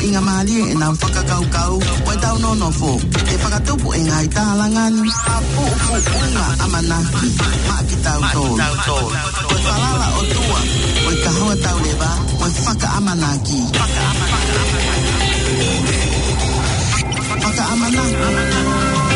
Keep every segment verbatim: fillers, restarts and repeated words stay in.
Ngaahi mālie ʻenau fakakaukau, ʻo ʻetau nonofo, ʻe fakatupu e ngaahi tālanga ni, ʻa pupuʻunga ʻamanaki, maʻa kitautolu. Ko e falala ʻOtua, ko e kahoa tauleva, ko e fakaʻamanaki. Fakaʻamanaki.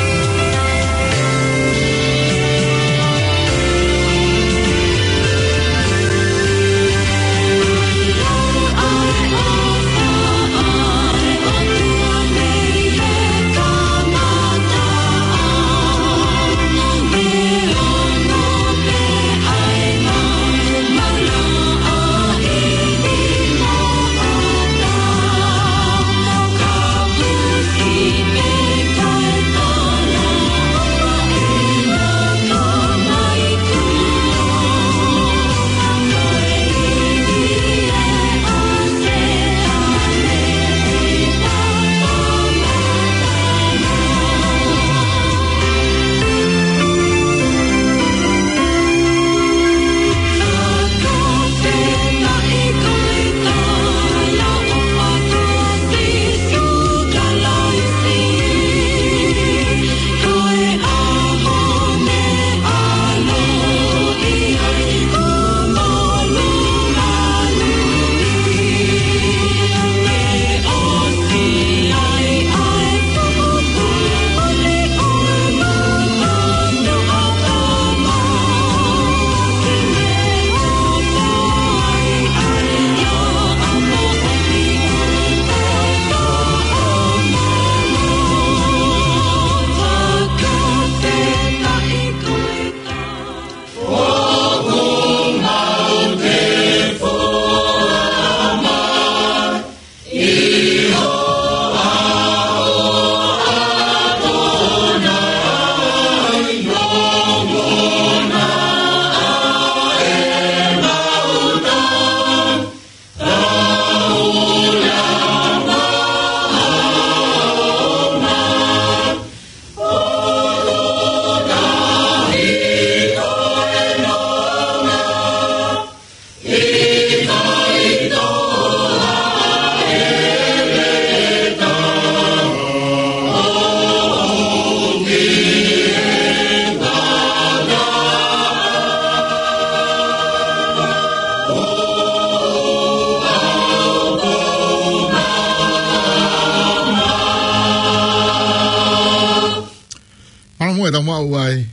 Mālō muʻa e tau maʻu ai.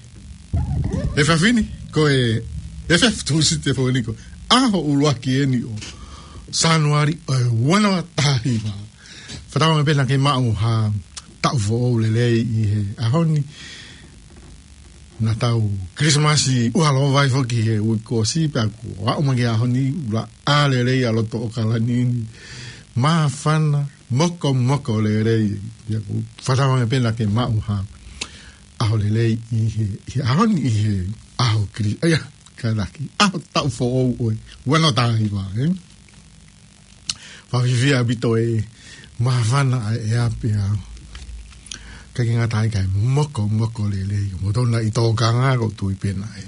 Efiafi ni, ko e, efiafi Tūsite foki ni ko e ʻaho ʻuluaki eni ʻo Sānuali ʻo e ua noa taha hiva. Fakatauange pē naʻa ke maʻu ha taʻu foʻou lelei ʻi he ʻaho ni. Naʻa tau Kilisimasi ʻuha lōvai foki he uike kuo ʻosi pea kuo aʻu mai ki he ʻaho ni, ʻuluaki lelei ʻa loto ʻAokalani ni. Māfana, mokomoko lelei. Pea ʻoku ou fakatauange pē naʻa ke maʻu ha ʻaho lelei ʻi he, ʻi he ʻaho ni ʻi he ʻaho Kili-, ʻa ia, kātaki, ʻaho taʻu foʻou ʻo e ua noa taha hiva, ē? Fakafiefia ʻaupito e māfana ʻa e ʻea pea ʻikai ke ngata ai kae mokomoko lelei. Mou tonu ʻi tōkanga ʻoku ou tui pē naʻe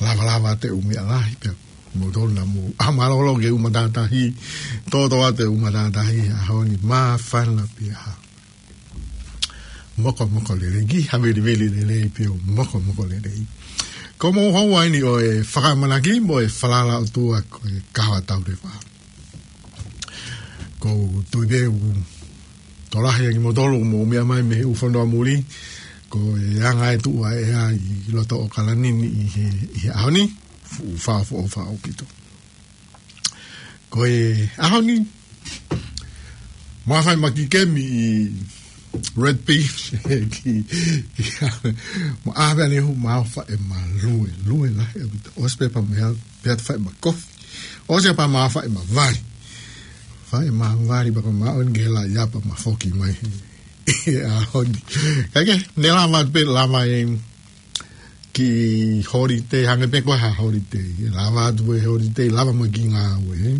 lavalava atu e ʻū meʻa lahi pea mou tonu mou ʻā mālōlō ki he ʻū matātahi, tōtō atu e ʻū matātahi he ʻaho ni, māfana pea mokomoko lelei, ki ha veliveli lelei pea ʻoku mokomoko lelei. Ko hoʻomou houa eni ʻo e fakaʻamanaki mo e falala ʻOtua ko e kahoa tauleva. ʻOku ou tui pē ʻoku tokolahi ʻa kimoutolu ʻoku mou meʻa mai mei he ʻū fonua muli, ko e anga e tuʻu ʻa e ʻea ʻi loto ʻAokalani ni ʻi he, ʻi he ʻaho ni, fuʻu fakaʻofoʻofa ʻaupito. Ko e ʻaho ni, mou fai ʻema kiʻi kemi ʻi Red Beef, ki, ki, mou ʻā pē ʻanehu mou fai ʻema lue, lue lahi ʻaupito. ʻOsi pē pea mou, pea fai ʻema kofi. ʻOsi pea mou fai ʻema vali. Fai ʻema vali pea ko e maʻu eni ke la ia pea mou foki mai he, he ʻaho ni. Kae kehe, ne lava pē lava e kiʻi holiday, hangē pē ko ha holiday. Lava atu e holiday, lava mai kiʻi ngāue, ē.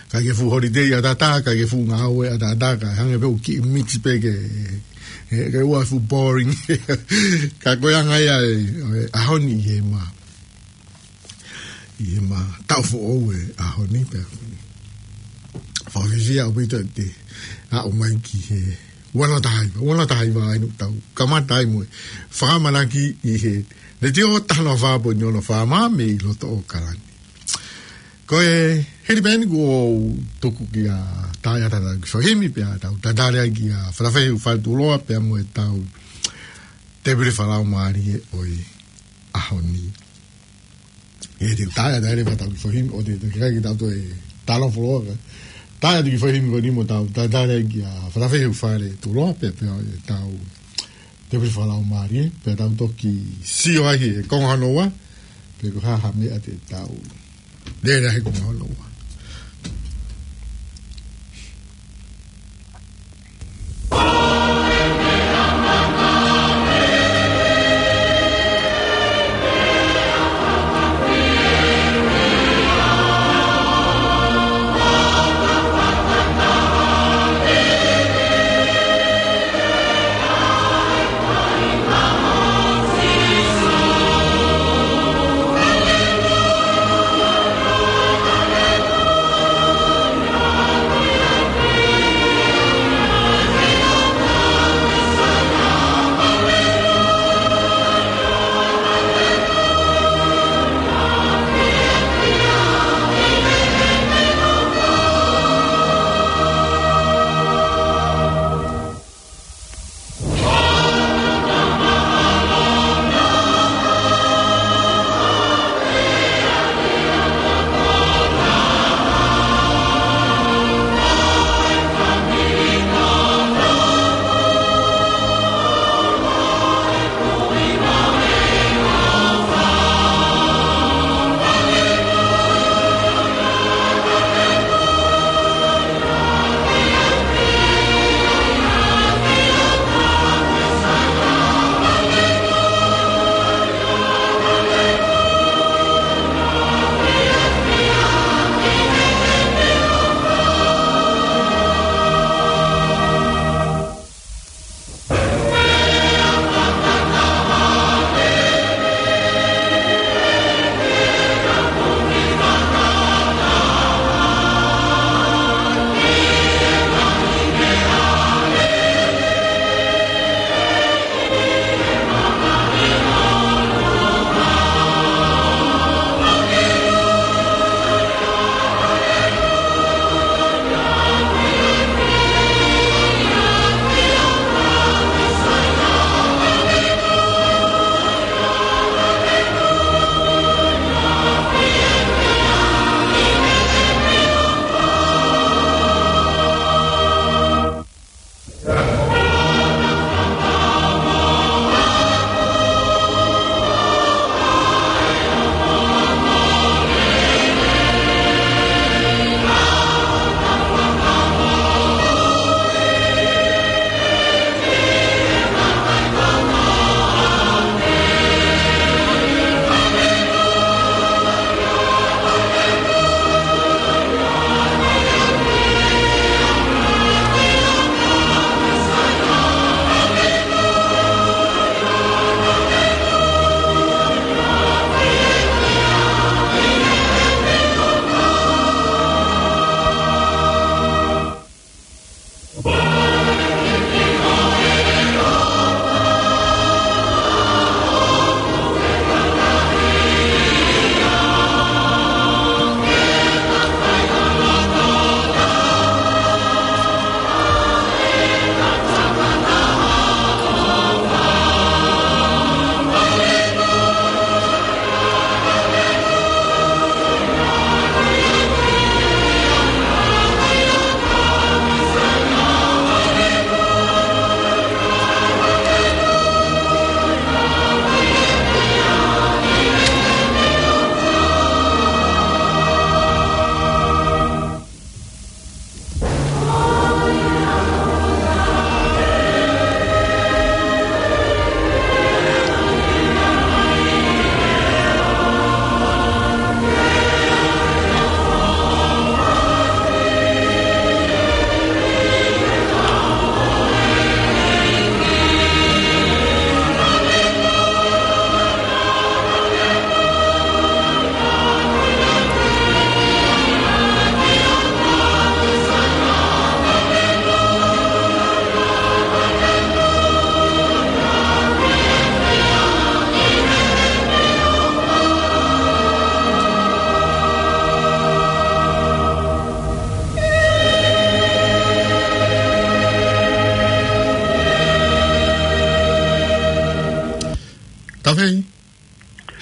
ʻIkai ke fuʻu holiday ʻataʻatā, ʻikai ke fuʻu ngāue ʻataʻatā, kae hangē pē ʻoku kiʻi mix pē ke, ke, ke ʻoua fuʻu boring. Ka ko e anga ia e, e ʻaho ni ʻi heʻema, ʻi heʻema taʻu foʻou e ʻaho ni pē. Fakafiefia ʻaupito ʻete aʻu mai ki he ua noa taha hiva, ua noa taha hiva ʻa eni ʻoku tau kamata ai mo e fakaʻamanaki ʻi he letiō taha noa fā poini ono FM mei loto ʻAokalani. Ko e hili pē eni kuo tuku kia Taeata ʻetau kiʻi foʻi himi pea tau tatali ai kia Falafehi Ufale Tuʻuloa pea mo ʻetau tēpile fakalaumālie ʻo e ʻaho ni. ʻE te u tae, tae leva ʻetau kiʻi foʻi himi, ʻo te, te kai ke tau toe talo foloa ka. Tae atu kiʻi foʻi himi ko eni mo tau, tae, tae leva kia Falafehi Ufale Tuʻuloa, pea, pea ʻetau tēpile fakalaumālie, pea tau toki sio ai he konga hono ua, pe ko e hā ha meʻa te tau lele ai he konga hono ua.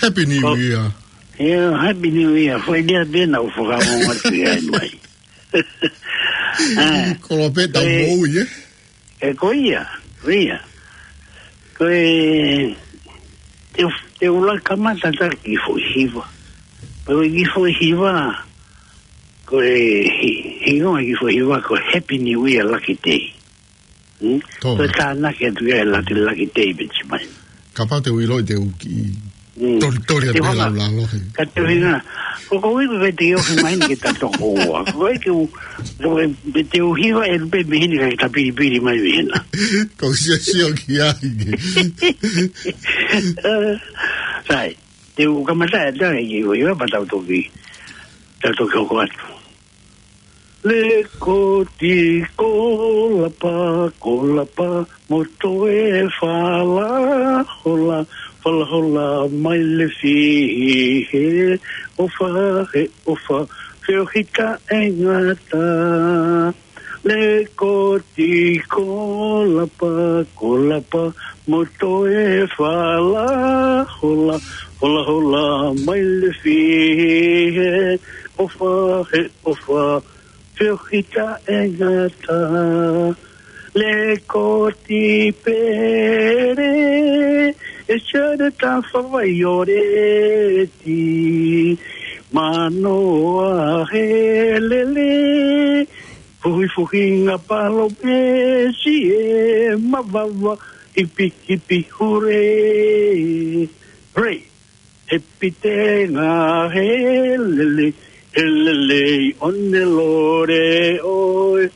Happy New Year. Yeah, Happy New Year. Foʻi lea pē naʻá ku fakaongo atu ia mai. Ah, Kolope tau moʻui, eh? E ko ia, ko ia. Ko e, te, te u laka kamata atu ki he foʻi hiva. Ko e ki he foʻi hiva, ko e hi-, hingoa ki he foʻi hiva, ko Happy New Year Lucky Day. Hmm? Ko e tānaki atu ia e Lucky, Lucky Day, Benjamin. Kapau te u ʻilo te u kiʻi toli, toli atu e laulalo he. Ka te u hinga. Ko ko ui ko te u hinga mai ni ke ta toko ua. Ko e ke u, ko e te u hiva e lupe mihini ka ke ta pilipili mai mihina. Ko sio sio ki ai ke. Sai, te u kamata e tā e ki ua, ua pa tau toki, tau toki hoko atu. Lekoti kolapa, kolapa, mo toe falahola, falahola mai le fihi he ʻofa, he ʻofa, feohi taʻengata. Lekoti kolapa, kolapa, mo toe falahola, falahola mai le fihi he ʻofa, he ʻofa, feohi taʻengata. Lekoti pele, e sere ta fafaioleti. Manoa he lele, fuhi fuhinga palōmesi e mavava, hipi hipi hure. Hure. He pitenga he lele, he lelei ʻone lore ʻoe,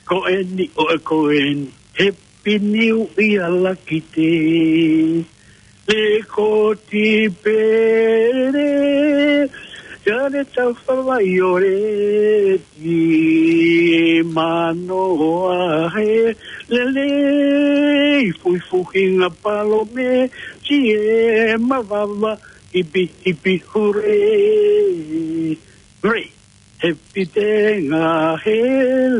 ko eni ʻoe ko eni, Happy New Year Lucky Day. Lekoti pele, sere ta fafaioleti. Manoa he lele, fuhi fuhinga palōmesi e mavava, hipi hipi hure. Hure. He pitenga he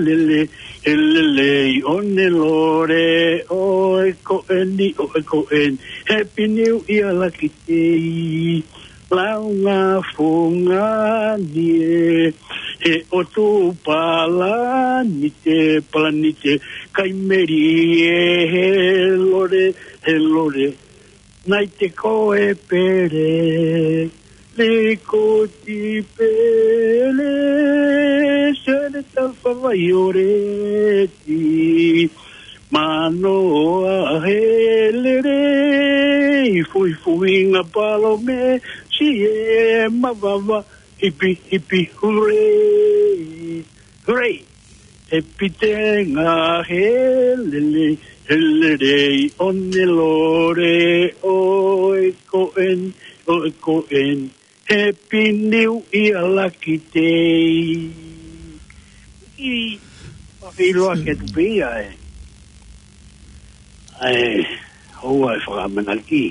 lele, he lelei ʻone lore ʻoe ko eni ʻoe ko eni, Happy New Year Lucky Day. Launga fungani e, he ʻotu palanite, palanite, kai meri e, he lore, he lore, naʻe te koe pele, lekoti pele, sere ta fafaioleti. Manoa he lele, fuhi fuhinga palōmesi e mavava, hipi hipi hure. Hure. He pitenga he lele, he lelei ʻone lore ʻoe ko eni ʻoe ko eni, Happy New Year Lucky Day. ʻI, ʻoku ou ʻilo ʻa e tupe ia e, ʻa e houa e fakaʻamanaki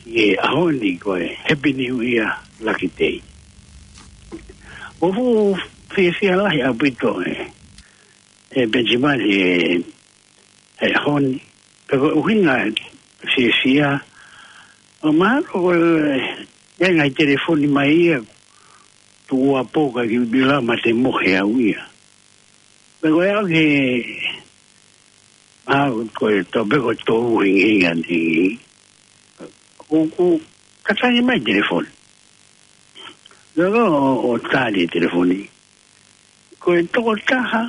ki he ʻaho ni ko e Happy New Year Lucky Day. ʻOku ou fiefia lahi ʻaupito e, e Benjamin he, he ʻaho ni. Pea ko e ʻuhinga e fiefia, ʻoku mahalo ko e, e ngaahi telefoni mai ia, tuʻu ʻa poka ki ʻUtila ma te mohe au ia. Pea ko e au ke, a, ko e tau pē ko e tolu hingihingi anti. ʻOku, ʻoku katangi mai telefoni. Lolo ʻo, ʻo tali telefoni. Ko e tokotaha,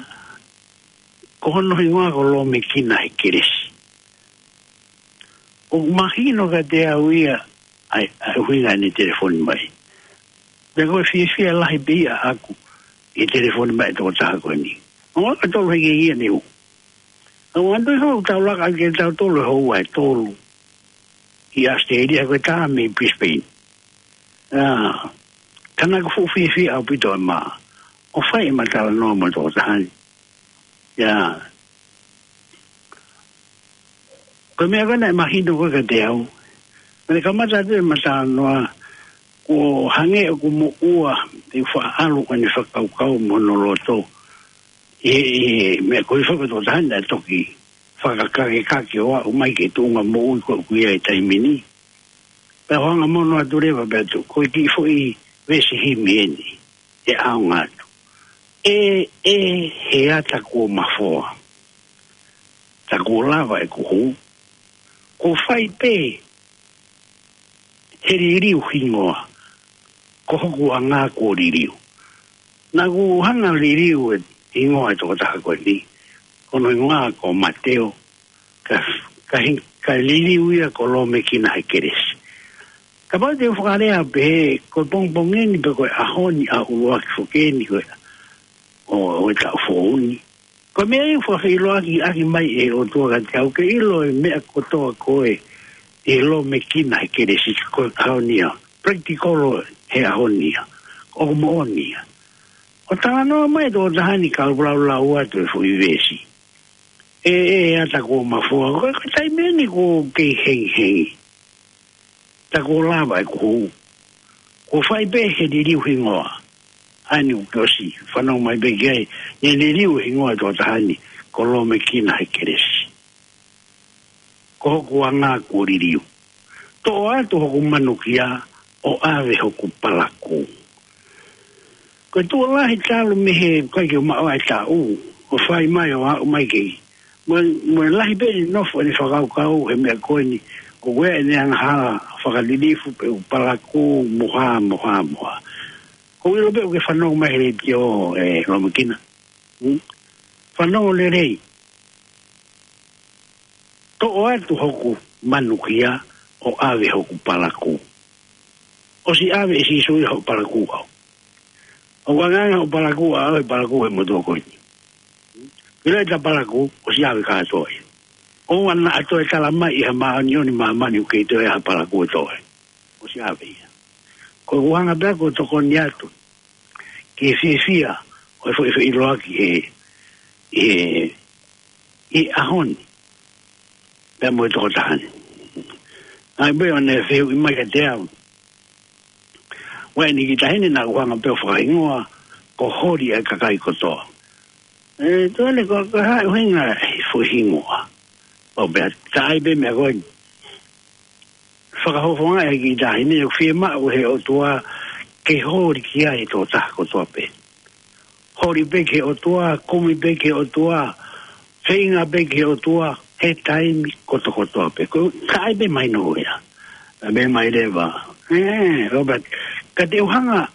ko hono hingoa ko Lomekina Hekelesi. ʻOku mahino kiate au ia, ʻa e, ʻa e ʻuhinga ʻene telefoni mai. Pea ko e fiefia lahi pē ia ʻaʻaku, ʻi he telefoni mai e tokotaha ko eni. ʻO ka tolu he ke ia ni u. ʻO antu i hou tau laka ke tau tolu he houa e tolu. ʻI ʻAositelēlia ko e tā mei Brisbane. ʻA, ka naʻá ku fuʻu fiefia ʻaupito e mā. ʻO fai e mā talanoa mo e tokotaha ni. ʻIa. Ko e meʻa ko ē naʻe mahino ko ē kiate au. Naʻe kamata atu e mā talanoa, ko hangē ʻoku moʻua, te u faʻa ʻalu ko ʻene fakakaukau mo hono loto. ʻI he, ʻi he meʻa ko ē fakato tahani naʻe toki fakakakekake ʻo aʻu mai ki he tuʻunga moʻui ko ē ʻoku ʻi ai e taimi ni. Pea u hanga mono atu leva pea u ʻoatu, ko e kiʻi foʻi veesi himi eni, ʻe ʻaonga atu. ʻE, ʻe, he ata kuo mafoa. Tā kuo lava ʻeku hū. Kuo fai pē he liliu hingoa. Ko hoku anga kuo liliu. Naʻa ku hanga liliu e hingoa e tokotaha ko eni. Ko hono hingoa ko Mateo. Ka, ka, hi-, ka liliu ia ko Lomekina he kelesi. Kapau te u fakalea pehē, ko e pongipongi ni pe ko e ʻaho ni ʻa e ʻuluaki foki eni ko e, ʻo, ʻo e taʻu foʻou ni. Ko e meʻa ia ʻoku fakafeʻiloaki ʻaki mai ʻe he ʻOtua kiate au ke ʻilo e meʻa kotoa ko ē ʻi he Lomekina he kelesi ko e ʻaho ni ia. Practical he ʻaho ni ia. ʻOku moʻoni ia. ʻO talanoa mai e tokotaha ni ka u laulau atu e foʻi veesi. ʻE, ʻe, ʻe ata kuo mafoa. Ko e, ko e taimi eni kuo kei hengihengi. Tā kuo lava ʻeku hū. Kuo fai pē he liliu hingoa. ʻA eni ʻoku ke ʻosi fanongo mai pē ki ai, ne liliu hingoa e tokotaha ni, ko Lomekina he kelesi. Ko hoku anga kuo liliu. Toʻo atu hoku manukia, ʻo ʻave hoku palakū. Ko e tuʻo lahi talu mei he ʻikai ke u maʻu ʻa e taʻu, ʻo fai mai ʻo aʻu mai ki ai. Mo, mo e lahi pē ʻene nofo ʻene fakakaukau he meʻa ko eni, ko e ʻene angahala fakalilifu pe ʻū palakū mo ha, mo ha, mo ha. Ko e ʻilo pē ʻoku ke fanongo mai he letiō ē Lomekina. Hmm? Fanongo lelei. Toʻo atu hoku manukia ʻo ʻave hoku palakū. ʻOsi ʻave ʻe Sīsū ia hoku palakū au. ʻOku ʻangaʻanga hoku palakū au he palakū he motuʻa ko eni. Pea ʻi ai ʻeta palakū, ʻosi ʻave kātoa ia. ʻOua naʻa toe tala mai ʻe ha māʻoniʻoni ʻi māmani ʻoku kei toe ʻi ai ha palakū ʻe toe. ʻOsi ʻave ia. Ko ʻeku hanga pē ʻo tokoni atu ki he fiefia ʻo e foʻi feʻiloaki he, he, he ʻaho ni. Pea mo e tokotaha ni. ʻA ia pē ʻo ne fehuʻi mai kiate au. Ko eni kiʻi taʻahine naʻa ku hanga pē ʻo fakahingoa ko Holi ʻa e kakai kotoa. ʻE, tole ko, ko e hā e ʻuhinga e foʻi hingoa. ʻO pea, tā ai pē meʻa ko eni. Fakafofonga e kiʻi taʻahine, ʻoku fiemaʻu he ʻOtua ke holi ki ai e tokotaha kotoa pē. Holi pē ki he ʻOtua, kumi pē ki he ʻOtua, feinga pē ki he ʻOtua, he taimi kotokotoa pē. Ko, tā ai pē mai noa ia. Pea mai leva. ʻE, Robert, ka te u hanga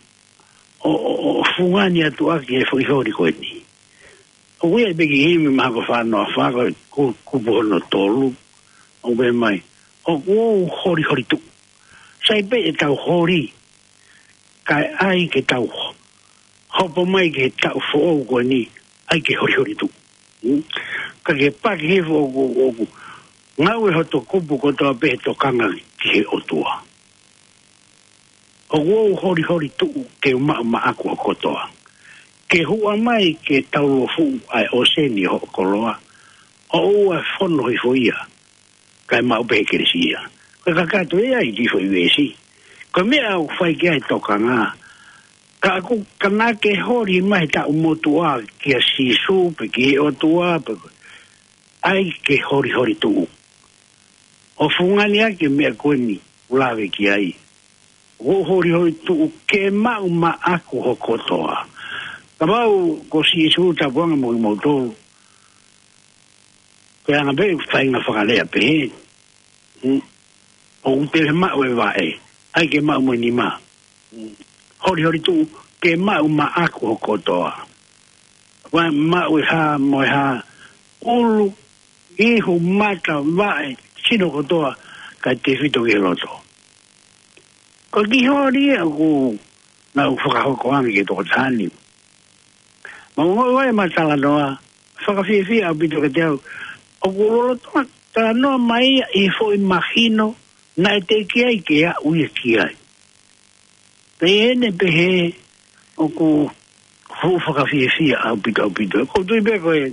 ʻo, ʻo, ʻo fungani atu ʻaki e foʻi holi ko eni. ʻOku ʻi ai pē kiʻi himi mahalo ko e fā noa fā ko e ku-, kupu hono tolu. ʻOku pehē mai. ʻOku ou holi holi tuʻu. Sai pē ʻetau holi. Kae ʻai ke tau ho-, hopo mai ki he taʻu foʻou ko eni. ʻAi ke holi holi tuʻu. Hmm? Ka ke paki he foʻou ʻoku, ʻoku. Ngāue hoto kupu kotoa pē he tokanga ki he ʻOtua. ʻOku ou holi holi tuʻu ke u maʻu maʻaku ʻo kotoa. Ke huʻa mai ke tau lofuʻu ʻa e ʻōseni ʻo hoʻo koloa. ʻOua ʻe fono hifo ia. Kae maʻu pē he kelesi ia. Ko e kakato ia ʻi he foʻi veesi. Ko e meʻa ʻoku fai ki ai e tokanga. Ka ʻoku, ka naʻa ke holi mai he taʻu motuʻa kia Sīsū pe ki he ʻOtua pe ko ʻAi ke holi holi tuʻu. ʻO fungani ʻaki e meʻa ko eni ʻoku lave ki ai. ʻO holi holi tuʻu ke maʻu maʻaku ho kotoa. Kapau ko Sīsū tapuanga mo kimoutolu. Ko e anga pē faʻahinga fakalea pehē. Hmm. ʻOku te maʻu e vaʻe. ʻAi ke maʻu mo e nima. Hmm. Holi holi tuʻu ke maʻu maʻaku ho kotoa. Vaʻe maʻu e hā mo e hā, ʻulu, ihu, mata, vaʻe, sino kotoa, kae tefito ki he loto. Ko e kiʻi holi ia ʻoku, naʻa ku fakahoko ange ki he tokotaha ni. Mo e ngaahi vaʻe ma talanoa, fakafiefia ʻaupito kiate au, ʻoku lolotonga talanoa mai ia ʻi he foʻi mahino, naʻe teʻeki ai ke aʻu ia ki ai. Pea ʻi heʻene pehē ʻoku fuʻu fakafiefia ʻaupito ʻaupito. ʻOku ou tui pē ko e,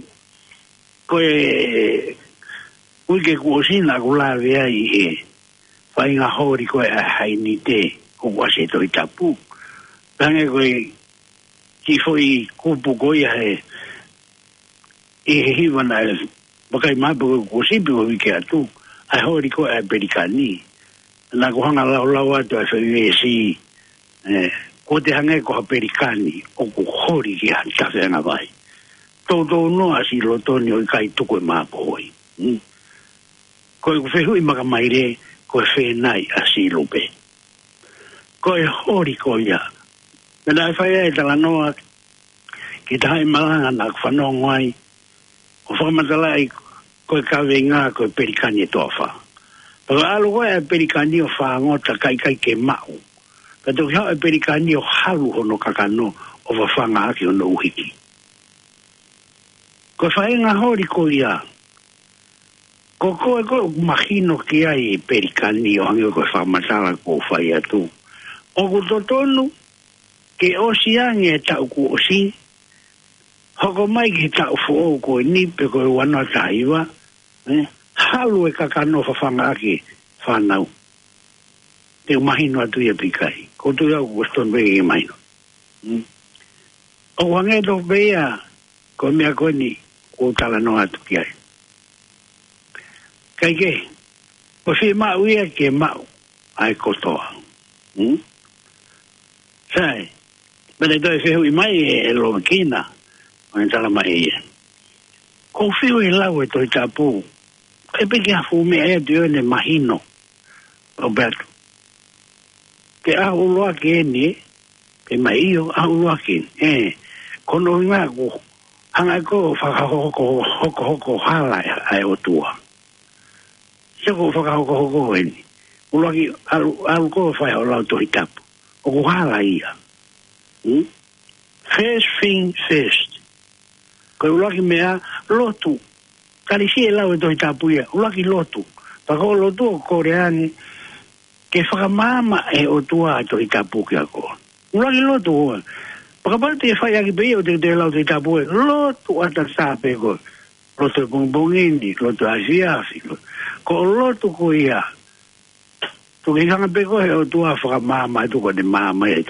ko e uike kuo ʻosi naʻa ku lave ai ʻi he faʻahinga holi ko ē ʻa e Hainite ʻoku ʻasi he Tohi Tapu. Hangē ko e kiʻi foʻi kupu ko ia he, ʻi he hiva naʻe vakai mai pē ko e kuo ʻosi pē ko e uike atu. ʻA e holi ko ē ʻa e Pelikani. Naʻa ku hanga ʻo laulau atu ʻa e foʻi veesi, ē, ko te hangē ko ha pelikani ʻoku holi ki ha tafe ʻa e vai. Toutou noa ʻasi ʻi loto ni ʻo ʻikai tuku e māpohoi. Hmm? Ko ʻeku fehuʻi makamaile, ko e fēnai ʻa Silupe. Ko e holi ko ia. Naʻe fai ai e talanoa ki he taha ʻi Malanga naʻa ku fanongo ai, ʻo fakamatalaʻi ko e kaveinga ko e pelikani ʻe toafa. Pea ʻalu ko ē ʻa e pelikani ʻo fāngota kae ʻikai ke maʻu. Pea toki haʻu e pelikani ʻo halu hono kakano ʻo fafanga ʻaki hono ʻuhiki. Ko e faʻahinga holi ko ia, ko koe ko ē ʻoku mahino ki ai e pelikani ʻo hangē ko e fakamatala kuo u fai atu. ʻOku totonu ke ʻosi ange e taʻu kuo ʻosi, hoko mai ki he taʻu foʻou ko eni pe ko e ua noa taha hiva, ē, halu e kakano fafanga ʻaki e fānau. Te u mahino atu ia pe ʻikai. Ko tu ia ʻoku ʻosi tonu pē ke mahino. Hmm. ʻOku hangē tofu pē ia, ko e meʻa ko eni, kuo u talanoa atu ki ai. Kae kehe, ʻoku fiemaʻu ia ke maʻu ʻa e kotoa. Hmm? Sai, pea toe fehuʻi mai ʻe, ʻe Lomekina, ʻo ne tala mai ia. Ko e fiu e lau e Tohi Tapu, ʻe piki ha fuʻu meʻa ia te ne mahino. ʻO pehē atu. Ke ʻaho ʻuluaki eni, pe mai ʻio, ʻaho ʻuluaki eni. Ē, ko hono ʻuhinga ʻoku hanga ʻe koe ʻo fakahoko, hokohoko hala ʻa e, ʻa e ʻOtua. Sio ko e fakahokohoko eni. ʻUluaki ʻalu, ʻalu koe ʻo fai hoʻo lau Tohi Tapu. ʻOku hala ia. Hmm? First thing first. Ko e ʻuluaki meʻa, lotu. Tali siʻi e lau e Tohi Tapu ia, ʻuluaki lotu. Pea ko e lotu ʻoku kole ange ke fakamaama ʻe he ʻOtua e Tohi Tapu kiate koe. ʻUluaki lotu ʻoku. Pea kapau te ke fai ʻaki pē ia ʻo te, te lau Tohi Tapu ē, lotu ʻatatā pē koe. Lotu e pongipongi ni, lotu e afiafi. Ko e lotu ko ia, toki hanga pē ko ē ʻe he ʻOtua ʻo fakamaama atu ko ʻene maama ia.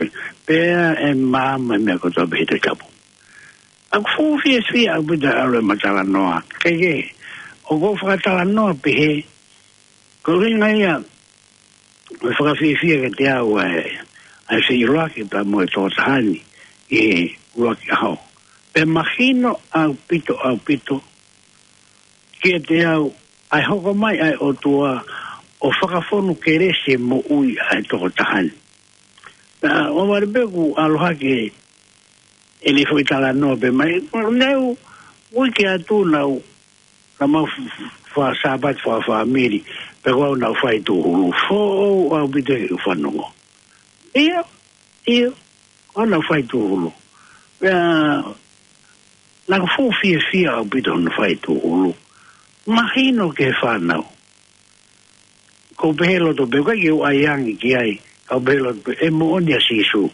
Pea ʻe maama e meʻa kotoa pē he Tohi Tapu. ʻOku fuʻu fiefia ʻaupito ʻa e ʻalu e matalanoa. Kae kehe, ʻoku ou fakatalanoa pehē, ko e ʻuhinga ia, ʻoku fakafiefia kiate au ʻa e, ʻa e feʻiloaki pea mo e tokotaha ni ʻi he ʻuluaki ʻaho. Pea mahino ʻaupito, ʻaupito kiate au ʻa e hoko mai ʻa e ʻOtua ʻo fakafonu kelesi e moʻui ʻa e tokotaha ni. Pea ʻoua leva pē kuo ʻalu hake ʻene foʻi talanoa pē mai. Naʻe u, uike atu naʻa ku, naʻa mau f-, f-, fai Sāpate fakafāmili, pea ko au naʻa ku fai tūhulu. Foʻou ʻaupito heʻeku fanongo. ʻIo, ʻio, ko au naʻa ku fai tūhulu. Pea, naʻa ku fuʻu fiefia ʻaupito hono fai tūhulu. Mahino ki he fānau. Ko u pehē loto pē, ʻikai ke u ʻai ange ki ai, ka u pehē loto pē, ʻe moʻoni ʻa Sīsū.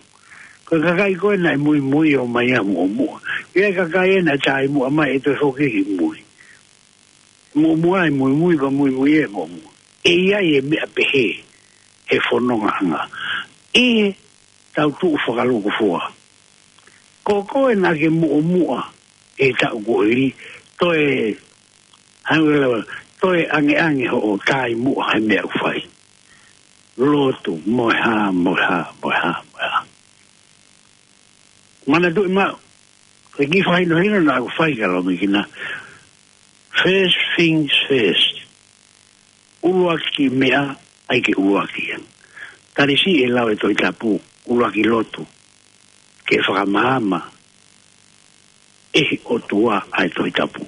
Ko e kakai ko ē naʻe muimui ʻo ʻomai ʻa e muʻomuʻa. ʻI ai e kakai ē naʻe tāimuʻa mai ʻe toe foki ki mui. Muʻomuʻa ʻe muimui, pea muimui ʻe moʻomua. ʻE ʻi ai e meʻa pehē, he fonongaʻanga. ʻI heʻetau tuʻu fakalūkufua. Ko koe naʻa ke muʻomuʻa, ʻi he taʻu kuo hili, toe Hangē leva, toe angeange hoʻo tāimuʻa he meʻa ʻoku fai. Lotu, mo e hā, mo e hā, mo e hā, mo e hā. Manatuʻi maʻu, ko e kiʻi fakahinohino naʻa ku fai kia Lomekina. First things first. ʻUluaki meʻa, ʻai ke ʻuluaki. Tali siʻi e lau e Tohi Tapu, ʻuluaki lotu. Ke fakamaama ʻe he ʻOtua ʻa e Tohi Tapu.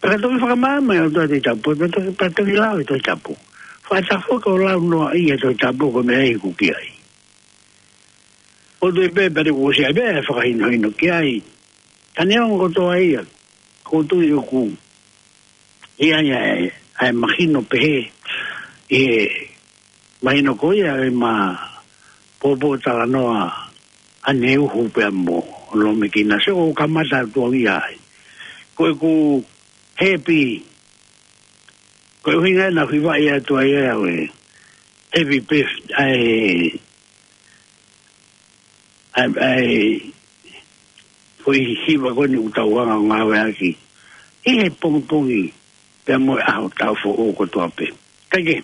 Pea toki fakamaama ʻe he ʻOtua e Tohi Tapu, pea toki, pea toki lau e Tohi Tapu. Faʻa tafoki ʻo lau noaʻia e Tohi Tapu ko e meʻa ʻoku ʻi ai. ʻO toe pē pea te u ʻosi ʻai pē e fakahinohino ki ai. Ka neongo kotoa ia, ʻoku ou tui ʻoku ʻi ai ʻa e, ʻa e mahino pehē, ʻi he mahino ko ia ʻema pōpōtalanoa ʻaneuhu pea mo Lomekina, sio ʻoku kamata atu au ia ai. Ko ʻeku happy, ko e ʻuhinga naʻa ku hivaʻi atu ai au e happy birth-, ʻa e, ʻa e, ʻa e, foʻi hiva ko eni ʻoku tau hanga ʻo ngāueʻaki. ʻI he pongipongi, pea mo e ʻaho taʻu foʻou kotoa pē. Kae kehe,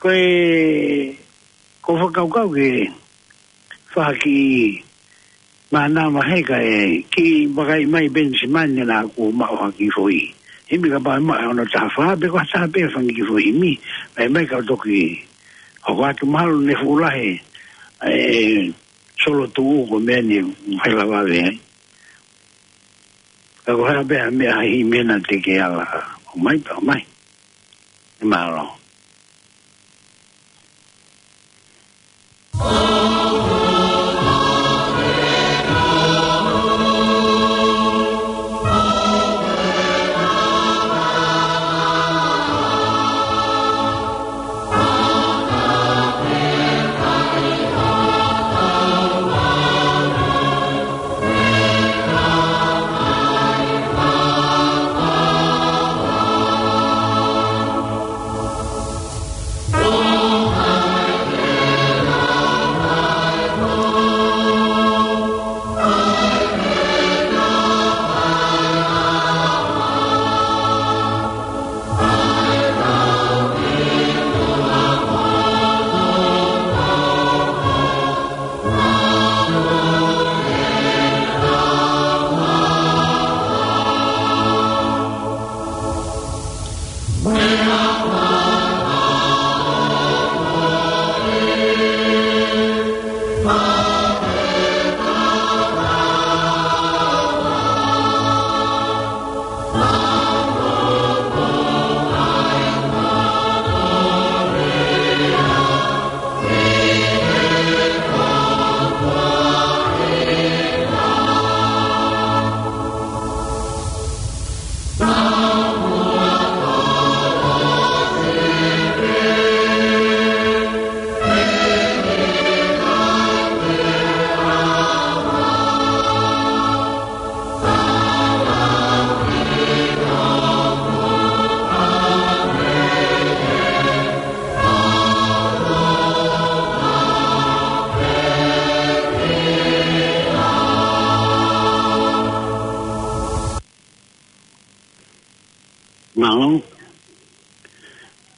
Ko e, ko e fakakaukau ke fai ha kiʻi mānava he ka e kiʻi vakai mai Penisimani naʻa ku maʻu ha kiʻi foʻi himi kapau ʻe maʻu ʻe hono taha fā pe ko ha taha pē fanga kiʻi foʻi himi. Mai mai ka toki hoko atu mahalo ne fuʻu lahi e solo tuʻu ko e meʻa ni ʻe lava vave ai. Ka ko e hā pē ha meʻa ha himi naʻa te ke ala ʻomai pē ʻomai. Mālō. Mālō.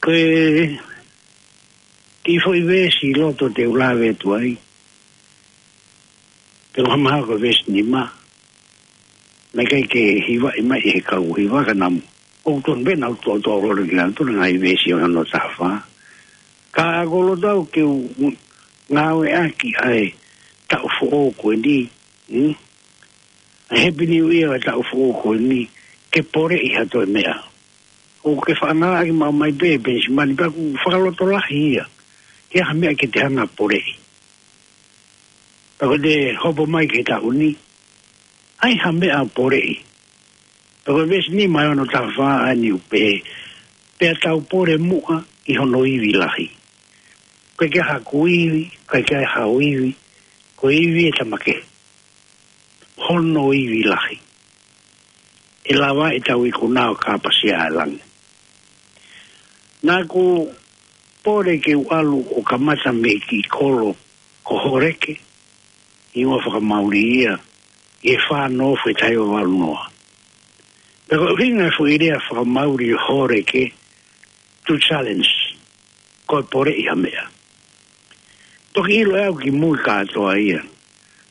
Ko e kiʻi foʻi veesi ʻi loto te u lave atu ai. Te u hanga ʻo veesi nima. Naʻe ʻikai ke hivaʻi mai he kau hiva ka namu. ʻOku tonu pē naʻa ku toʻotoʻo lolo ki lalo tonu ngaahi veesi ʻo hono taha fā. Ka ko e loto au ke u ngāueʻaki ʻa e taʻu foʻou ko eni. Hmm? ʻA e Happy New Year ʻa e taʻu foʻou ko eni. Ke poleʻi ha toe meʻa. ʻOku ke faʻa ngāueʻaki maʻu mai pē Penisimani pea ʻoku fakalotolahi ia. Ke ʻai ha meʻa ke te hanga poleʻi. Pea ko e te hopo mai ke taʻu ni. ʻAi ha meʻa poleʻi. Pea ko e veesi nima ʻi hono taha fā ʻa eni ʻoku pehē. Pea tau pole muʻa ʻi hono ivi lahi. ʻIkai ke ʻi ai haku ivi, ʻikai ke ʻi ai hau ivi. Ko e ivi ʻe tamake. Hono ivi lahi. ʻE lava ʻetau ikuna ʻo kāpasia ʻa e langi. Naʻa ku pole ke u ʻalu ʻo kamata mei he kiʻi kolo ko Horeke, ʻi he ʻū fakamauli ia, ʻi he fā noa ʻo e taha hiva valu noa. Pea ko e ʻuhinga e foʻi lea fakamauli Horeke, to challenge, ko e poleʻi ha meʻa. Toki ʻilo ʻe au ki mui kātoa ia.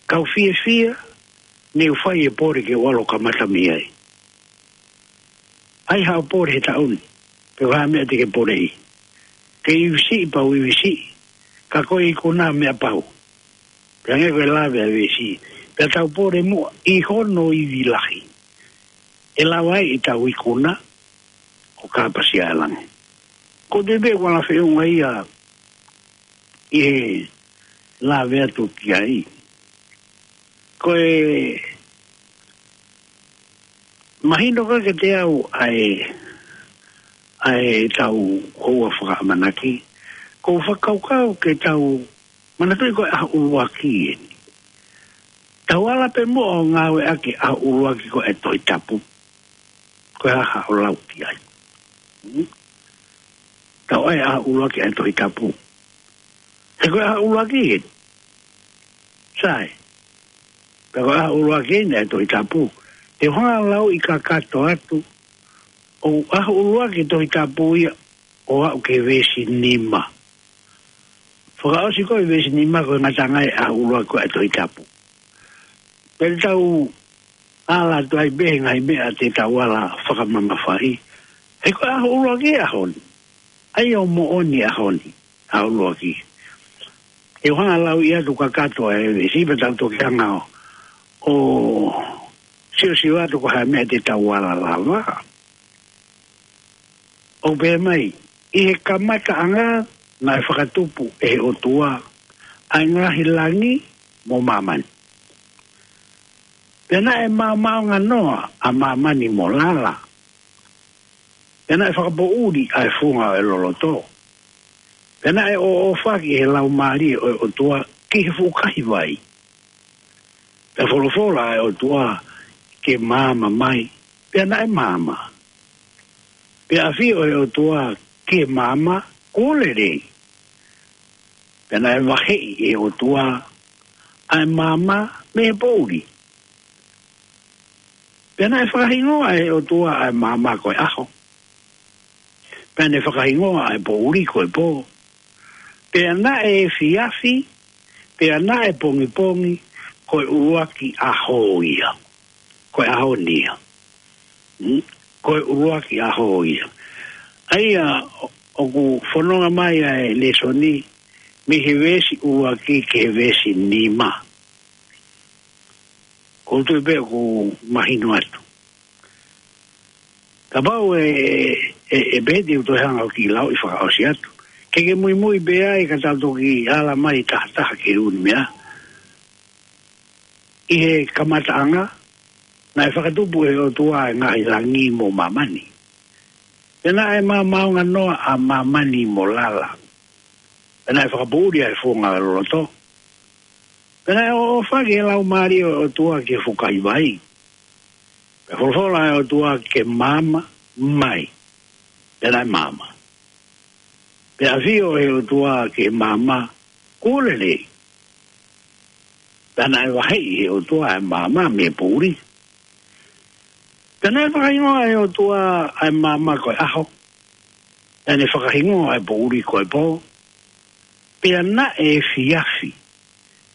Kau fiefia, ne u fai e pole ke u ʻalu ʻo kamata mei ai. ʻAi haʻo pole he taʻu ni, pe ko e hā e meʻa te ke poleʻi. Ke ivi siʻi pau ivi siʻi, ka ko e ikuna meʻa pau. Pea hangē ko e lave ʻa e veesi, pea tau pole muʻa ʻi hono ivi lahi. ʻE lava ai ʻetau ikuna, ʻo kāpasia ʻa e langi. Ko e tēpē ʻoku ala feʻunga ia ʻi he lave atu ki ai. Ko e mahino ko ē kiate au ʻa e, ʻa e tau houa fakaʻamanaki. Ko e fakakaukau ke tau manatuʻi ko e ʻaho ʻuluaki eni. Tau ala pē muʻa ʻo ngāueʻaki ʻaho ʻuluaki ko e Tohi Tapu. Ko e hā haʻo lau ki ai. Hmm? Tau ʻai ʻaho ʻuluaki ʻa e Tohi Tapu. He ko e ʻaho ʻuluaki eni. Sai. Pea ko e ʻaho ʻuluaki eni ʻa e Tohi Tapu. Te u hanga ʻo lau ʻi kakato atu. ʻO ʻaho ʻuluaki Tohi Tapu ia ʻo aʻu ki he veesi nima. Fakaʻosi ko e veesi nima ko e ngataʻanga ʻa e ʻuluaki ko e Tohi Tapu. Pea tau ala atu ai pē he ngaahi meʻa te tau ala fakamamafaʻi. He ko e ʻuluaki ʻaho ni. ʻA ia ʻoku moʻoni ʻaho ni. ʻA e ʻuluaki. ʻE hanga lau ia tu kakato e veesi pea tau toki hanga ʻo, ʻo siosio atu ko e hā e meʻa te tau ala lava. ʻOku pehē mai, ʻi he kamataʻanga naʻe fakatupu ʻe he ʻOtua ʻa e ngaahi langi mo māmani. Pea naʻe maomaonganoa ʻa māmani mo lala. Pea naʻe fakapoʻuli ʻa e funga ʻo e loloto. Pea naʻe ʻōʻōfaki ʻe he Laumālie ʻo e ʻOtua ki he fuʻu kahi vai. Pea folofola ʻa e ʻOtua ke maama mai. Pea naʻe maama. Pea ʻafio ʻa e ʻOtua ki he maama kuo lelei. Pea naʻe vaheʻi ʻe he ʻOtua ʻa e maama mei he poʻuli. Pea naʻe fakahingoa ʻe he ʻOtua ʻa e maama ko e ʻaho. Pea ne fakahingoa ʻa e poʻuli ko e pō. Pea naʻe efiafi, pea naʻe pongipongi, ko e ʻuluaki ʻaho ia. Ko e ʻaho ni ia. Hmm? Ko e ʻuluaki ʻaho ia. ʻA ia, ʻo-, ʻoku fononga mai ʻa e lēsoni, mei he veesi ʻuluaki ki he veesi nima. Ko u tui pē ʻoku mahino atu. Kapau ʻe, ʻe, ʻe pehē te u toe hanga ʻo kiʻi lau ʻi fakaʻosi atu. Ke ke muimui pē ai ka tau toki ala mai taha taha ki he ʻū meʻa. ʻI he kamataʻanga, naʻe fakatupu ʻe he ʻOtua ʻa e ngaahi langi mo māmani. Pea naʻe maomaonganoa ʻa māmani mo lala. Pea naʻe fakapoʻuli ʻa e funga ʻo e loloto. Pea naʻe ʻōʻōfaki ʻe he Laumālie ʻo e ʻOtua ki he fuʻu kahi vai. Pea folofola ʻa e ʻOtua ke maama mai. Pea naʻe maama. Pea ʻafio ʻe he ʻOtua ki he maama kuo lelei. Pea naʻe vaheʻi ʻe he ʻOtua ʻa e maama mei he poʻuli. Pea naʻe fakahingoa ʻe he ʻOtua ʻa e maama ko e ʻaho. Pea ne fakahingoa ʻa e poʻuli ko e pō. Pea naʻe efiafi.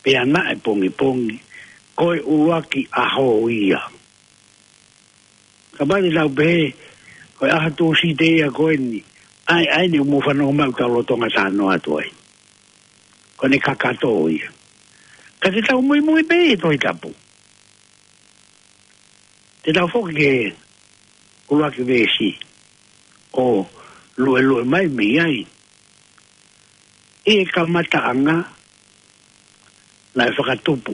Pea naʻe pongipongi. Ko e ʻuluaki ʻaho ia. Kapau te tau pehē, ko e ʻaho Tūsite ia ko eni. ʻAi, ʻai eni ʻoku mou fanongo mai ʻoku tau lolotonga talanoa atu ai. Ko ʻene kakato ia. Ka te tau muimui pē ʻi he Tohi Tapu. Te tau foki ki he ʻuluaki veesi ʻo luelue mai mei ai. ʻI he kamataʻanga naʻe fakatupu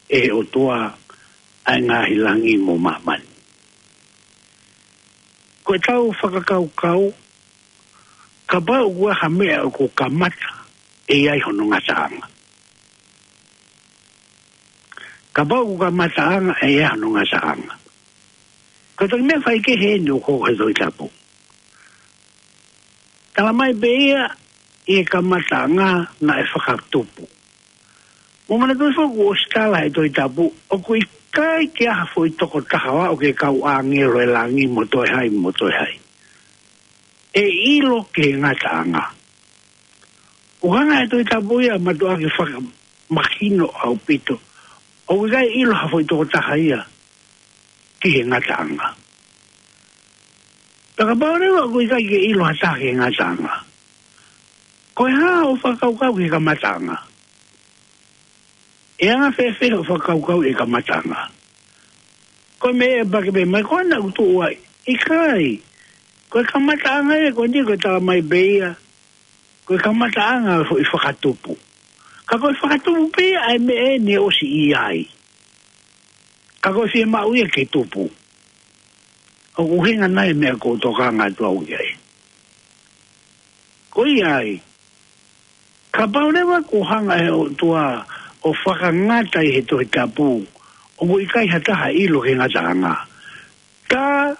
ʻe he ʻOtua ʻa e ngaahi langi mo māmani. Ko ʻetau fakakaukau, kapau ʻoku ʻi ai ha meʻa ʻoku kamata ʻe ʻi ai hono ngataʻanga. Kapau ʻoku kamataʻanga ʻe ʻi ai hono ngataʻanga. Ko e toki meʻa faikehe eni ʻoku hoko he Tohi Tapu. Tala mai pē ia ʻi he kamataʻanga naʻe fakatupu. Mou manatuʻi foki ʻoku ʻosi tala he Tohi Tapu, ʻoku ʻikai ke ʻi ai ha foʻi tokotaha ʻo aʻu ki he kau ʻāngelo ʻo e langi mo toe hai, mo toe hai. ʻE ʻilo ki he ngataʻanga. ʻOku hanga ʻe he Tohi Tapu ia ʻo mātuʻaki fakamahino ʻaupito. ʻOku ʻikai ʻilo ha foʻi tokotaha ia ki he ngataʻanga. Pea kapau leva ʻoku ʻikai ke ʻilo ha taha ki he ngataʻanga. Ko e hā hoʻo fakakaukau ki he kamataʻanga? ʻE anga fēfē hoʻo fakakaukau ʻi he kamataʻanga? Ko e meʻa ʻe pehē mai ko ena ʻoku tuʻu ai. ʻIkai. Ko e kamataʻanga ia, ko eni ko e tala mai pē ia. Ko e kamataʻanga ʻo e fakatupu. Ka ko e fakatupu pē ia ʻa e meʻa eni ʻoku ʻosi ʻi ai. Ka ko e fiemaʻu ia ke tupu. ʻOku ʻuhinga nai e meʻa ʻoku ou tokanga atu au ki ai? Ko ia ai. Kapau leva ʻoku hanga ʻe he ʻOtua ʻo fakangata ʻi he Tohi Tapu, ʻoku ʻikai ha taha ʻilo ki he ngataʻanga. Tā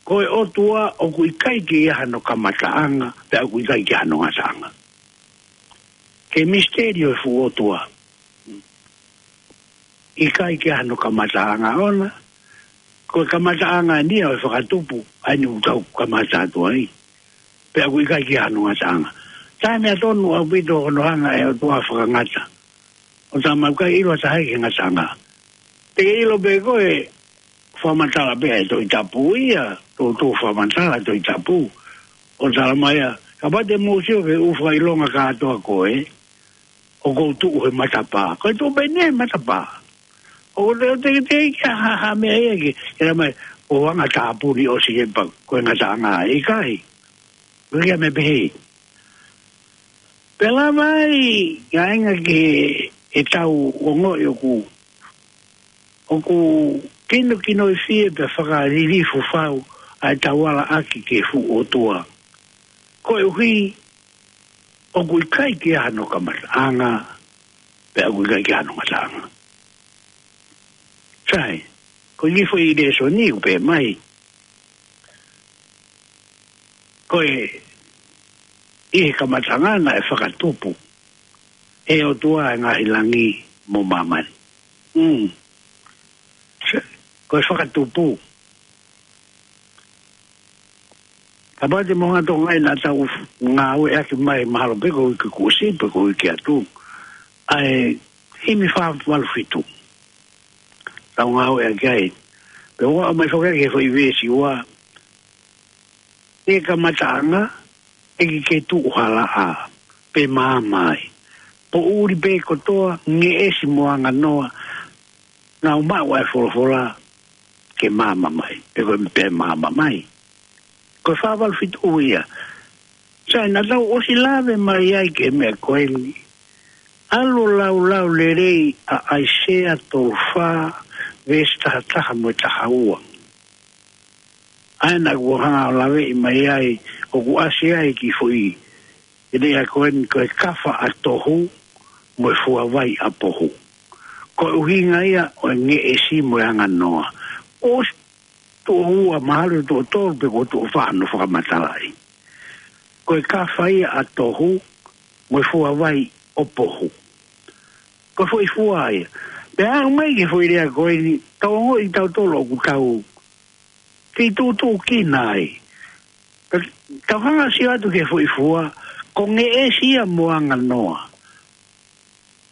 ko e ʻOtua ʻoku ʻikai ke ʻi ai hano kamataʻanga, pea ʻoku ʻikai ke ʻi ai hano ngataʻanga. Ko e misiteli ʻo e fuʻu ʻOtua. ʻIkai ke ʻi ai hano kamataʻanga ʻona. Ko e kamataʻanga eni ia ʻo e fakatupu, ʻa eni ʻoku tau kamata atu ai. Pea ʻoku ʻikai ke ʻi ai hano ngataʻanga. Taimi ʻa tonu ʻaupito ʻo hono hanga ʻe he ʻOtua ʻo fakangata. ʻO tala mai ʻoku ʻikai ʻilo ʻe ha taha ia ki he ngataʻanga. Te ke ʻilo pē ko e fakamatala pē ʻa e Tohi Tapu ia, toutou fakamatala Tohi Tapu. ʻO tala mai ia, kapau te mou sio ki he ʻū fakaʻilonga kātoa ko ē, ʻoku ou tuʻu he matapā. Ko e tuʻu pē eni he matapā. ʻO te, te, te, ke ha, ha, ha meʻa ia ke, ke tala mai, ʻoku ou anga tāpuni ʻosi he pa, ko e ngataʻanga ʻikai. Ko ia me pehē. Pea lava ai, ʻa e ngaahi ke, ʻetau ongoʻi ʻoku, ʻoku kinokinoifie pea fakalilifu fau, ʻa ʻetau ala ʻaki ki he fuʻu ʻOtua. Koeʻuhi, ʻoku ʻikai ke ʻi ai hano kamataʻanga, pea ʻoku ʻikai ke ʻi ai hano ngataʻanga. Sai, ko e kiʻi foʻi lēsoni ʻoku pehē mai. Ko e, ʻi he kamataʻanga naʻe fakatupu ʻe he ʻOtua ʻa e ngaahi langi mo māmani. Mm. Sai, ko e fakatupu. Kapau te mou hanga ʻo tokangaʻi naʻa tau ngāueʻaki mai mahalo pē ko e uike kuo ʻosi pe ko e uike atu. ʻA e himi fā valu fitu. Tau ngāueʻaki ai. Pea ʻoku ʻomai foki ʻaki he foʻi veesi ua. ʻI he kamataʻanga, ʻe ʻikai ke tuʻu ha laʻā, pe maama ai. Poʻuli pē kotoa, ngeʻesi mo anganoa, naʻa nau maʻu ʻa e folofola ke maama mai, pe ko e pē maama mai. Ko e fā valu fitu ia. Sai, naʻa tau ʻosi lave mai ai ki he meʻa ko eni. ʻAlu ʻo laulau lelei ʻa ʻAisea tolu fā, veesi taha taha mo e taha ua. ʻA ia naʻa ku hanga ʻo laveʻi mai ai, ʻoku ʻasi ai ki foʻi ʻe lea ko eni ko e kafa ʻa tohu, mo e fuavai ʻa pohu. Ko e ʻuhinga ia ʻo e ngeʻesi mo e anganoa. ʻOsi tuʻo ua mahalo tuʻo tolu pe ko tuʻo fā ʻa hono fakamatalaʻi. Ko e kafa ia ʻa tohu, mo e fuavai ʻo pohu. Ko e foʻi fua ia. Pea aʻu mai ki he foʻi lea ko eni, tau ongoʻi tautolu ʻoku tau. Kei tuʻutuʻu kina ai. Tau hanga ʻo sio atu ki he foʻi fua, ko ngeʻesi ia mo anganoa.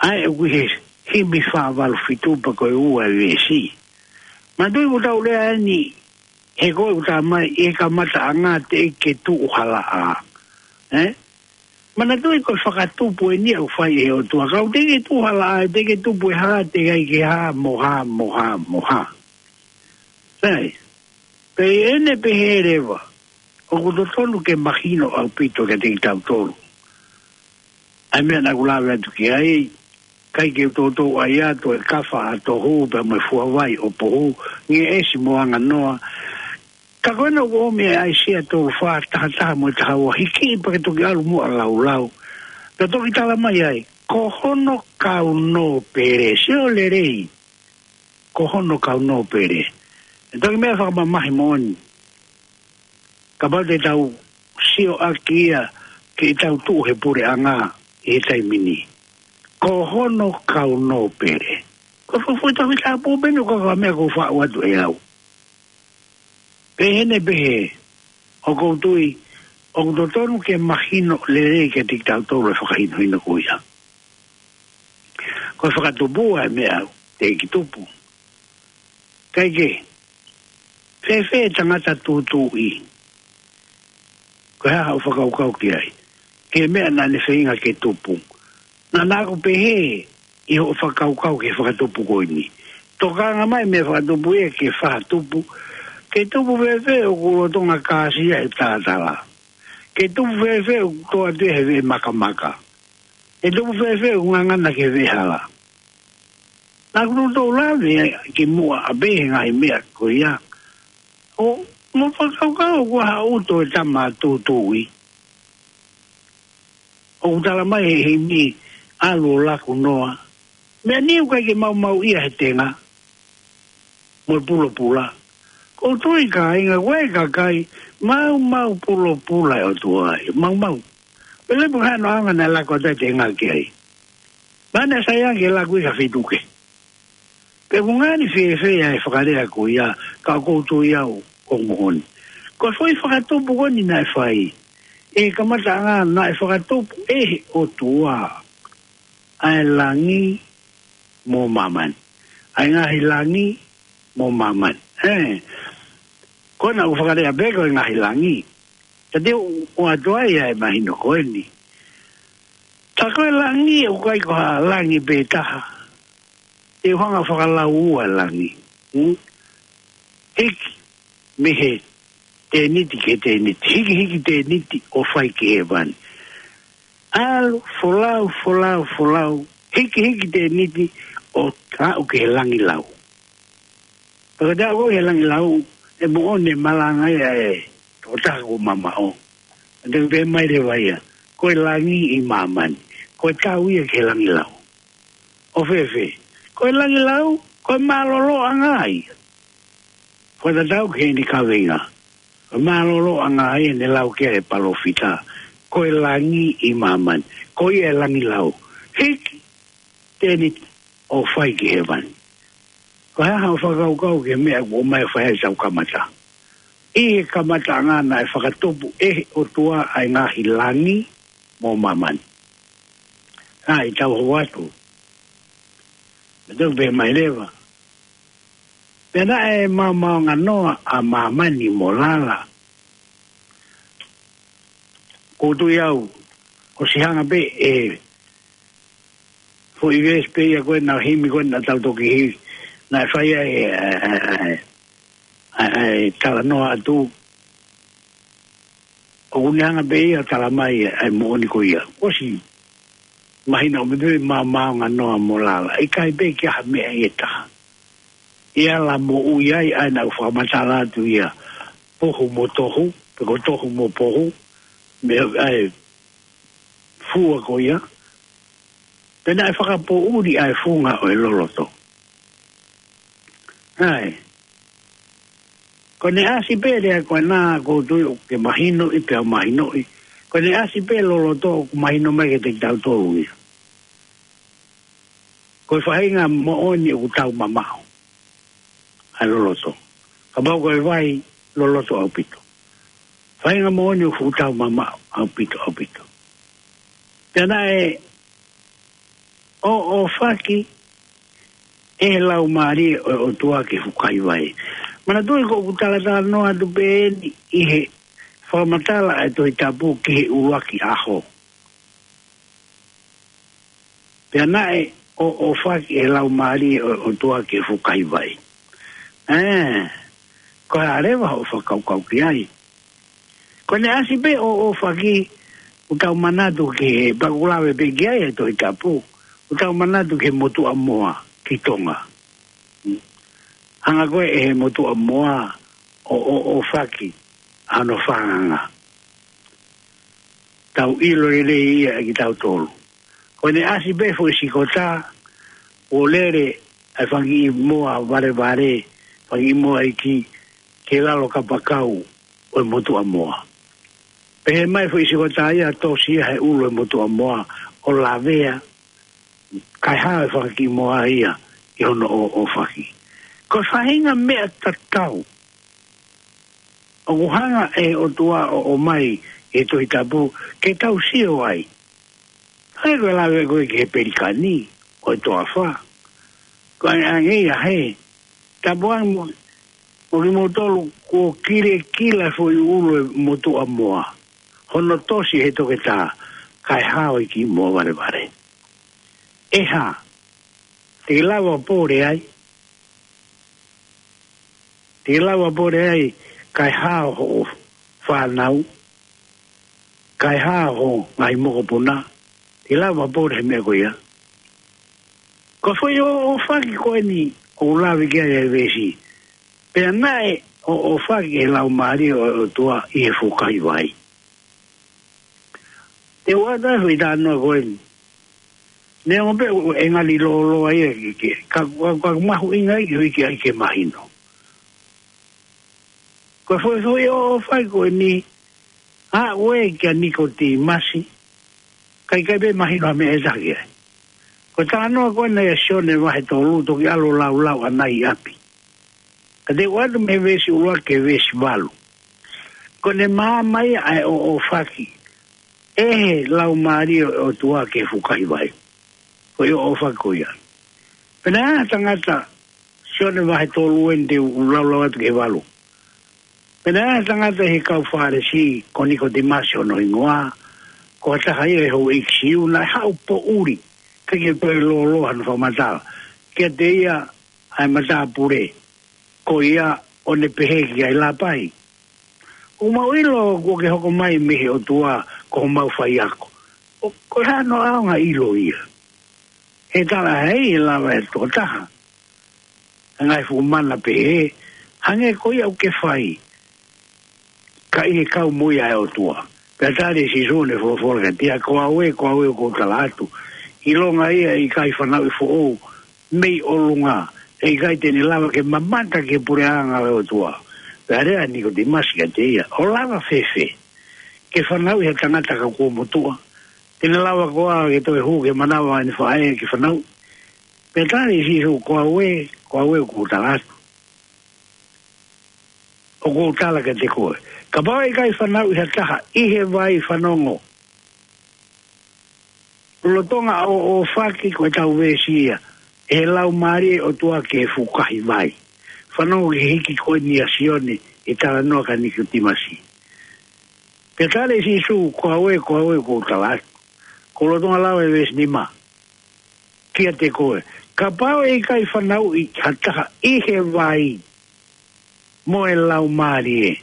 ʻA ia ʻoku ʻi he himi fā valu fitu pea ko e ua e veesi. Manatuʻi ʻoku tau lea eni, he ko e ʻuta mai, ʻi he kamataʻanga teʻeki ke tuʻu ha laʻā. Eh? Manatuʻi ko e fakatupu eni ʻoku fai ʻe he ʻOtua. Kapau teʻeki ke tuʻu ha laʻā, teʻeki ke tupu ʻe ha, teʻeki ke hā, mo hā, mo hā, mo hā. Sai. Pea ʻi heʻene pehē leva, ʻoku totonu ke mahino ʻaupito kiate kitautolu. ʻA e meʻa naʻa ku lave atu ki ai, ʻikai ke u toutou ʻai atu e kafa ʻa tohu, pea mo e fuavai ʻo pohu, ngeʻesi mo anganoa. Ka ko ena ʻoku ʻomi ʻe ʻAisea tolu fā, taha taha mo e taha ua, hiki pea ke toki ʻalu muʻa ʻo laulau. Pea toki tala mai ai, ko hono kau nōpele, sio lelei. Ko hono kau nōpele. ʻE toki meʻa fakamamahi moʻoni. Kapau te tau sio ʻaki ia ke tau tuʻu he puleʻanga ʻi he taimi ni. Ko hono kau nōpele. Ko e fuʻu Tohi Tapu pē eni ko e meʻa ʻoku faʻu atu ʻe au. Pea ʻi heʻene pehē, ʻoku ou tui, ʻoku totonu ke mahino lelei kiate kitautolu e fakahinohino ko ia. Ko e fakatupu ʻa e meʻa teʻeki tupu. Kae kehe, fēfē tangata tūtuuʻi? Ko e hā haʻo fakakaukau ki ai? Ki he meʻa naʻa ne feinga ke tupu. Naʻa, naʻa ku pehē ʻi hoʻo fakakaukau ki he fakatupu ko eni. Tokanga mai meʻa fakatupu ia ki he fakatupu. Ke tupu fēfē ʻoku lolotonga kāsia he tātala? Ke tupu fēfē ʻoku tō atu ia he veʻe makamaka? Ke tupu fēfē ʻoku ngangana ki he veʻe hala? Naʻa ku toutou lave ki muʻa ʻapē he ngaahi meʻa ko ia. ʻO, mo fakakaukau ʻoku ʻaha ʻuto e tama tūtuuʻi. ʻOku tala mai he himi ʻalu ʻo laku noa. Meʻa ni ʻoku ʻikai ke maumau ia he tenga. Mo e pulopula. Ko u tui kāinga ko e kakai, maumau pulopula ʻe ʻOtua ai. Maumau. Pele pu hano anga naʻe laku atu e tenga ki ai. Mana sai ange laku i ka fituke. Pe ku ngani fēfē ʻa e fakalea ko ia, ka ʻoku ou tui au ʻoku moʻoni. Ko e foʻi fakatupu ko eni naʻe fai. ʻI he kamataʻanga naʻe fakatupu ʻe he ʻOtua ʻa e langi mo māmani. ʻA e ngaahi langi mo māmani. ʻE, ko ena ʻoku fakalea pē ko e ngaahi langi. Ka te u ʻoatu ai ʻa e mahino ko eni. Tā ko e langi ʻoku ʻikai ko ha langi pē taha. Te u hanga fakalaua langi. Hmm? Hiki mei he tēniti ki he tēniti. Hikihiki tēniti ʻo fai ki hēvani. ʻAlu, folau, folau, folau. Hikihiki tēniti ʻo aʻu ki he langi lau. Pea ko e aʻu ki he langi lau, ʻe moʻoni e malanga ia ʻe tokotaha ko mamaʻo. Te u pehē mai leva ia, ko e langi ʻi māmani. Ko e tau ia ki he langi lau. ʻO fēfē? Ko e langi lau, ko e mālōlōʻanga ia. Ko e tatau ki heni kaveinga. Ko e mālōlōʻanga ia ne lau ki ai e palōfita. Ko e langi ʻi māmani. Ko ia e langi lau. Hiki tēniti ʻo fai ki hēvani. Ko e hā haʻo fakakaukau ki he meʻa ʻoku ʻomai ʻo fai ai ʻetau kamata. ʻI he kamataʻanga naʻe fakatupu ʻe he ʻOtua ʻa e ngaahi langi mo māmani. ʻA ia tau hoko atu. Pea te u pehē mai leva. Pea naʻe maomaonganoa ʻa māmani mo lala. ʻOku ou tui au, ʻosi hanga pē ʻe he foʻi veesi pē ia ko ena, himi ko ena naʻa tau toki hiki, naʻe fai ai e, e, e, e, e, e talanoa atu. ʻOku ne hanga pē ia ʻo tala mai ʻa e moʻoni ko ia. ʻOsi mahino ʻoku pehē maomaonganoa mo lala. ʻIkai pē ke ʻi ai ha meʻa ʻe taha. ʻE ala moʻui ai, ʻa ia naʻa ku fakamatala atu ia. Pohu mo tohu, pe ko tohu mo pohu, mei he fua ko ia. Pea naʻe fakapoʻuli ʻa e funga ʻo e loloto. ʻAi. Ko ʻene ʻasi pē lea ko ena ʻoku ou tui ʻoku ke mahinoʻi pea u mahinoʻi. Ko ʻene ʻasi pē loloto ʻoku mahino mai kiate kitautolu ia. Ko e faʻahinga moʻoni ʻoku tau mamaʻo. ʻA e loloto. Kapau ko e vai loloto ʻaupito. Faʻahinga moʻoni ʻoku tau mamaʻo ʻaupito, ʻaupito. Pea naʻe ʻoʻofaki ʻe he Laumālie ʻo e ʻOtua ki he fukahi vai. Manatuʻi ko ʻeku talatalanoa atu pē eni ʻi he fakamatala ʻa e Tohi Tapu ki he ʻuluaki ʻaho. Pea naʻe ʻoʻofaki ʻe he Laumālie ʻo e ʻOtua ki he fukahi vai. ʻE, ko e hā leva hoʻo fakakaukau ki ai? Ko ʻene ʻasi pē ʻoʻofaki, ʻoku tau manatu ki he, pea ʻoku lave pē ki ai e Tohi Tapu, ʻoku tau manatu ki he motuʻa moa ki Tonga. Hanga ko ē ʻe he motuʻa moa ʻo ʻoʻofaki ʻa hono fānanga. Tau ʻilo lelei ia ʻe kitautolu. Ko ʻene ʻasi pē foʻi sikota, ʻo lele ʻa e fanga kiʻi moa valevale, fanga kiʻi moa iiki, ki lalo kapakau ʻo e motuʻa moa. Pehē mai foʻi sikota ia, tosi ia he ʻulu ʻo e motuʻa moa, ʻo lavea, kae hao e fanga kiʻi moa ia ʻi hono ʻoʻofaki. Ko e faʻahinga meʻa tatau ʻoku hanga ʻe he ʻOtua ʻo ʻomai ʻi he Tohi Tapu ke tau sio ai. ʻAi ko e lave ko ē ki he pelikani ʻo e toafa. Ko e ʻange ia he, tapu ange mo, mo kimoutolu kuo kilekila foʻi ʻulu ʻo e motuʻa moa. Hono tosi he toketā, kae hao e kiʻi moa valevale. ʻE hā, te ke lava ʻo pole ai? Te ke lava ʻo pole ai, kae hao hoʻo fānau, kae hao hoʻo ngaahi mokopuna, te ke lava ʻo pole he meʻa ko ia? Ko e foʻi ʻoʻofaki ko eni ʻoku lave ki ai e veesi. Pea naʻe ʻoʻofaki ʻe he Laumālie ʻo e ʻOtua ʻi he fukahi vai. Te u ʻoatu e foʻi talanoa ko eni. Neongo pē ʻoku ngali lōloa ia ke, ke, ka, ka, ka mahuʻinga ia ke, ke, ke mahino. Ko e foʻi, foʻi ʻoʻofaki ko eni, aʻu ē kia Nikotīmasi, ka ʻikai pē mahino ha meʻa ʻe taha ki ai. Ko e talanoa ko ena ʻia Sione vahe tolu, toki ʻalu ʻo laulau ʻana ʻi ʻapi. Ka te u ʻoatu mei he veesi ʻuluaki ki he veesi valu. Ko ʻene maama ia ʻa e ʻoʻofaki. ʻe he Laumālie ʻo e ʻOtua ki he fukahi vai. Ko ia ʻofa ko ia. Pea naʻe ʻi ai ha tangata, Sione vahe tolu eni te u laulau atu ki he valu. Pea naʻe ʻi ai ha tangata ʻi he kau Fālesi, ko Nikotīmasi hono hingoa, ko ha taha ia ʻi he houʻeiki Siu, naʻe haʻu poʻuli, ʻikai ke toe lōloa hono fakamatala kiate ia ʻa e matāpule, ko ia ʻo ne pehē ki ai, Lāpai, ʻoku mau ʻilo kuo ke hoko mai mei he ʻOtua ko homau faiako. ʻO ko e hā hono ʻaonga ʻilo ia? He talaʻehai ʻe lava ʻe he tokotaha ʻa e ngaahi fuʻu mana pehē, hangē ko ia ʻoku ke fai, ka ʻi he kau mo ia ʻa e ʻOtua. Pea tali ʻe Sīsū ʻo ne folofola kiate ia, Ko au ē, ko au ē ʻoku ou tala atu, ʻilonga ia ʻe ʻikai fanauʻi foʻou mei ʻolunga, ʻe ʻikai te ne lava ke mamata ki he puleʻanga ʻo e ʻOtua. Pea lea ʻa Nikotīmasi kiate ia, ʻO lava fēfē ke fanauʻi ha tangata ka kuo motuʻa? Te ne lava koā ke toe hū ki he manava ʻene faʻē ke fanauʻi? Pea tali ʻe Sīsū, Ko au ē, ko au ē ʻoku ou tala atu, ʻoku ou tala kiate koe, kapau ʻe ʻikai fanauʻi ha taha ʻi he vai, fanongo, lolotonga ʻo, ʻōfaki, ko ʻetau veesi ia, ʻe he Laumālie ʻo e ʻOtua ki he fukahi vai. Fanongo ki he hiki ko eni ʻa Sione ʻi he talanoa kia Nikotīmasi. Pea tali ʻe Sīsū, Ko au ē, ko au ē ʻoku ou tala atu, ʻoku lolotonga lau ʻe he veesi nima kiate koe, kapau ʻe ʻikai fanauʻi ha taha ʻi he vai mo e Laumālie,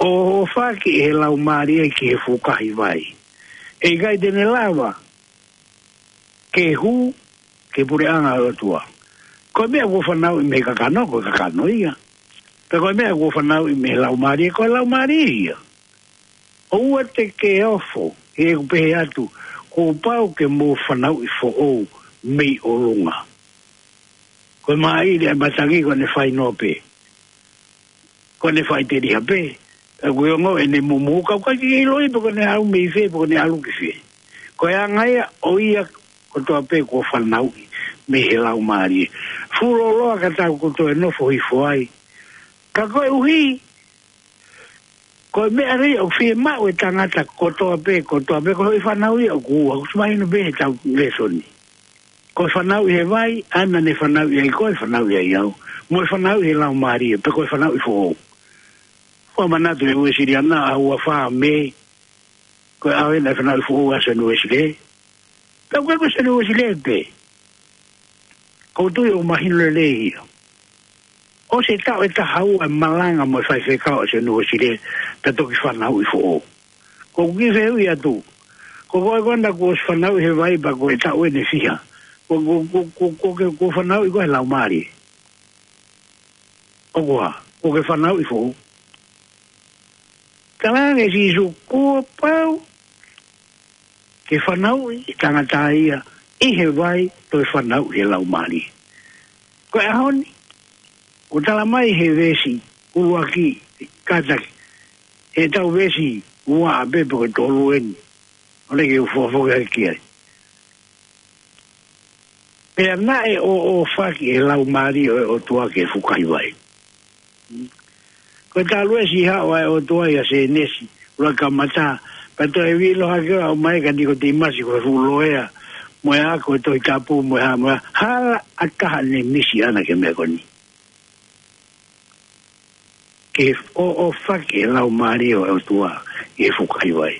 ʻo ʻōfaki ʻe he Laumālie ki he fukahi vai, ʻe ʻikai te ne lava ke hū ki he puleʻanga ʻo e ʻOtua. Ko e meʻa kuo fanauʻi mei he kakano, ko e kakano ia. Pea ko e meʻa kuo fanauʻi mei he Laumālie, ko e laumālie ia. ʻOua te ke ofo ʻi heʻeku pehē atu, Kuo pau ke mou fanauʻi foʻou mei ʻolunga. Ko e māʻili ʻa e matangi ko ʻene fai noa pē, ko ʻene fai teliha pē. Pea ko e ongo ʻene mumu, ka ʻoku ʻikai ke ʻiloʻi pe ko ʻene haʻu mei fē, pe ko ʻene ʻalu ki fē. Ko e anga ia ʻo ia kotoa pē kuo fanauʻi mei he Laumālie. Fuʻu lōloa ka tau ko toe nofo hifo ai. Ka koeʻuhi ko e meʻa lelei ʻoku fiemaʻu ʻe he tangata kotoa pē, kotoa pē, ko e fanauʻi ʻoku ua, ʻoku mahino pē he tau lēsoni. Ko e fanauʻi he vai, ʻa ia naʻa ne fanauʻi ai koe, fanauʻi ai au. Mo e fanauʻi he Laumālie, pe ko e fanauʻi foʻou. Fakamanatu ʻe he Uēsiliana ʻa e ua fā Mē, ko e ʻaho ia naʻe fanauʻi foʻou ai ʻa Sione Uēsilē. Pea ʻoku ʻikai ko Sione Uēsilē pē, ʻoku ou tui ʻoku mahino lelei ia. ʻOsi e taʻu ʻe taha ua e malanga mo e faifekau ʻa Sione Uēsilē, pea toki fanauʻi foʻou. Ko ʻeku kiʻi fehuʻi atu, ko koe ko ena kuo ʻosi fanauʻi he vai pea ko e taʻu eni ʻe fiha, kuo, kuo, kuo, kuo, kuo ke, kuo fanauʻi koe he Laumālie? ʻOku ā, kuo ke fanauʻi foʻou? Talaange ʻe Sīsū, Kuo pau ke fanauʻi e tangata ia ʻi he vai, toe fanauʻi he Laumālie. Ko e ʻaho ni, ʻoku tala mai he veesi ʻuluaki, kātaki, he tau veesi ua ʻa pē pe ko e tolu eni, ʻoku ou lava ke u fakafoki hake ki ai. Pea naʻe ʻō, ʻōfaki ʻe he Laumālie ʻo e ʻOtua ki he fukahi vai. Ko e talu ʻe siʻi haʻu ʻa e ʻOtua ʻia Sēnesi, ʻuluaki kamata, pea toe vilo hake ʻo aʻu mai kia Nikotīmasi ko e fuʻu loea, mo e ako e Tohi Tapu, mo e hā, mo e hā, hala ʻa taha ne misi ʻana ki he meʻa ko eni. Ke ʻō, ʻōfaki ʻe he Laumālie ʻo e ʻOtua ʻi he fukahi vai.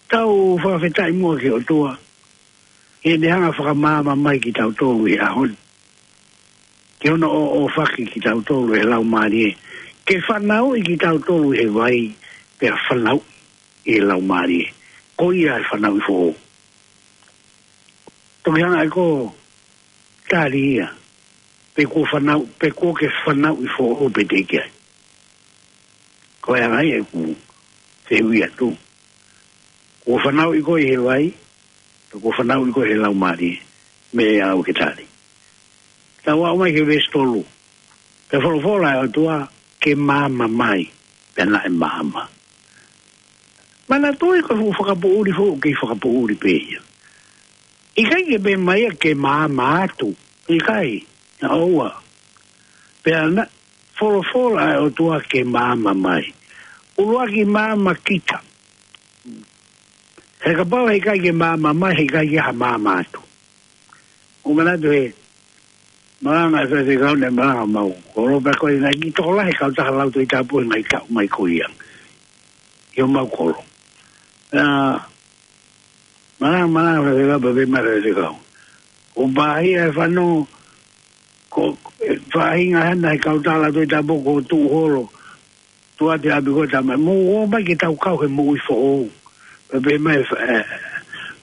Tau fakafetaʻi muʻa ki he ʻOtua, ʻi heʻene hanga fakamaama mai kitautolu he ʻaho ni. Ke hono ʻō, ʻōfaki kitautolu ʻe he Laumālie. Ke fanauʻi kitautolu he vai, pea fanauʻi ʻe he Laumālie. Ko ia e fanauʻi foʻou. Toki hanga ʻe koe ʻo tali ia, pe kuo fanau, pe kuo ke fanauʻi foʻou pe teʻeki ai. Ko e anga ia ʻeku fehuʻi atu. Kuo fanauʻi koe he vai, pe kuo fanauʻi koe he Laumālie, meʻa ia ʻoku ke tali. Tau aʻu mai ki he veesi tolu. Pea folofola ʻa e ʻOtua, Ke maama mai, pea naʻe maama. Manatuʻi ko e fuʻu fakapoʻuli foki, kei fakapoʻuli pē ia. ʻIkai ke pehē mai ia ke maama atu, ʻikai, naʻa ʻoua. Pea naʻe folofola ʻa e ʻOtua ke maama mai. ʻUluaki maama kita. He kapau he ʻikai ke maama mai, he ʻikai ke ha maama atu. ʻOku ou manatu he malanga ʻa e faifekau naʻe malanga maʻa au. Ko Lopea ko ē naʻe kiʻi tokolahi e kautaha Lau Tohi Tapu he ngaahi taʻu mai ko ia. ʻI homau kolo. ʻA, malanga, malanga faifekau, pea pehē mai faifekau. ʻOku pāhia e fanongo, ko e faʻahinga hena he kautaha Lau Tohi Tapu ko Tuʻuholo. Tuʻu atu ʻi ʻapi ko e tama, mou ō mai ke tau kau he moʻui foʻou. Pea pehē mai, ē,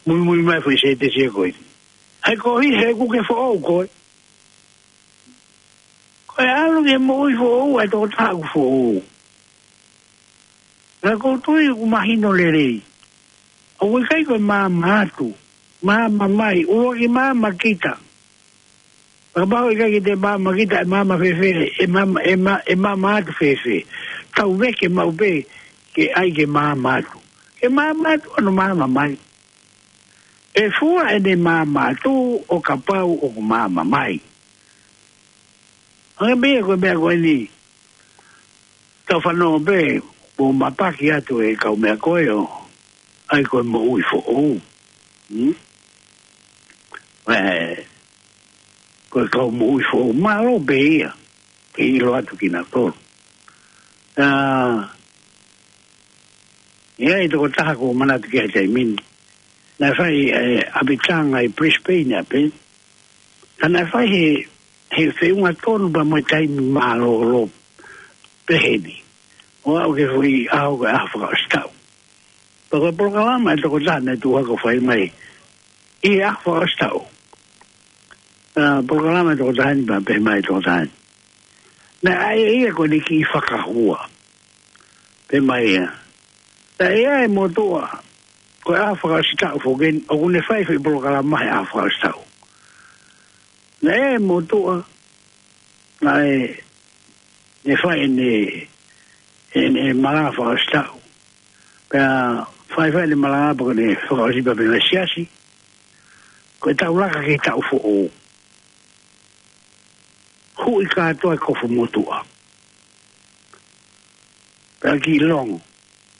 muimui mai foʻi sētesi ko ē. Hai ko hi he ʻoku ke foʻou koe. Ko e ʻalu ki he moʻui foʻou, ʻa e tokotaha ʻoku foʻou. Ka ʻoku ou tui ʻoku mahino lelei. ʻOku ʻikai ko e maama atu, maama mai, ʻuluaki maama kita. Kapau ʻikai ke te maama kita, ʻe maama fēfē, ʻe maama, ʻe ma-, ʻe maama atu fēfē. Tau veke maʻu pē ke ʻai ke maama atu. Ke maama atu, ʻoua maama mai. ʻE fua ʻene maama atu ʻo kapau ʻoku maama mai. Hangē pē ia ko e meʻa ko eni. Tau fanongo pē, ʻo mapaki atu e kau meʻa ko ē ʻo ʻai ko e moʻui foʻou. Hmm? Ē, ko e kau moʻui foʻou, mālō pē ia. Ke ʻilo atu kinautolu. ʻA, ʻi ai e tokotaha ʻoku ou manatu ki ai he taimi ni. Naʻe fai, ē, ʻapitanga ʻi Brisbane ʻapē. Ka naʻe fai he, he feʻunga tonu pea mo e taimi mālōlō pehē ni. ʻO aʻu ki he foʻi ʻaho ko e ʻaho fakaʻosi taʻu. Pea ko e polokalama ʻa e tokotaha naʻe tuʻu hake ʻo fai mai ʻi he ʻaho fakaʻosi taʻu. ʻA, polokalama ʻa e tokotaha ni pea pehē mai e tokotaha ni. Naʻe ʻai ʻe ia ko ʻene kiʻi fakahua. Pehē mai ia. Naʻe ʻi ai e motuʻa, ko e ʻaho fakaʻosi taʻu foki eni, ʻoku ne fai foʻi polokalama he ʻaho fakaʻosi taʻu. Naʻe ʻi ai e motuʻa, naʻe, ne fai ʻene, ʻene malanga fakaʻosi taʻu. Pea fai fai ʻene malanga pea ko ʻene fakaʻosi pea pehē mai siasi. Ko e tau laka ki he taʻu foʻou. Huʻi kātoa e kofu motuʻa. Pea kiʻi longo.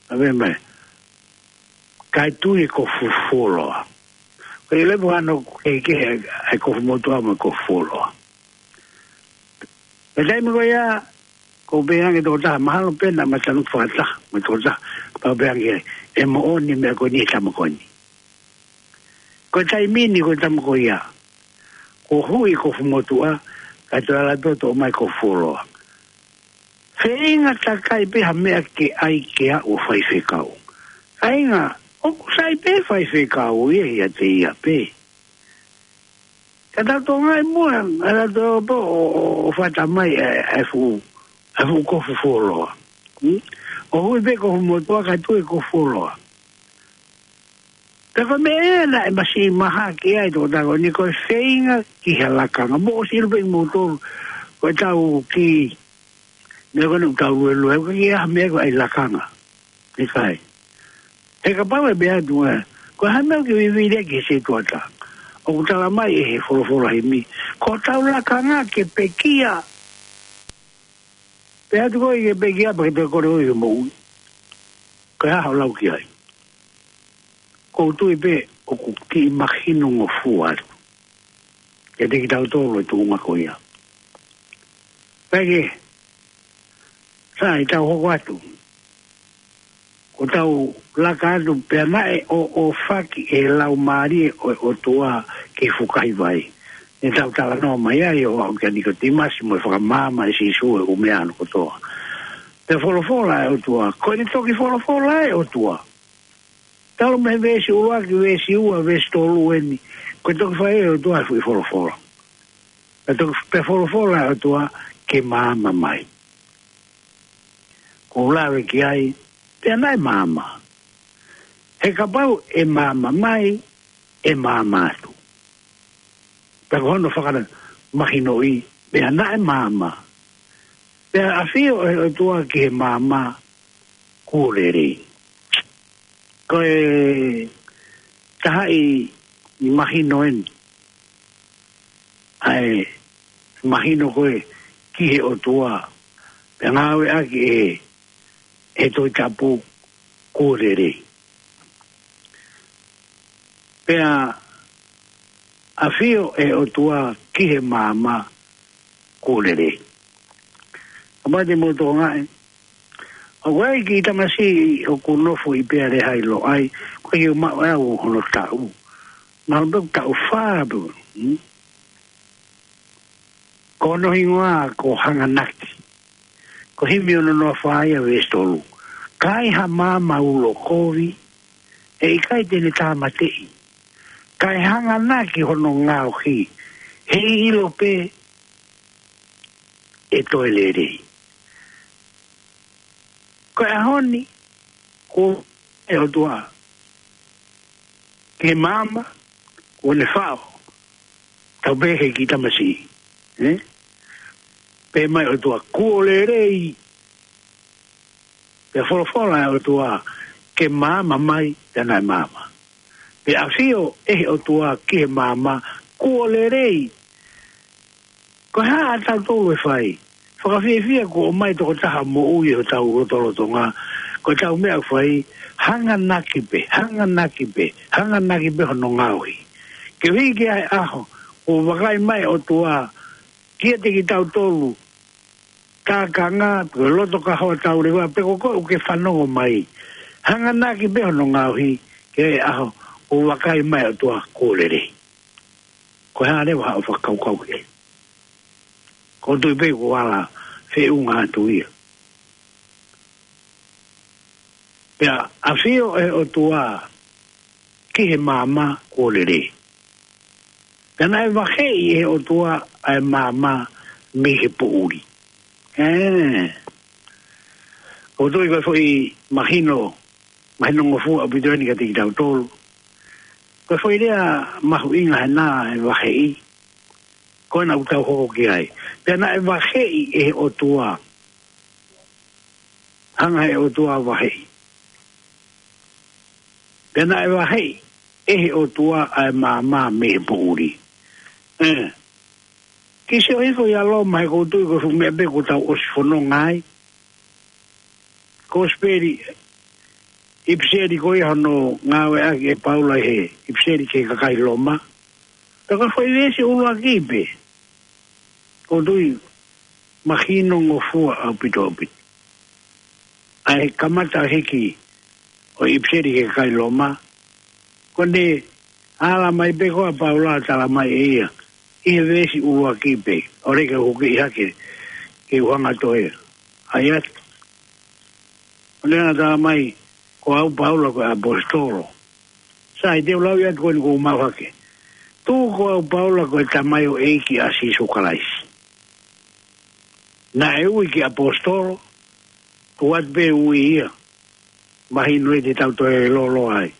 ʻA pehē mai. Kae tui e kofu fuoloa. Ko e lepo ano ke, ke, e kofu motuʻa mo e kofu fuoloa. Pea taimi ko ia, ko e pehē ange tokotaha mahalo pē naʻa ma tanu fakataha, mo e tokotaha, pea pehē ange, ʻe moʻoni e meʻa ko eni he tama ko eni. Ko e taimi ni ko e tama ko ia. Ko e huʻi e kofu motuʻa, kae toe ala pē ʻo toʻo mai e kofu fuoloa. Feinga takai pē ha meʻa ke ʻai ke aʻu ʻo faifekau. Kāinga, ʻoku sai pē faifekau ia ʻiate ia pē. Ka tau tokangaʻi muʻa, ʻa tau toʻo pē ʻo, ʻo, ʻo fata mai e, e fuʻu, e fuʻu kofu fuoloa. Hmm? ʻO huʻi pē e kofu motuʻa kae tui e kofu fuoloa. Pea ko e meʻa ia naʻe masiʻi mahaki ai e tokotaha ko eni ko e feinga ki he lakanga. Mou ʻosi ʻilo pē ʻe moutolu, ko e tau kiʻi, meʻa ko eni ʻoku tau luelue, ʻoku ʻikai ha meʻa ko e ʻai lakanga. ʻIkai. He kapau ʻe pehē atu ē, ko e hā e meʻa ʻoku ke vivili ai ki he setuata. ʻOku tala mai ʻe he folofola himi. Ko hotau lakanga ke pekia. Pehē atu koe ke pekia pea ke toe kole ʻo ʻi he moʻui. Ko e hā hoʻo lau ki ai. ʻOku ou tui pē ʻoku kiʻi mahinongofua atu. Kiate kitautolu e tuʻunga ko ia. Pea ke, sai tau hoko atu. Ko ʻetau laka atu pea naʻe ʻo, ʻo faki e laumālie ʻo, ʻOtua ki he fukahi vai. Ne tau talanoa mai ai ʻo aʻu kia Nikotīmasi mo e fakamaama ʻe Sīsū e ʻū meʻa hono kotoa. Pea folofola e ʻOtua. Ko ʻene toki folofola e ʻOtua. Talu mei he veesi ʻuluaki, veesi ua, veesi tolu eni. Ko e toki fai e ʻOtua e fuʻu folofola. Pea toki, pea folofola e ʻOtua ke maama mai. Ko u lave ki ai, pea naʻe maama. He kapau ʻe maama mai, ʻe maama atu. Pea ko hono fakamahinoʻi, pea naʻe maama. Pea ʻafio e ʻOtua ki he maama kuo lelei. Ko e taha ʻi, ʻi mahino eni. ʻA e mahino ko ē ki he ʻOtua. Pea ngāueʻaki ʻe, ʻe he Tohi Tapu kuo lelei. Pea ʻafio ʻe he ʻOtua ki he maama kuo lelei. Ka mate mo tonga e. ʻOku ʻi ai e kiʻi tamasiʻi ʻoku nofo ʻi Pea Leha ʻi Loʻai, ko e ʻiu maʻu ʻe au hono taʻu. Mahalo pē ʻoku taʻu fā pē. Hmm? Ko hono hingoa ko Hanganaki. Ko e himi ono noa fā ia veesi tolu. Ka ai ha maama ulo kovi, ʻe ʻikai te ne tāmateʻi. Ka ʻe hanganaki hono ngaohi, heiʻilo pē ʻe toe lelei. Ko e ʻaho ni, ko e ʻOtua ki he maama, kuo ne faʻo, tau pehē ki he tamasiʻi. Eh? Pehē mai ʻOtua, kuo lelei. Pea folofola ʻa e ʻOtua, ke maama mai, pea naʻe maama. Pea ʻafio ʻe he ʻOtua ki he maama, kuo lelei. Ko e hā ʻa tautolu ʻe fai? Fakafiefia kuo ʻomai tokotaha moʻui ʻi hotau lotolotonga. Ko ʻetau meʻa ʻoku fai, hanganaki pē, hanganaki pē, hanganaki pē hono ngaohi. Ke ui ki he ʻaho, kuo vakai mai ʻOtua, kiate kitautolu, tākanga, pe loto ka hoa tau leva, pe ko koe ʻoku ke fanongo mai. Hanganaki pē hono ngaohi, ki he ʻaho, kuo vakai mai ʻOtua kuo lelei. Ko e hā leva haʻo fakakaukau ki ai? ʻOku ou tui pē kuo ala feʻunga atu ia. Pea ʻafio ʻe he ʻOtua ki he maama kuo lelei. Pea naʻe vaheʻi ʻe he ʻOtua ʻa e maama mei he poʻuli. Eh. ʻOku ou tui ko e foʻi mahino, mahino ngofua ʻaupito eni kiate kitautolu. Ko e foʻi lea mahuʻinga ʻena e vaheʻi. Ko ena ʻoku tau hoko ki ai. Pea naʻe vaheʻi ʻe he ʻOtua. Hanga ʻe he ʻOtua vaheʻi. Pea naʻe vaheʻi ʻe he ʻOtua ʻa e maama mei he poʻuli. Eh. Kiʻi sio hifo ia Loma he ʻoku ou tui ko e fuʻu meʻa pē kuo tau ʻosi fononga ai. Kosipeli, ʻipiseli ko ia hono ngāueʻaki ʻe Paula ʻi he ʻipiseli ki he kakai Loma. Pea ko e foʻi veesi ʻuluaki pē. ʻOku ou tui mahino ngofua ʻaupito ʻaupito. ʻA e kamata hiki ʻo e ʻipiseli ki he kakai Loma. Ko ʻene ala mai pē ko ē ʻa Paula tala mai ʻe ia. ʻI he veesi ʻuluaki pē. ʻOku ou kiʻi hake ke u hanga ʻo toe ʻai atu. ʻOku ne hanga tala mai, ko au Paula ko e ʻaposetolo. Sai, te u lau ia atu ko eni kuo u maʻu hake. Tuku ko au Paula ko e tamaioʻeiki ʻa Sīsū Kalaisi. Naʻe ui ke ʻaposetolo, tuku atu pē ui ia. Mahino ia te tau toe lōloa ai.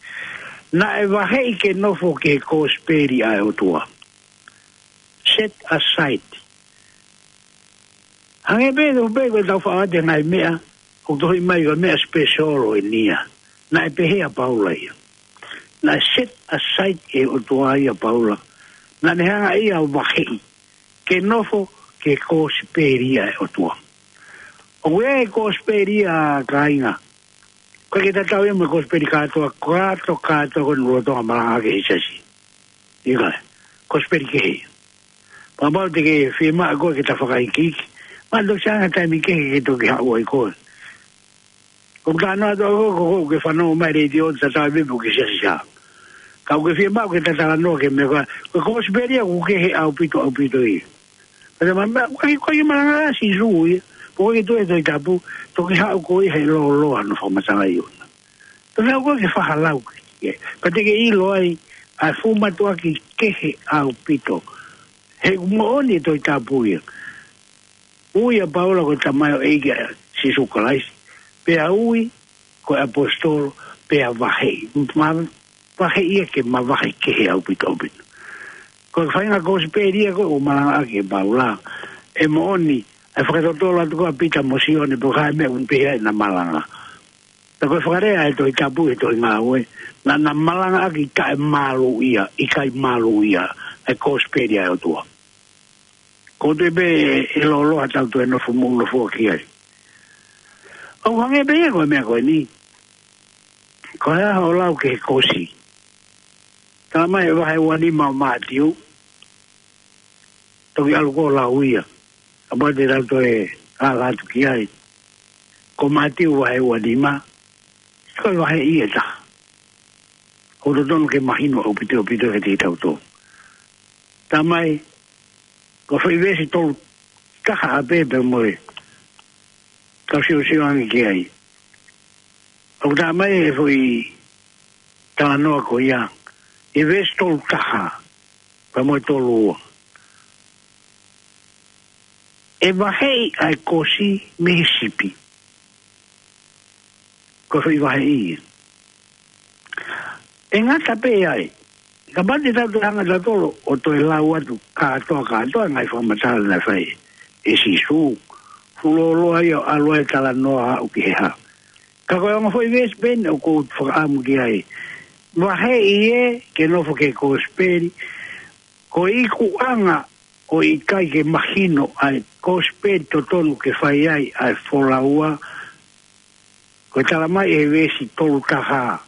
Naʻe vaheʻi ke nofo ki he kosipeli ʻa e ʻOtua. Set aside. Hangē pē, tau pē ko e tau faʻa te ngai meʻa, ʻoku tohi mai ko e meʻa special eni ia. Naʻe pehē ʻa Paula ia. Naʻe set aside ʻe he ʻOtua ia ʻa Paula. Naʻa ne hanga ia ʻo vaheʻi. Ke nofo ki he kosipeli ʻa e ʻOtua. ʻOku ʻi ai e kosipeli ia kāinga. ʻOku ʻikai ke tatau ia mo e kosipeli kātoa, kātoa, kātoa ko eni ʻoku lolotonga malanga ʻaki ʻe he siasi. ʻIkai, kosipeli kehe. Pea mahalo te ke fiemaʻu koe ke ta fakaikiiki. Mahalo toki ʻi ai ha taimi kehe ke toki haʻu ai koe. ʻOku ta noa atu ko, ko, ko, ke fanongo mai letiō tatau pē pe ʻoku ke siasi ʻi hē. Ka ʻoku ke fiemaʻu ke ta talanoa ki he meʻa ko ē. Ko e kosipeli ia ʻoku kehe ʻaupito, ʻaupito ia. Pea ma, ma, ʻoku ʻikai, ʻoku ʻikai malanga ʻa Sīsū ia. Pea ʻoku ʻikai toe Tohi Tapu, toki haʻu koe ʻi he lōloa hono fakamatalaʻi ʻona. Toki haʻu koe ke fakalau ki ai. Pea te ke ʻilo ai, ʻa e fuʻu mātuʻaki kehe ʻaupito. He ʻoku moʻoni e Tohi Tapu ia. Ui ʻa Paula ko e tamaioʻeiki ʻa Sīsū Kalaisi. Pea ui ko e ʻaposetolo, pea vaheʻi. Ma, vaheʻi ia ke mavahe kehe ʻaupito, ʻaupito. Ko e faʻahinga kosipeli ia ko ē ʻoku malanga ʻaki ʻe Paula. ʻE moʻoni, ʻe fakatotolo atu ko ē ʻa Pita mo Sione, pe ko e hā e meʻa ʻoku pehē ai naʻa malanga. Pea ko e fakalea ʻa e Tohi Tapu he tohi Ngāue, naʻa na malanga ʻaki taʻemālūʻia, ʻikai mālūʻia, ʻa e kosipeli ʻa e ʻOtua. ʻOku ou tui pē ʻe lōloa tau toe nofo muʻa nofo ki ai. ʻOku hangē pē ia ko e meʻa ko eni. Ko e hā hoʻo lau ki he kosi? Talamai ʻe vahe ua nima ʻo Mātiu, toki ʻalu ko ē ʻo lau ia. Kapau te tau toe ala atu ki ai. Ko Mātiu vahe ua nima, ko e vaheʻi ʻe taha. ʻOku totonu ke mahino ʻaupito ʻaupito kiate kitautolu. Talamai, ko e foʻi veesi tolu taha ʻapē pea mo e kau siosio ange ki ai. ʻOku talamai ʻe he foʻi talanoa ko ia, ʻi he veesi tolu taha pea mo e tolu ua. ʻE vaheʻi ʻa e kosi mei he sipi. Ko e foʻi vaheʻi ia. ʻE ngata pē ai. Kapau te tau toe hanga ʻe tautolu ʻo toe lau atu kātoa kātoa e ngaahi fakamatala naʻe fai ʻe Sīsū. Fuoloa ia ʻo ʻalu ai e talanoa ʻo aʻu ki he hā. Ka ko e ongo foʻi veesi pē eni ʻoku ou fakaʻamu ki ai. Vaheʻi ē ke nofo ki he kosipeli. Ko e ikuʻanga ʻoku ʻikai ke mahino ʻa e kosipeli totonu ke fai ai ʻa e folau, ko e talamai ʻe he veesi tolu taha.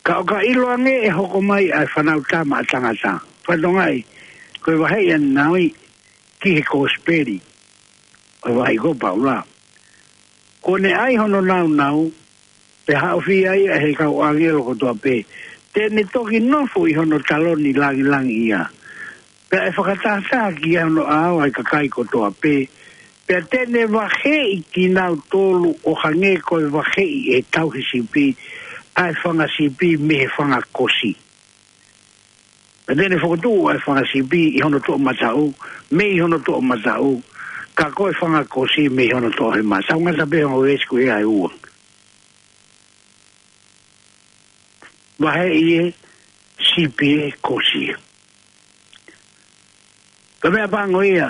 Ka ʻoka ʻiloange ʻe hoko mai ʻa e Fanautama ʻa Tangata. Fatongia, ko e vaheʻi ʻa e nāunau ki he kosipeli. ʻO e vaheʻi ko Paula. Kuo ne ʻai hono nāunau, pea haʻofia ia ʻe he kau ʻāngelo kotoa pē. Te ne toki nofo ʻi hono taloni langilangiʻia. Pea ʻe fakatahataha ki ai hono ʻao ʻa e kakai kotoa pē. Pea te ne vaheʻi kinautolu ʻo hangē ko e vaheʻi ʻe he tauhi sipi ʻa e fanga sipi mei he fanga kosi. Pea te ne fokotuʻu ʻa e fanga sipi ʻi hono toʻomataʻu, mei hono toʻomataʻu, ka ko e fanga kosi mei hono toʻohema. Tau ngata pē he ongo veesi ko ia ʻe ua. Vaheʻi ē, sipi ē, kosi ē. Ko e meʻa pango ia.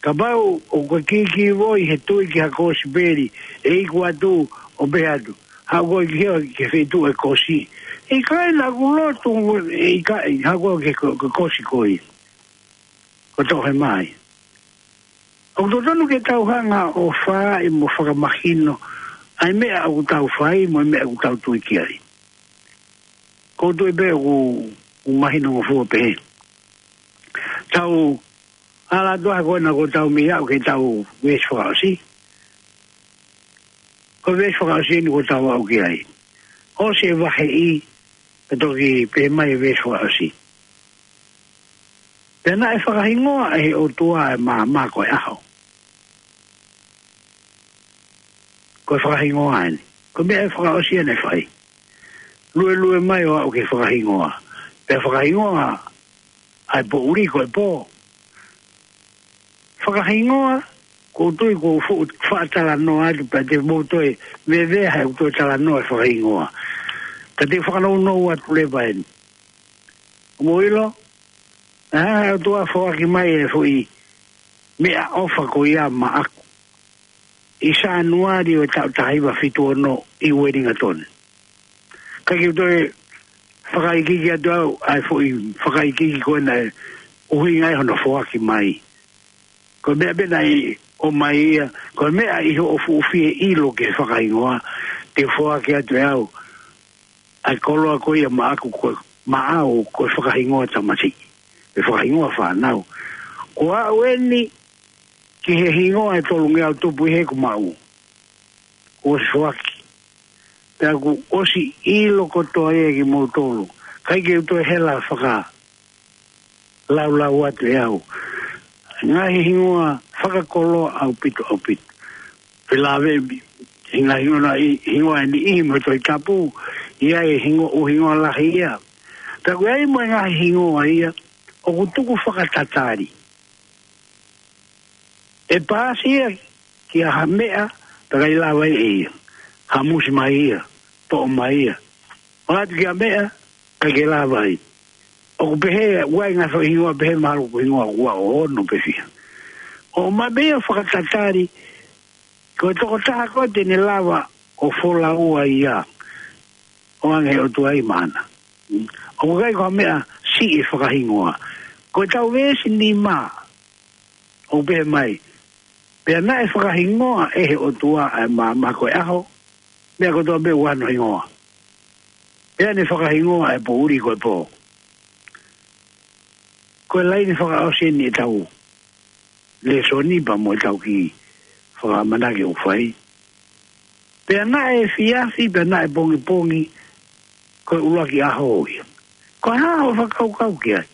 Kapau ʻoku ke kīkīvoi he tui ki ha kosipeli, ʻe iku atu ʻo pehē atu, haʻu koe ki he, ki he feituʻu ʻo e kosi. ʻIkai, naʻa ku lotu, ʻe ʻikai, haʻu koe ki he ko-, ko-, kosi ko ia. Ko e toʻohema ia. ʻOku totonu ke tau hanga ʻo fai mo fakamahino ʻa e meʻa ʻoku tau fai mo e meʻa ʻoku tau tui ki ai. ʻOku ou tui pē ʻoku, ʻoku mahino ngofua pē. Tau ala atu ā ko ena kuo tau mei aʻu ki heʻetau veesi fakaʻosi. Ko e veesi fakaʻosi eni kuo tau aʻu ki ai. ʻOsi e vaheʻi, pea toki pehē mai e veesi fakaʻosi. Pea naʻe fakahingoa ʻe he ʻOtua ʻa e maama ko e ʻaho. Ko e fakahingoa eni. Ko e meʻa ʻe fakaʻosi ʻene fai. Luelue mai ʻo aʻu ki he fakahingoa. Pea fakahingoa ʻa e poʻuli ko e pō. Fakahingoa, ʻoku ou tui kuo u fuʻu faʻa talanoa atu pea te mou toe vevea he ʻoku toe talanoa e fakahingoa. Ka te u fakanounou atu leva eni. Mou ʻilo, naʻe hanga ʻe he ʻOtua ʻo foaki mai e foʻi meʻaʻofa ko ia maʻaku ʻi Sānuali ʻo e taʻu taha hiva fitu ono ʻi Uelingatoni. Ka ke u toe fakaikiiki atu au ʻa e foʻi fakaikiiki ko ena ʻoku ʻuhinga ai hono foaki mai. Ko e meʻa pē naʻe ʻomai ia, ko e meʻa ʻi hoʻo fuʻu fie ʻilo ki he fakahingoa, te u foaki atu ʻe au ʻa e koloa ko ia maʻaku ko, maʻau ko e fakahingoa tamasiʻi. E fakahingoa fānau. Ko au eni ki he hingoa ʻe tolungeau tupu ʻi heʻeku maʻu. Kuo ʻosi foaki. Pea kuo ʻosi ʻilo kotoa ia kimoutolu. ʻIkai ke u toe hela faka laulau atu ʻe au. Ngaahi hingoa fakakoloa ʻaupito, ʻaupito. Felāveʻi, ngaahi hingoa ʻi, hingoa ʻe niʻihi mo e Tohi Tapu, ʻi ai e hingoa, ʻū hingoa lahi ia. Pea ʻoku ʻi ai mo e ngaahi hingoa ia, ʻoku tuku fakatatali. ʻE paasi ia ki ha meʻa, pea ʻikai lava ia ʻe ia. Hamusi mai ia, toʻo mai ia. ʻAlu atu ki ha meʻa, ʻikai ke lava ia. ʻOku pehē, ʻoku ʻi ai ngaahi foʻi hingoa pehē mahalo ko e hingoa ʻoku ʻi ai ʻo ono pe fiha. ʻOmai pē ia ʻo fakatatali, ko e tokotaha ko ē te ne lava ʻo folau ai ia. ʻO ʻoange ʻe he ʻOtua ia maʻana. ʻOku ʻikai ko ha meʻa siʻi e fakahingoa. Ko ʻetau veesi nima, ʻoku pehē mai. Pea naʻe fakahingoa ʻe he ʻOtua ʻa e maama ko e ʻaho. Meʻa kotoa pē ʻoku ʻi ai hono hingoa. Pea ne fakahingoa e poʻuli ko e pō. Ko e laine fakaʻosi eni ʻetau lēsoni pea mo ʻetau kiʻi fakaʻamanaki ʻoku fai. Pea naʻe efiafi, pea naʻe pongipongi, ko e ʻuluaki ʻaho ia. Ko e hā hoʻo fakakaukau ki ai?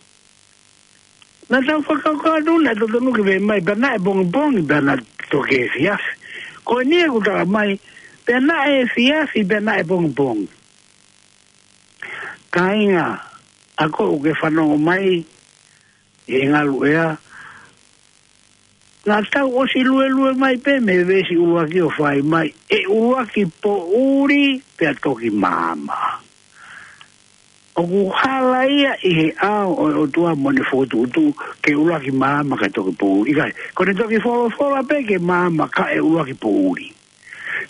Naʻa tau fakakaukau atu naʻe totonu ke pehē mai, pea naʻe pongipongi, pea naʻe toki efiafi. Ko eni ʻoku talamai, pea naʻe efiafi, pea naʻe pongipongi. Kāinga, ʻa koe ʻoku ke fanongo mai ʻi he ngaluʻea, naʻa tau ʻosi luelue mai pē mei he veesi ʻuluaki ʻo fai mai, ʻe ʻuluaki poʻuli pea toki maama. ʻOku hala ia ʻi he ʻao ʻo e ʻOtua mo ʻene fokotuʻutuʻu ke ʻuluaki maama kae toki poʻuli. ʻIkai, ko ʻene toki folofola pē ke maama kae ʻuluaki poʻuli.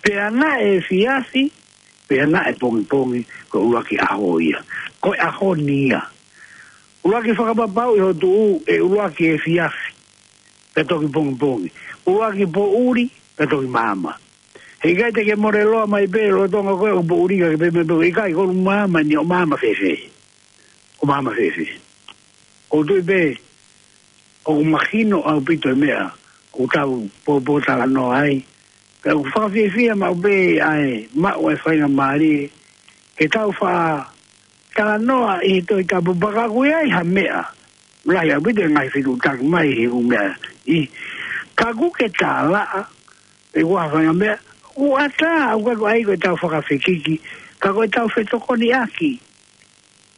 Pea naʻe efiafi, pea naʻe pongipongi, ko e ʻuluaki ʻaho ia. Ko e ʻaho ni ia. ʻUluaki fakapapauʻi hoʻo tuʻu, ʻe ʻuluaki efiafi, pea toki pongipongi. ʻUluaki poʻuli, pea toki maama. He ʻikai te ke mole loa mai pē lolotonga ko ē ʻoku poʻuli ka ke pehē mai pē, ʻikai, kuo u maama ni, ʻo maama fēfē? ʻO maama fēfē? ʻOku ou tui pē ʻoku mahino ʻaupito e meʻa ʻoku tau pōpōtalanoa ai. Pea ʻoku fakafiefia maʻu pē ʻa e maʻu e faingamālie ke tau faʻa talanoa ʻi he Tohi Tapu, pea ka ʻoku ʻi ai ha meʻa, lahi ʻaupito e ngaahi fetuʻutaki mai he ʻū meʻa, ʻi, ka ʻoku ke talaʻa pe ʻoku ʻi ai ha faʻahinga meʻa, ʻoku ʻatā, ʻoku ʻikai ko ʻetau fakafekiki, ka ko ʻetau fetokoniʻaki.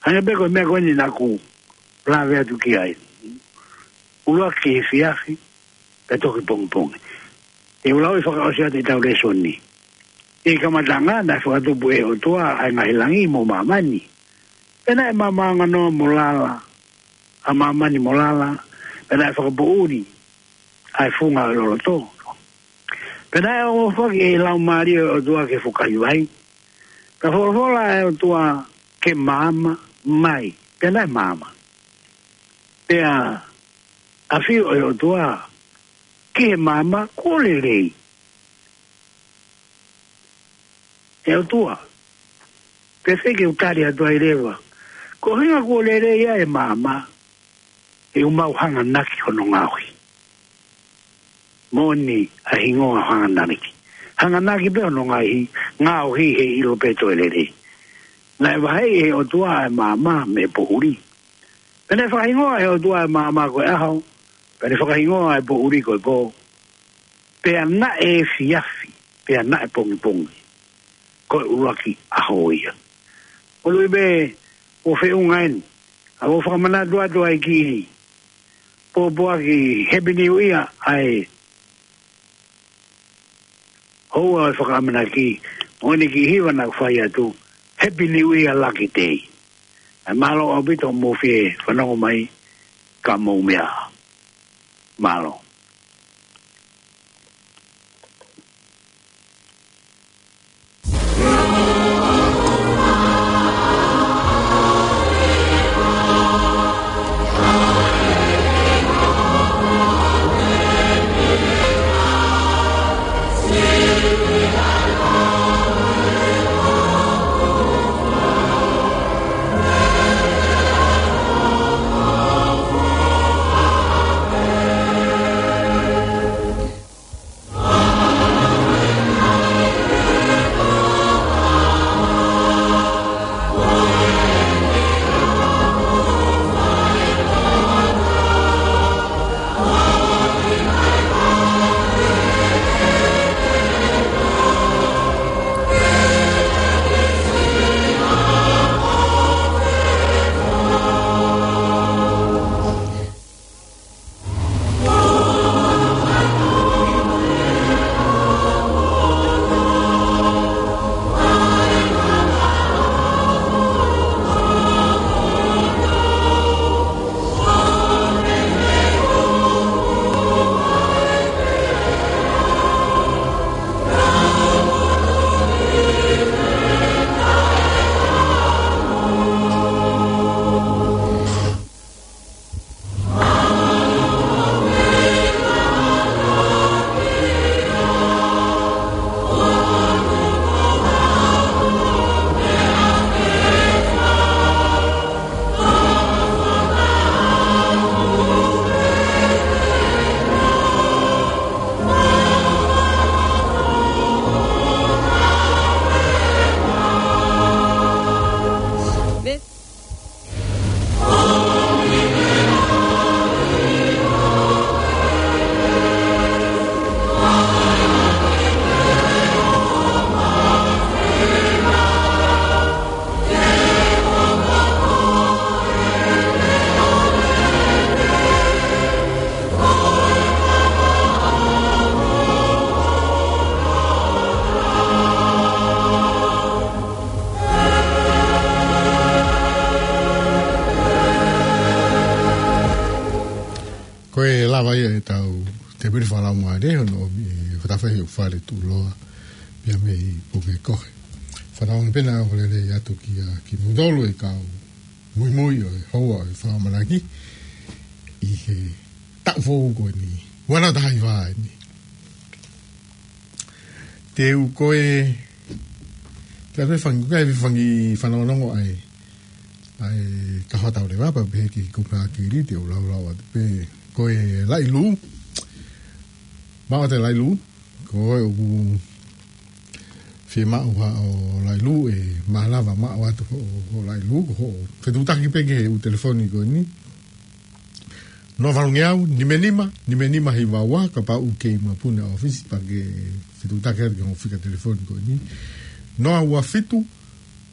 Hangē pē ko e meʻa ko eni naʻa ku lave atu ki ai. ʻUluaki efiafi, pea toki pongipongi. Te u lau e fakaʻosi atu ʻetau lēsoni. ʻI he kamataʻanga naʻe fakatupu ʻe he ʻOtua ʻa e ngaahi langi mo māmani. Pea naʻe maama ʻa e nganoa mo lala, ʻa māmani mo lala, pea naʻe fakapoʻuli ʻa e funga ʻo e loloto. Pea naʻe ʻohofaki ʻe he Laumālie ʻo e ʻOtua ki he fukahi vai. Pea folofola ʻa e ʻOtua ke maama mai. Pea naʻe maama. Pea ʻafio ʻa e ʻOtua ki he maama, kuo lelei. ʻE ʻOtua, pea fēfē ke u tali atu ai leva? Ko e ʻuhinga kuo lelei ʻa e maama, ʻe ʻoku mau hanganaki hono ngaohi. Moʻoni ʻa e hingoa hanganaki. Hanganaki pē hono ngaohi, ngaohi he ʻilo pē toe lelei. Naʻe vaheʻi ʻe he ʻOtua ʻa e maama mei he poʻuli. Pea naʻe fakahingoa ʻe he ʻOtua ʻa e maama ko e ʻaho, pea ne fakahingoa ʻa e poʻuli ko e pō. Pea naʻe efiafi, pea naʻe pongipongi, ko e ʻuluaki ʻaho ia. ʻOku ou tui pē ʻoku feʻunga eni, ʻa ʻoku ou fakamanatu atu ai ki he pōpoaki Happy New Year ʻa e houa ʻo e fakaʻamanaki, ʻo ʻene kiʻi hiva naʻa ku fai atu, Happy New Year, Lucky Day. ʻAi, mālō ʻaupito hoʻomou fie fanongo mai, ka mou meʻa ā. Mālō. Avaia e tau te pili falau mare, hono ʻomi e fatafahi ʻo Fale Tuʻuloa, pea mei Pukekohe. Falau pena o lele atu kia, ki mutolu e kau muimui ʻo e houa ʻo e fakamanaki, ʻi he taʻu foʻou ko eni, ua noa taha hiva eni. Te u ko e, te u fangi, ko e fangi fanongonongo ai, ʻa e kaho tau leva pea pehē ki he kupu ʻa Kili, te u laulau atu pē ko e Lailū. Maʻu atu e Lailū, ko e ʻoku fiemaʻu ha ʻo Lailū, ʻe malava maʻu atu ho, ho Lailū, ko hoʻo fetuʻutaki pē ki he ʻū telefoni ko eni. Noa valu ngeau, nima nima, nima nima hiva ua, kapau ʻoku kei mapuna ʻa e ʻōfisi pea ke fetuʻutaki atu ki hoʻo fika telefoni ko eni. Noa ua fitu,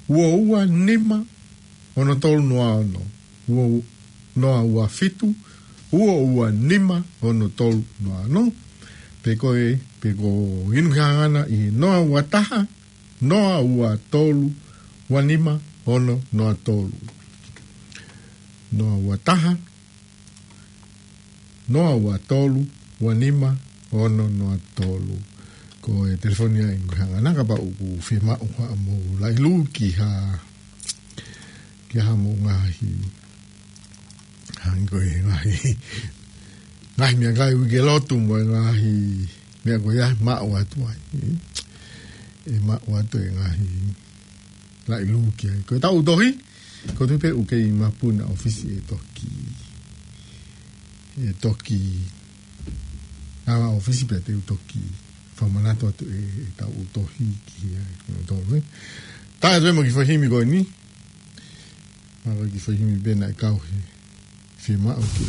ua ua nima, ono tolu noa ono. Ua, noa ua fitu, ua ua nima, ono tolu noa ono. Pe ko e, pe ko e inu ki hangana ʻi he noa ua taha, noa ua tolu, ua nima, ono noa tolu. Noa ua taha, noa ua tolu, ua nima, ono noa tolu. Ko e telefoni ia ʻi he hangana kapau ʻoku fiemaʻu haʻamou Lailū ki ha, ki haʻamou ngaahi, hangē ko e ngaahi, ngaahi meʻakai uike lotu mo e ngaahi meʻa ko ia maʻu atu ai. ʻE maʻu atu e ngaahi Lailū ki ai. Ko e tau tohi, ko e tuʻu pē ʻoku kei mapuna ʻa e ʻōfisi ʻe toki, ʻe toki, ʻa e ʻōfisi pea te u toki fakamanatu atu e, e tau tohi ki ai, ko e tau, ē. Tā atu e mo e kiʻi foʻi himi ko eni, mo e kiʻi foʻi himi pē naʻe kau he fiemaʻu ke.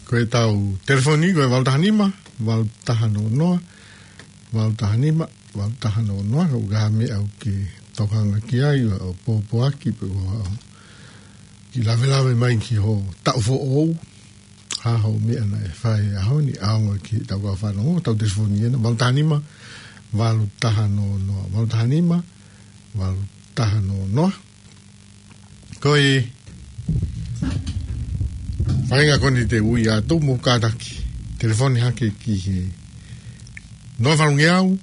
Ko e tau telefoni, ko e valu taha nima, valu taha noa noa, valu taha nima, valu taha noa noa, ka ʻoku ʻi ai ha meʻa ʻoku ke tokanga ki ai, ʻo pōpoaki, pe ko ha kiʻi lavelave mai ki ho taʻu foʻou, ha hoʻo meʻa naʻe fai he ʻaho ni, ʻaonga ki he tau kau fanongo, tau telefoni ena, valu taha nima, valu taha noa noa, valu taha nima, valu taha noa noa. Ko e faʻahinga ko eni te u ui atu mo kātaki telefoni hake ki he noa valu ngeau,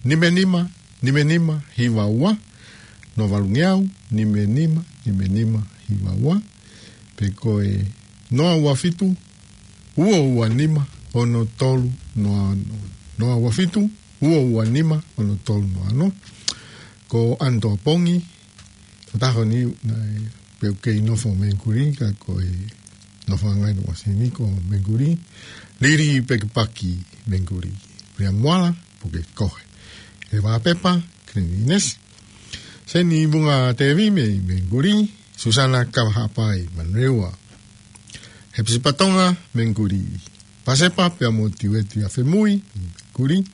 nima nima, nima nima hiva ua, Noa Valungeau, nima nima, nima nima hiva ua, pe ko e noa ua fitu, ua ua nima, ono tolu noa ono. Noa ua fitu, ua ua nima, ono tolu noa ono. Ko Anto Pongi, ʻo taho ni, naʻe pehē ʻoku kei nofo Menguli, ka ko e nofoʻanga ʻi Nuʻusila ni ko Menguli. Lili Pekipaki Menguli. Pea Moala, puke kohe. Eva Pepa, Cleanliness. Seni Vunga Tevi mei Menguli. Susana Kavahapai, Manurewa. Hepisipa Tonga, Menguli. Pasepa pea mo Tiueti Afemui, Menguli.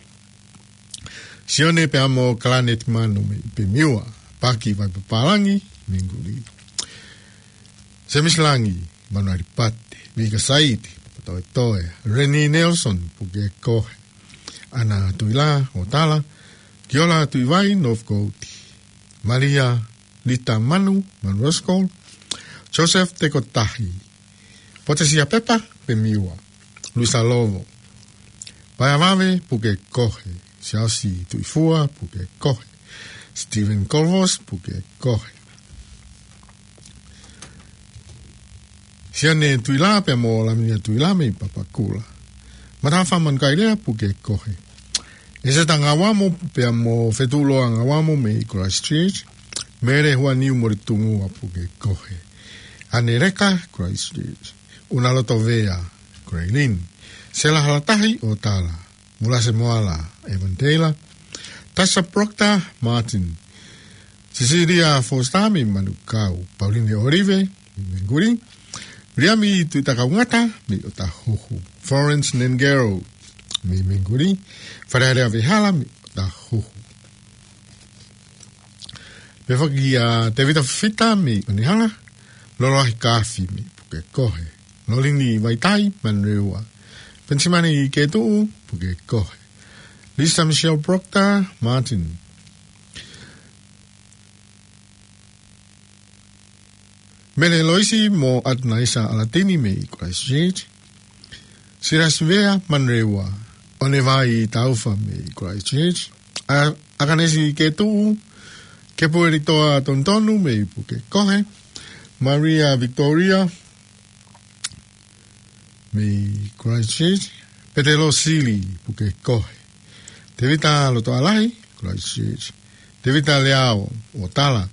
Sione pea mo Kalanet Manu mei Pemiua. Paki Vaipapālangi, Menguli. Semisi Langi, Manuali Pate, Vika Saiti, Papatoetoe, Reni Nelson, puke kohe. Ana Tuila, ʻo Tala, Kiola Tuivai, Northcote, Malia Lita Manu, Manu Roskol, Joseph Tekotahi, Potesia Pepa, Pemiua, Luisa Lovo, Paea Vave, puke kohe, Siaosi Tuifua, puke kohe, Stephen Colvos, puke kohe. Sione Tuila pea mo Laminia Tuila mei Papakura. Matafa Manukailea, puke kohe. ʻEseta Ngauamo pea mo Fetuloa Ngauamo mei Christchurch. Mele Huaniu Moritungua, puke kohe. Aneleka, Christchurch. Unalotovea, Graylin. Sela Halatahi, ʻo Tala. Mulase Moala, Evan Taylor. Tasha Proctor, Martin. Cecilia Foster mei Manukau. Pauline Olive mei Menguli. Viliami Tuitakaungata mei ʻOtahuhu. Florence Nengero mei Menguli. Falealea Vehala mei ʻOtahuhu. Pea foki ʻa Tevita Fifita mei ʻOnehunga. Loloahi Kafi mei Pukekohe. Lolini Vaitai, Manurewa. Penisimani Ketuʻu, Pukekohe. Lisa Michelle Proctor, Martin. Mele Loisi mo Atnaisa Alatini mei Christchurch. Sirasi Vea, Manurewa. ʻOnevai Taufa mei Christchurch. A-, Akanesi Ketuʻu, Kepuelitoa Tonutonu mei Pukekohe. Maria Victoria mei Christchurch. Petelo Sili, Pukekohe. Tevita Lotoalahi, Christchurch. Tevita Leao, ʻo Tala.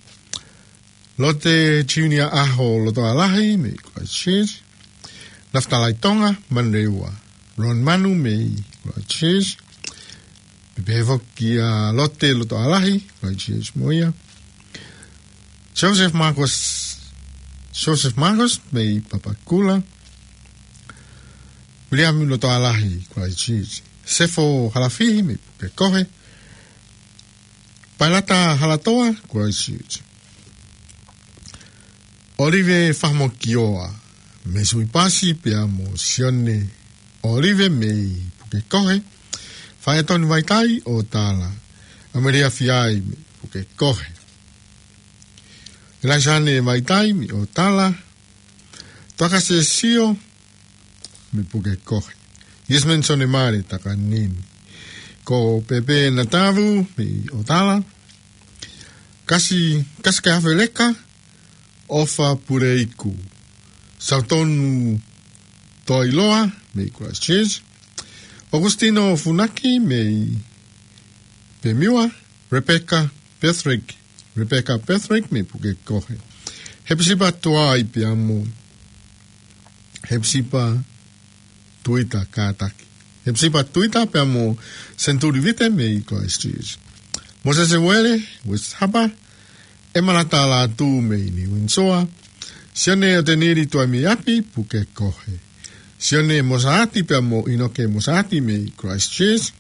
Lote Junior Aho Lotoalahi mei Christchurch. Nafatalai Tonga, Manurewa. Ron Manu mei Christchurch. Pea pehē foki ʻa Lote Lotoalahi, Christchurch mo ia. Joseph Marcos, Joseph Marcos mei Papakura. Viliami Lotoalahi, Christchurch. Sefo Halafihi mei Pukekohe. Pailata Halatoa, Christchurch. Olive Fahamokioa mei Suipasi pea mo Sione Olive mei Pukekohe. Faetoni Vaitai, ʻo Tala. Amelia Fiai mei Pukekohe. Elaisane Vaitai mei ʻo Tala. Tuakase Sio mei Pukekohe. Yesman Sonemare Takanini. Ko Pepe Natavu mei ʻo Tala. Kasi, Kasi Kafeleka, ʻOfa Puleiku. Sautonu Toiloa mei Christchurch. Augustino Funaki mei Pemiua. Rebecca Patrick. Rebecca Patrick mei Pukekohe. Hepisipa Tuai pea mo Hepisipa Tuita Kātaki. Hepisipa Tuita pea mo Senturi Vite mei Christchurch. Mosese Uele, West Harbour. ʻEmalata Lātū mei Niuinsoa. Sione ʻOtenili Tuaimiapi, Pukekohe. Sione Mosaati pea mo ʻInoke Mosaati mei Christchurch.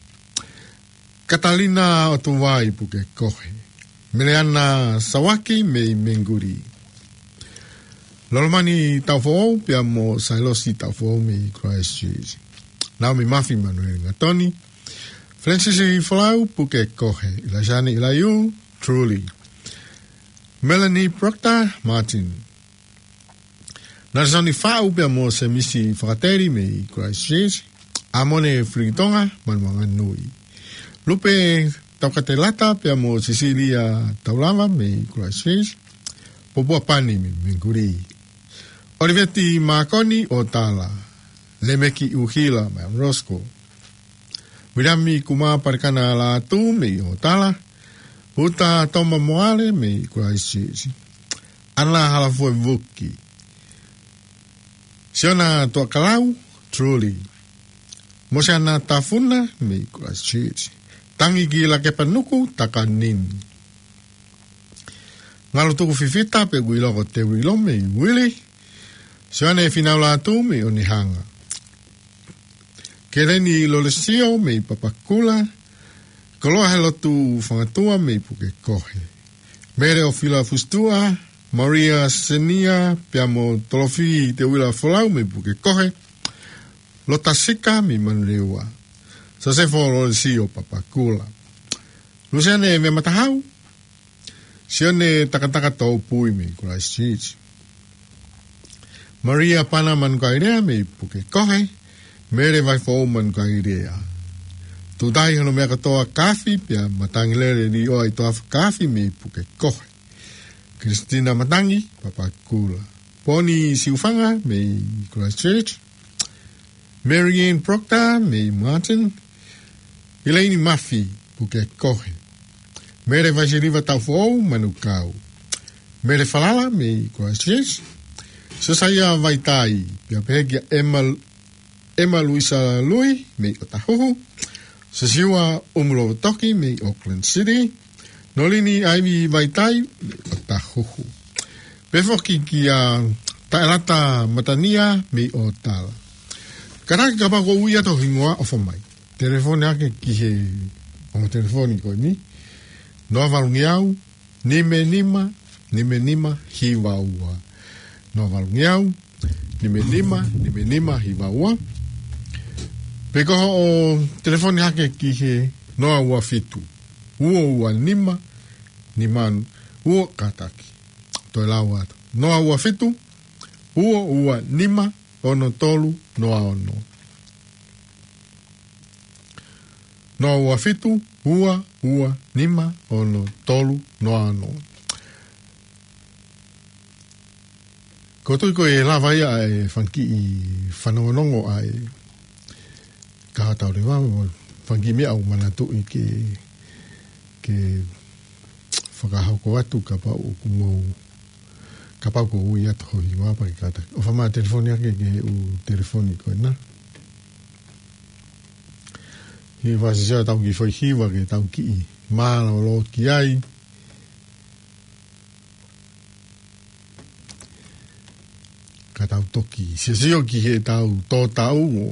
Katalina ʻOtuvai, Pukekohe. Meleana Sawaki mei Menguli. Lolomani Taufoʻou pea mo Sailosi Taufoʻou mei Christchurch. Naomi Mafi, Manueli Ngatoni. Francis Folau, Pukekohe. Ilaisani Ilaiu, Truly. Melanie Proctor, Martin. Nalesoni Faʻu pea mo Semisi Fakateli mei Christchurch. ʻAmone Filitonga, Manuanganui. Lupe Taukatelata pea mo Sisilia Taulava mei Christchurch, Popua Pani mei Mangere, ʻOliveti Mākoni ʻo Tala, Lemeki ʻUhila mei Roscoe, Viliami Kumapalekana Lātū mei ʻOtala, Uta Toma Moale mei Christchurch, ʻAna Halafuevuki, Siona Tuakalau, Truly, Mosiana Tafuna mei Christchurch, Tangi ki Lakepanuku, Takanini, Ngalu Tuku Fifita pea ʻoku ʻiloa ko Teuilo mei Wili, Sione Finaulātū mei Onehunga, Keleni Lolesio mei Papakura, Koloa Helotu Fangatua mei Pukekohe, Mele ʻOfila Fusitua, Maria Senia pea mo Tolofi Teuila Folau mei Pukekohe, Lota Sika mei Manurewa, Sosefo Lolesio Papakura, Lusiane Mematahau, Sione Takataka Tōpui mei Christchurch, Maria Pana Manukaelea mei Pukekohe, Mele Vaifou Manukaelea, Tutai Hono Mea Kotoa Kafi pea Matangi Lele Lioa ʻi Toafa Kafi mei Pukekohe, Christina Matangi, Papakura, Poni Siufanga mei Christchurch, Mary Ann Proctor mei Marton, Elaine Mafi, Pukekohe, Mele Vaisiliva Taufoʻou, Manukau, Mele Falala mei Christchurch, Sosaia Vaitai, pea pehē kia Emma, Emma Luisa Lui mei Otahuhu, Sosiua Umulovotoki mei Auckland City, Nolini Aivi Vaitai mei Otahuhu. Pea foki kia Taelata Matania mei ʻOtala. Kātaki kapau ʻoku ui atu ho hingoa, ʻofa mai, telefoni hake ki he ongo telefoni ko eni, noa valu ngeau, nima nima, nima nima, hiva ua. Noa valu ngeau, nima nima, nima nima, hiva ua. Pe ko hoʻo telefoni hake ki he noa ua fitu, ua ua nima, nima ua, kātaki. Toe lau atu. Noa ua fitu, ua ua nima, ono tolu, noa ono. Noa ua fitu, ua ua nima, ono tolu, noa ono. Ko e tui ko e lava ia ʻa e fanga kiʻi fanongonongo ʻa e Kahaʻu Tauleva, mo e fanga kiʻi meʻa ʻoku ou manatuʻi ke, ke fakahoko atu kapau ʻoku mou, kapau ʻoku ui atu ho hingoa pea ke kātaki. ʻOfa mai telefoni hake ki he ʻū telefoni ko ena. Hiva sesea tau kiʻi foʻi hiva ke tau kiʻi mālōlō ki ai. Ka tau toki sesio ki he tau tō tau ʻo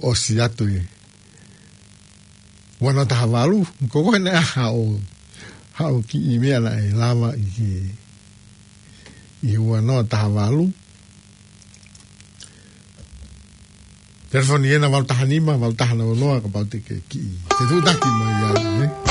ʻosi atu e ua noa taha valu, ko koe ne aha ʻo, haʻo kiʻi meʻa naʻe lava ʻi he, ʻi he ua noa taha valu. Telefoni ena valu taha nima, valu taha noa noa, kapau te ke kiʻi fetuʻutaki mai ai, ē?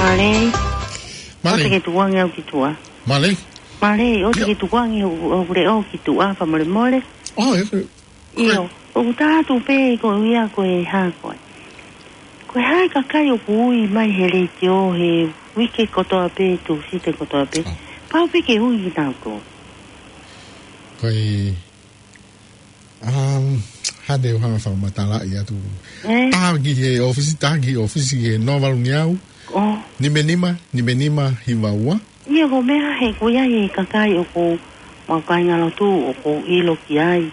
Mālō. Mālō. ʻOua te ke tukuange au ki tuʻa. Mālō. Mālō, ʻoua te ke tukuange hoku, hoku leʻo ki tuʻa, fakamolemole. ʻIo, ʻoku ou tala atu pē ko ia ko e hā ko ē. Ko e hā e kakai ʻoku ui mai he letiō he uike kotoa pē, Tūsite kotoa pē. Pau pē ke ui kinautolu. Ko e, um, hā te u hanga fakamatalaʻi atu. Taha ki he ʻōfisi, taha ki he ʻōfisi ki he noa valu ngeau. Nima nima, nima nima hiva ua. ʻIo, ko e meʻa he ko ia e kakai ʻoku mau kāingalotu ʻoku ou ʻilo ki ai.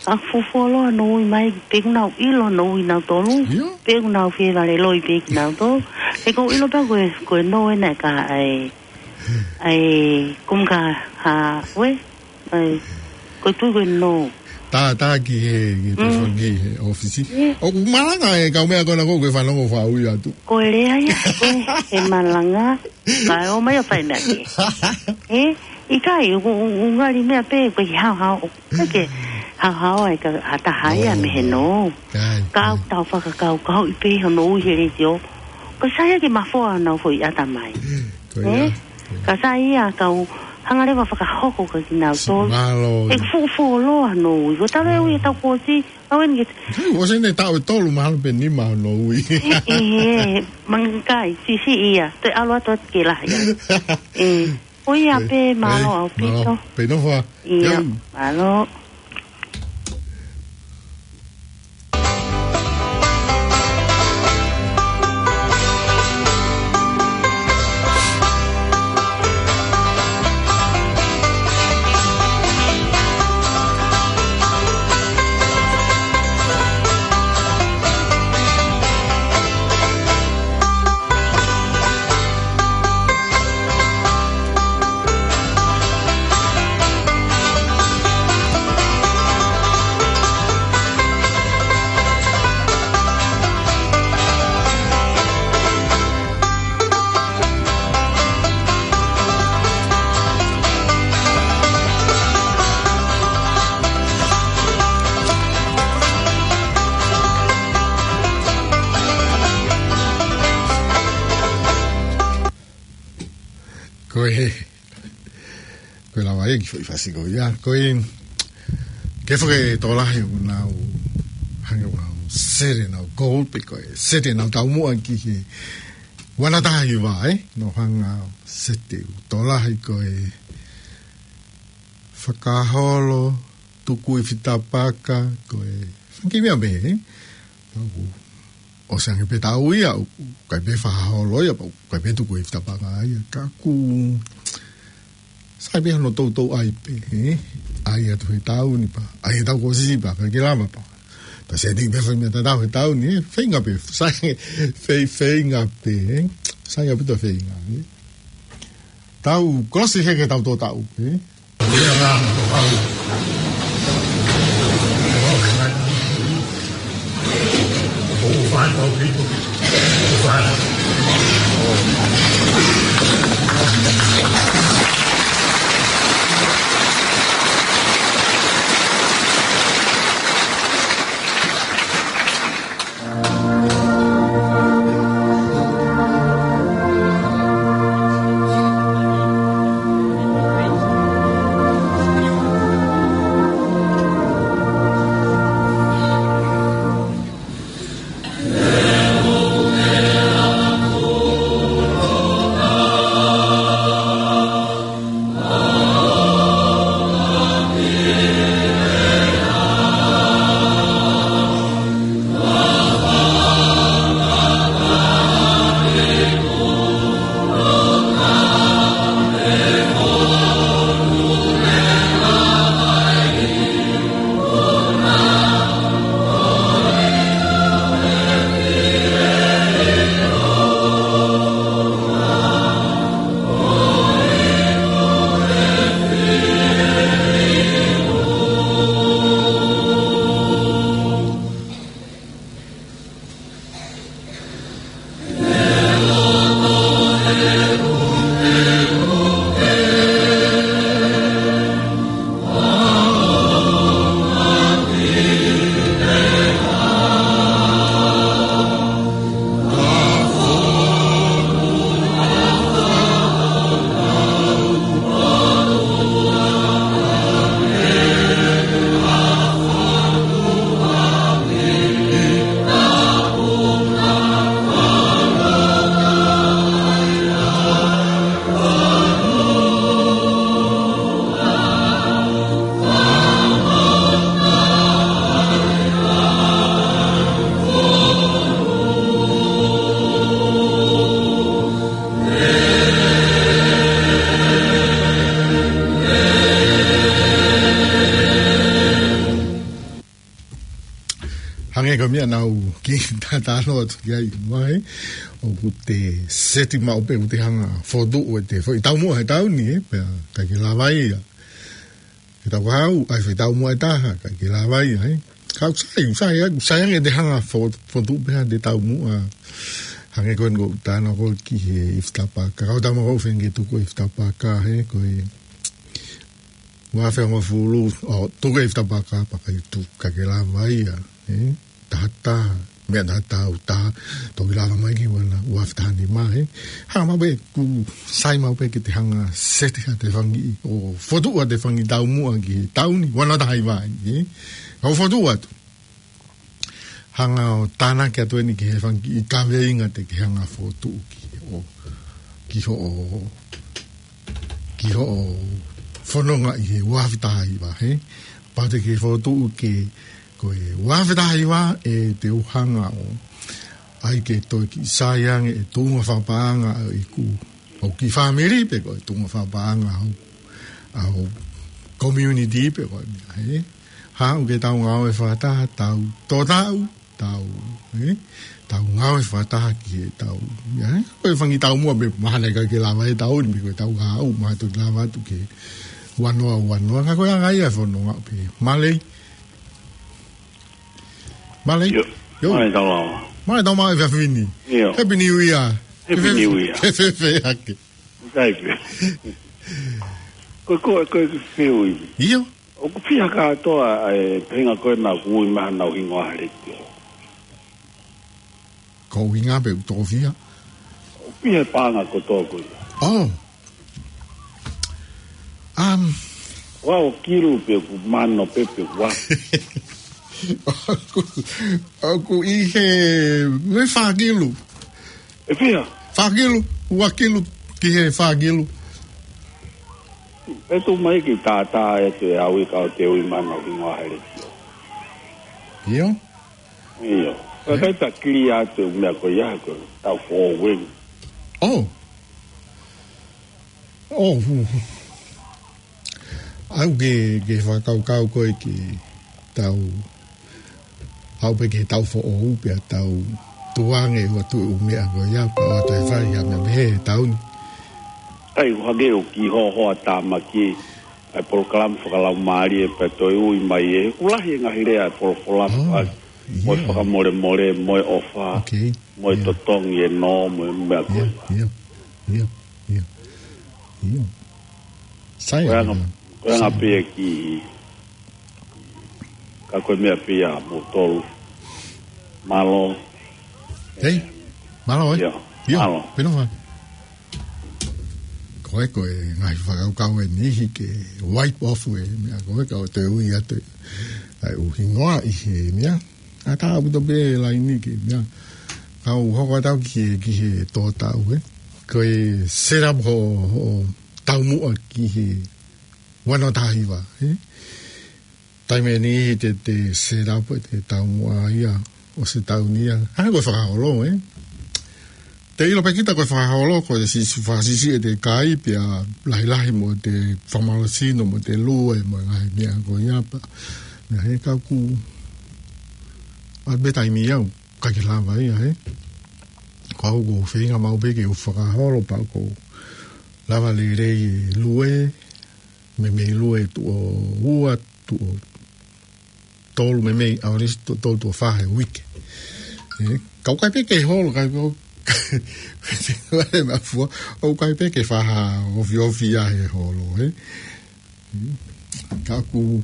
Ka fuoloa hono ui mai, pe ʻoku nau ʻilo hono ui nautolu, pe ʻoku nau fie vale loi pē kinautolu. He ʻoku ou ʻilo pē ko e, ko e nō ena ka ai, ai, kum ka ha, ue, ai, ko e tui ko e nō. Tā, tā ki he, ki he telefoni ki he ʻōfisi. ʻOku malanga e kau meʻa ko ena ko e fanongo fau ia atu. Ko e lea ia, ko e, he malanga. Ka ʻomai ʻo fai meʻa ke. ʻE, ʻikai, u, u, u ngali meʻa pē, ko e haohaoa. Ko e haohaoa e ka, ha taha ia mei he nō. Ka ʻoku tau fakakaukauʻi pē hono ui he letiō. Ko e sai ia ke mafoa nau foʻi ʻatamai. Ka sai ia kau hanga leva fakahoko ka kinautolu. ʻE fuʻu fuoloa hono ui. Ko e tala e ui e tau kuo ʻosi, au eni ke. Sai, ʻosi eni taʻu ʻe tolu mahalo pē nima hono ui. ʻE, ʻe, mangakai, sisi ia, te ʻalu atu atu ke lahi. ʻE, ʻo ia pē, mālō ʻaupito. Pē nofo. ʻIo, mālō. Ko e, ko e lava ia ki foʻi fasi ko ia. Ko e, ke fake tō lahi ʻoku nau, hanga ʻo sele nau gold pe ko e, sele nau taumuʻa ki he, ua noa taha hiva, ē? Nau hanga sele tō lahi ko e, fakaholo, tuku ʻi fitapaka, ko e, fanga kiʻi meʻa pē, ē? Pau ʻosi ange pē taʻu ia, ʻoku ʻikai pē fakaholo ia, pau ʻikai pē tuku ʻi fitapaka ia, ka ʻoku sai pē hono toutou ʻai pē, ē? ʻAi atu he taʻu ni pea, ʻai he taʻu kuo ʻosi pea, ʻikai ke lava pea. Pea sai eni pē fai meʻa tatau he taʻu ni, ē? Feinga pē, sai, fei, feinga pē, ē? Sai ʻaupito feinga, ē? Taʻu, kolosi he ke tau tō taʻu, ē? Ē, ko e meʻa naʻá ku kiʻi tatalo atu ki ai, mai. ʻOku te seti maʻu pē, ʻoku te hanga fokotuʻu ʻete foʻi taumuʻa he taʻu ni, ē, pea ʻikai ke lava ia ke tau haʻu, ʻai foʻi taumuʻa ʻe taha, ʻikai ke lava ia, ē. Ka ʻoku sai, ʻoku sai, ʻoku sai ange ʻete hanga fo-, fokotuʻu pē haʻate taumuʻa. Hangē ko eni ʻoku ou talanoa ko ē ki he ifi tapaka. Kau tama ko ē ʻoku feinga ke tuku e ifi tapaka, ē, ko e ua afe hongofulu, ʻo, tuku e ifi tapaka, pea ʻikai tuku, ʻikai ke lava ia, ē. Taha taha, meʻa taha taha, ʻo taha, toki lava mai ki he ua noa, ua afe taha nima, ē. Hanga maʻu pē, ʻoku sai maʻu pē ke te hanga seti haʻate fanga kiʻi, ʻo fokotuʻu haʻate fanga kiʻi taumuʻa ki he taʻu ni, ua noa taha hiva, ē. Kau fokotuʻu atu. Hanga ʻo tānaki atu eni ki he fanga kiʻi kaveinga te ke hanga fokotuʻu ki hoʻo, ki hoʻo, ki hoʻo fononga ʻi he ua afe taha hiva, ē. Pau te ke fokotuʻu ke, ko e ua afe taha hiva ē, te u hanga ʻo ʻai ke toe kiʻi sai ange e tuʻunga fakapaʻanga ʻo ʻeku, ʻo e kiʻi fāmili pe ko e tuʻunga fakapaʻanga ʻo, ʻo e community pe ko e meʻa, ē. Haʻu ke tau ngāue fakataha, tau tō taʻu, tau, ē? Tau ngāue fakataha ki he tau, ē? Ko e fanga kiʻi taumuʻa pē mahalo ʻikai ke lava he taʻu ni, pe ko e taʻu kahaʻu, mahalo toki lava atu ki he ua noa, ua noa, ka ko e anga ia e fononga pē. Mālō. Mālō. ʻIo. ʻIo. Mālō e tau lava. Mālō e tau maʻu e efiafi ni. ʻIo. Happy New Year. Happy New Year. Ke fēfē hake. ʻIkai pē. Ko, ko, ko, ko e fiu ivi. ʻIo. ʻOku fiha kātoa e feinga ko ē naʻá ku ui mai haʻanau hingoa he letiō. Ko e ʻuhinga pē ʻoku toko fiha. ʻOku fiha e paʻanga kotoa ko ia. Oh. Um. Ua ʻo kilu pe ʻoku mano pe pe ua. ʻOku, ʻoku ʻi he, mei he fā kilu. ʻE fiha? Fā kilu, ua kilu ki he fā kilu. ʻE tuʻu mai ke tātā ʻe te au ʻi ka ʻo te ui mai haʻanau hingoa he letiō. ʻIo? ʻIo. Ka ʻikai ta kili atu e meʻa ko ia ko e tau foʻou eni. Oh. Oh, hu, hu. ʻAu ke, ke fakakaukau ko ē ke tau, ʻau pē ke tau foʻou pea tau tukuange ʻo ʻatu e ʻū meʻa ko ia, pea ʻoatu e fai ha meʻa mei he taʻu ni. ʻAi, ʻoku hangē ʻoku kiʻi hoahoa tāmaki e polokalama fakalaumālie pea toe ui mai ē. ʻOku lahi e ngaahi lea e folofola, oh, pea mo e, ʻio, fakamolemole, mo e ʻofa, okay, mo e, ʻio, totongi e nō, mo e meʻa ko ia. ʻIo, ʻio, ʻio, ʻio. ʻIo. Sai. Ko e anga, ʻio, ko e anga, sai, pē ia ki, ka ko e meʻa pē ia mo tolu. Mālō. Hei, mālō, ē? ʻIo, ʻio, mālō. Pena fai. Ko e, ko e ngaahi fakakaukau ʻe niʻihi ke wipe off e meʻa ko ē, ka ʻo te ui atu ʻa e ʻū hingoa ʻi he meʻa. ʻA tā ʻaupito pē laini ke meʻa. Kau hoko atu ki he, ki he tō taʻu, ē. Ko e set up hoʻo, hoʻo taumuʻa ki he ua noa taha hiva, ē. Taimi ʻe niʻihi te, te set up ʻete taumuʻa ia ʻosi e taʻu ni ia. Hangē ko e fakaholo, ē. Te ʻilo pē kita ko e fakaholo, ko e siʻisiʻi, fakasiʻisiʻi ʻete kai pea lahilahi mo ʻete fakamālohisino mo ʻete lue mo e ngaahi meʻa ko ia pea. Meʻa he ka ʻoku ʻalu pē taimi ia ʻoku ʻikai ke lava ia, ē. Ko au ʻoku ou feinga maʻu pē ke u fakaholo pea ʻoku ou lava lelei e lue, meimei lue tuʻo ua, tuʻo tolu, meimei ʻaho ʻe tolu tuʻo fā he uike. Ē, ka ʻoku ʻikai pē ke holo, ka ʻoku, ʻoku ʻikai pē ke fai ha ofiofi ia he holo, ē. Ka ʻoku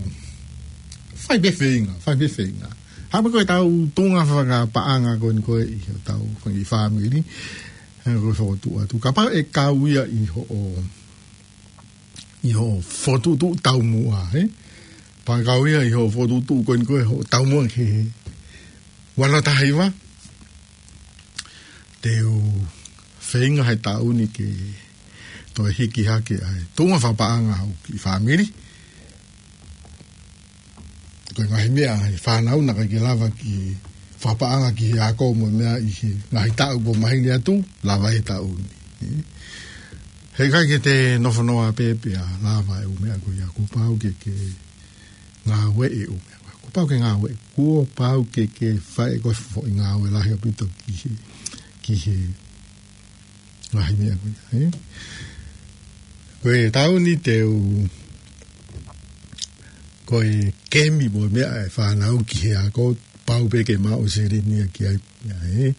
fai pē feinga, fai pē feinga. Hangē ko e tau tuʻunga fakapaʻanga ko eni ko ē ʻi hotau fanga kiʻi fāmili. Hangē ko e fokotuʻu atu. Kapau ʻe kau ia ʻi hoʻo ʻi hoʻo fokotuʻutuʻu taumuʻa, ē? Pea kau ia ʻi hoʻo fokotuʻutuʻu ko eni ko ē hoʻo taumuʻa ki he ua noa taha hiva. Te u feinga he taʻu ni ke toe hiki hake ʻa e tuʻunga fakapaʻanga ʻo e kiʻi fāmili. Ko e ngaahi meʻa ʻa e fānau naʻe ʻikai ke lava ke fakapaʻanga ki he ako mo e meʻa ʻi he ngaahi taʻu kuo maheni atu, lava he taʻu ni. Heʻikai ke te nofo noa pē pea lava e ʻū meʻa ko ia, kuo pau ke ke ngāueʻi e ʻū meʻa ko ia. Kuo Pau ke ngāue, kuo pau ke, ke fai ko e foʻi ngāue lahi ʻaupito ki he, ki he ngaahi meʻa ko ia, ē? Ko e taʻu ni te u, ko e kemi mo e meʻa e fānau ki he ako, pau pē ke maʻu seleni ia ki ai, ia, ē?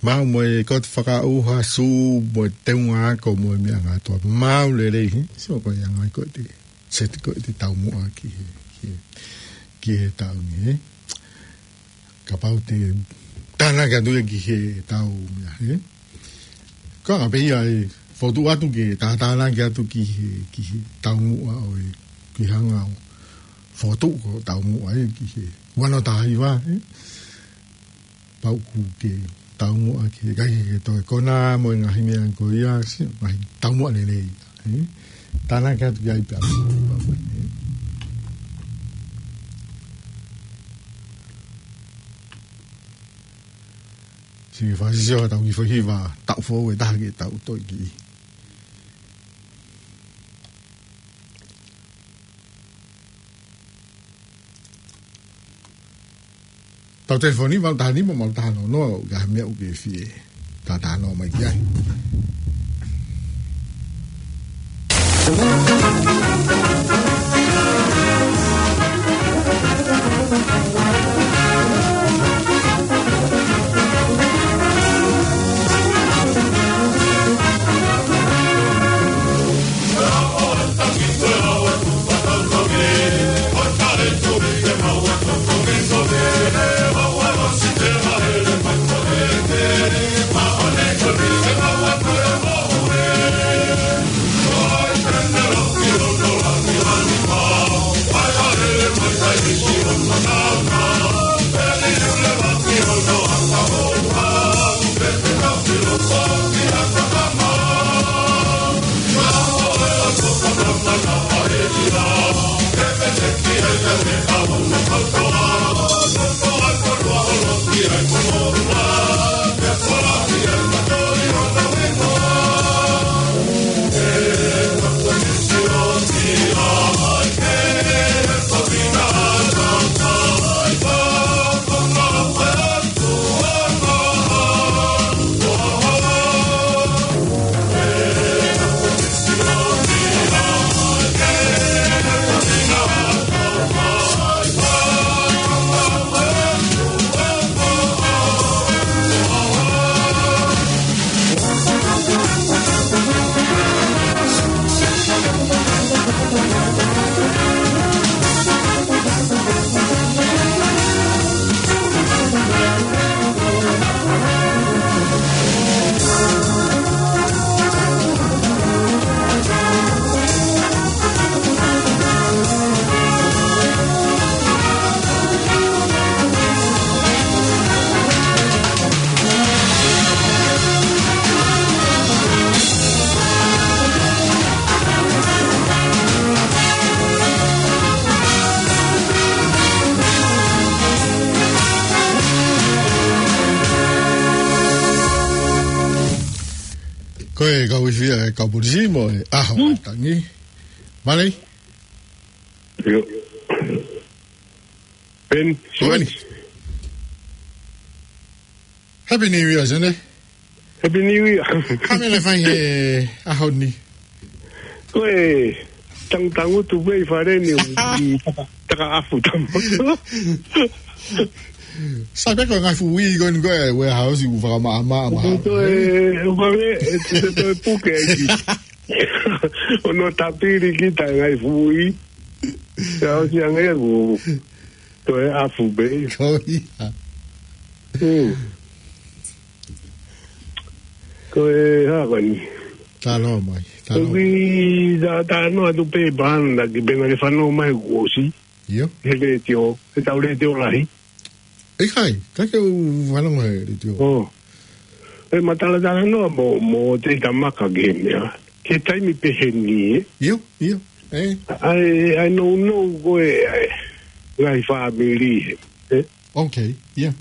Maʻu mo e koto fakaʻuha, sū, mo e teunga ako, mo e meʻa ngā toa. Maʻu lelei, ē? So ko e anga ko ē te, set ko ē te taumuʻa ki he, ki he, ki he taʻu ni, ē? Kapau te tānaki atu ia ki he taumuʻa, ē? Ko e anga pē ia e fotu atu ke tātānaki atu ki he, ki he taumuʻa ʻo e, ki he anga ʻo fotu ko taumuʻa ē ki he ua noa taha hiva, ē? Pau ʻoku ke taumuʻa ki he kai ke toe kona mo e ngaahi meʻa ko ia, si, ngaahi taumuʻa lelei, ē? Tānaki atu ki ai pea. Siʻi fakasisio ha taʻu ki he foʻi hiva, taʻu foʻou ʻe taha ke tau toe ki. Tau telefoni, valu taha nima, valu taha noa noa, ka meʻa ʻoku ke fie. Tātānaki mai ki ai. Ko e kau ifi ʻa e kau polisi mo e ʻaho tangi. Malei? ʻIo. Ben, Ko eni. Happy New Year, Sene. Happy New Year. Ka mele fai he ʻaho ni. Ko e tangutangutu pē ʻi fale ni ʻi taka, taka afu tamo. Sai pē ko e ngaahi fuʻu uī ko eni ko e warehouse ʻoku fakamaʻamaʻa. Ko e, ko e, e, e, e, e puke ai ki. ʻO nau tāpili kita ngaahi fuʻu uī. Ka ʻosi ange ʻoku toe afu pē. Ko ia. Hmm. Ko e hā ko eni. Talo mai, talo. Ko e tā, tā noa atu pē pāna ki pena ke fano mai kuo ʻosi. ʻIo. He letiō, he tau letiō lahi. ʻIkai, ka ke u fano mai he letiō. Oh. E matalatala noa mo, mo te tamaka ke mea. Ke taimi pehē ni, ē? ʻIo, ʻio. ʻE. ʻAi, ʻai nounou ko e, ʻai. Ngaahi fāmili, ē? Okay, yeah.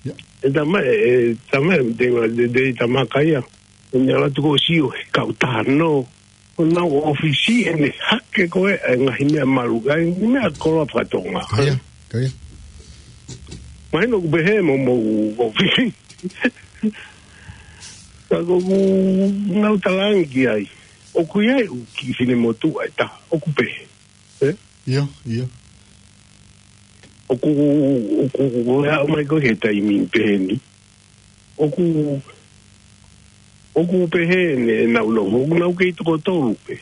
Yeah. E tama, e, e tama, te, te, te tamaka ia. ʻO ne ala tuku ʻo sio, he kau tano. ʻO nau ʻōfisi ʻene hake ko e, e ngaahi meʻa malu, ngaahi meʻa koloa fakatonga. Ka ia, ka ia. Mahino ʻoku pehē mo, mo, mo fifi. Ka ko ʻeku ngaahi talaange ki ai. ʻOku ʻi ai ʻeku kiʻi finemotuʻa ʻe taha. ʻOku pehē. Eh? ʻIo, ʻio. ʻOku, ʻoku, ʻoku, ʻoku, ʻomai ko e taimi pehē ni. ʻOku, ʻoku pehē ne nau lo, ʻoku nau kei toko tolu pē.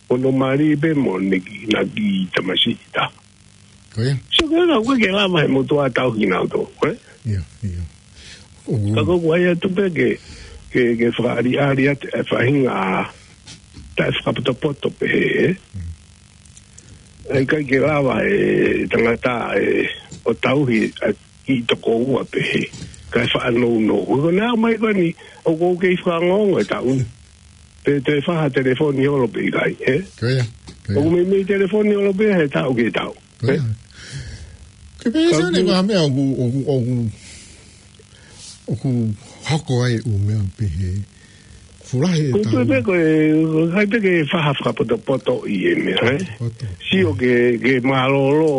Hono mali pē mo ʻene kiʻi, na kiʻi tamasiʻi taha. Ko ia. So, ka ʻoku ke lava he motuʻa tauhi kinautolu, eh? ʻIo, ʻio. ʻOku Ka ko ʻeku ʻai atu pē ke, ke, ke fakaʻaliʻali atu e faʻahinga taʻefakapotopoto pehē, eh? ʻIkai ke lava e tangata e ʻo tauhi ʻa e kiʻi toko ua pehē. Kae faʻa nounou. Ko ʻene ʻomai ko eni, ʻoku ou kei fakaongoongo e taʻu ni. Te, te faha telefoni holo pē ʻikai, eh? Ko ia, ko ia. ʻOku meimei telefoni holo pē he taʻu ki he taʻu. Ko ia. Eh? Ke pehē Ka Sione, ko ha meʻa ʻoku, ʻoku, ʻoku, ʻoku hoko ai ʻū meʻa pehē. Fulahi e Ko taʻu. pē ko e, ko e kai pē ke faha fakapotopoto ʻi he meʻa, eh? Poto. Sio ke, ke mālōlō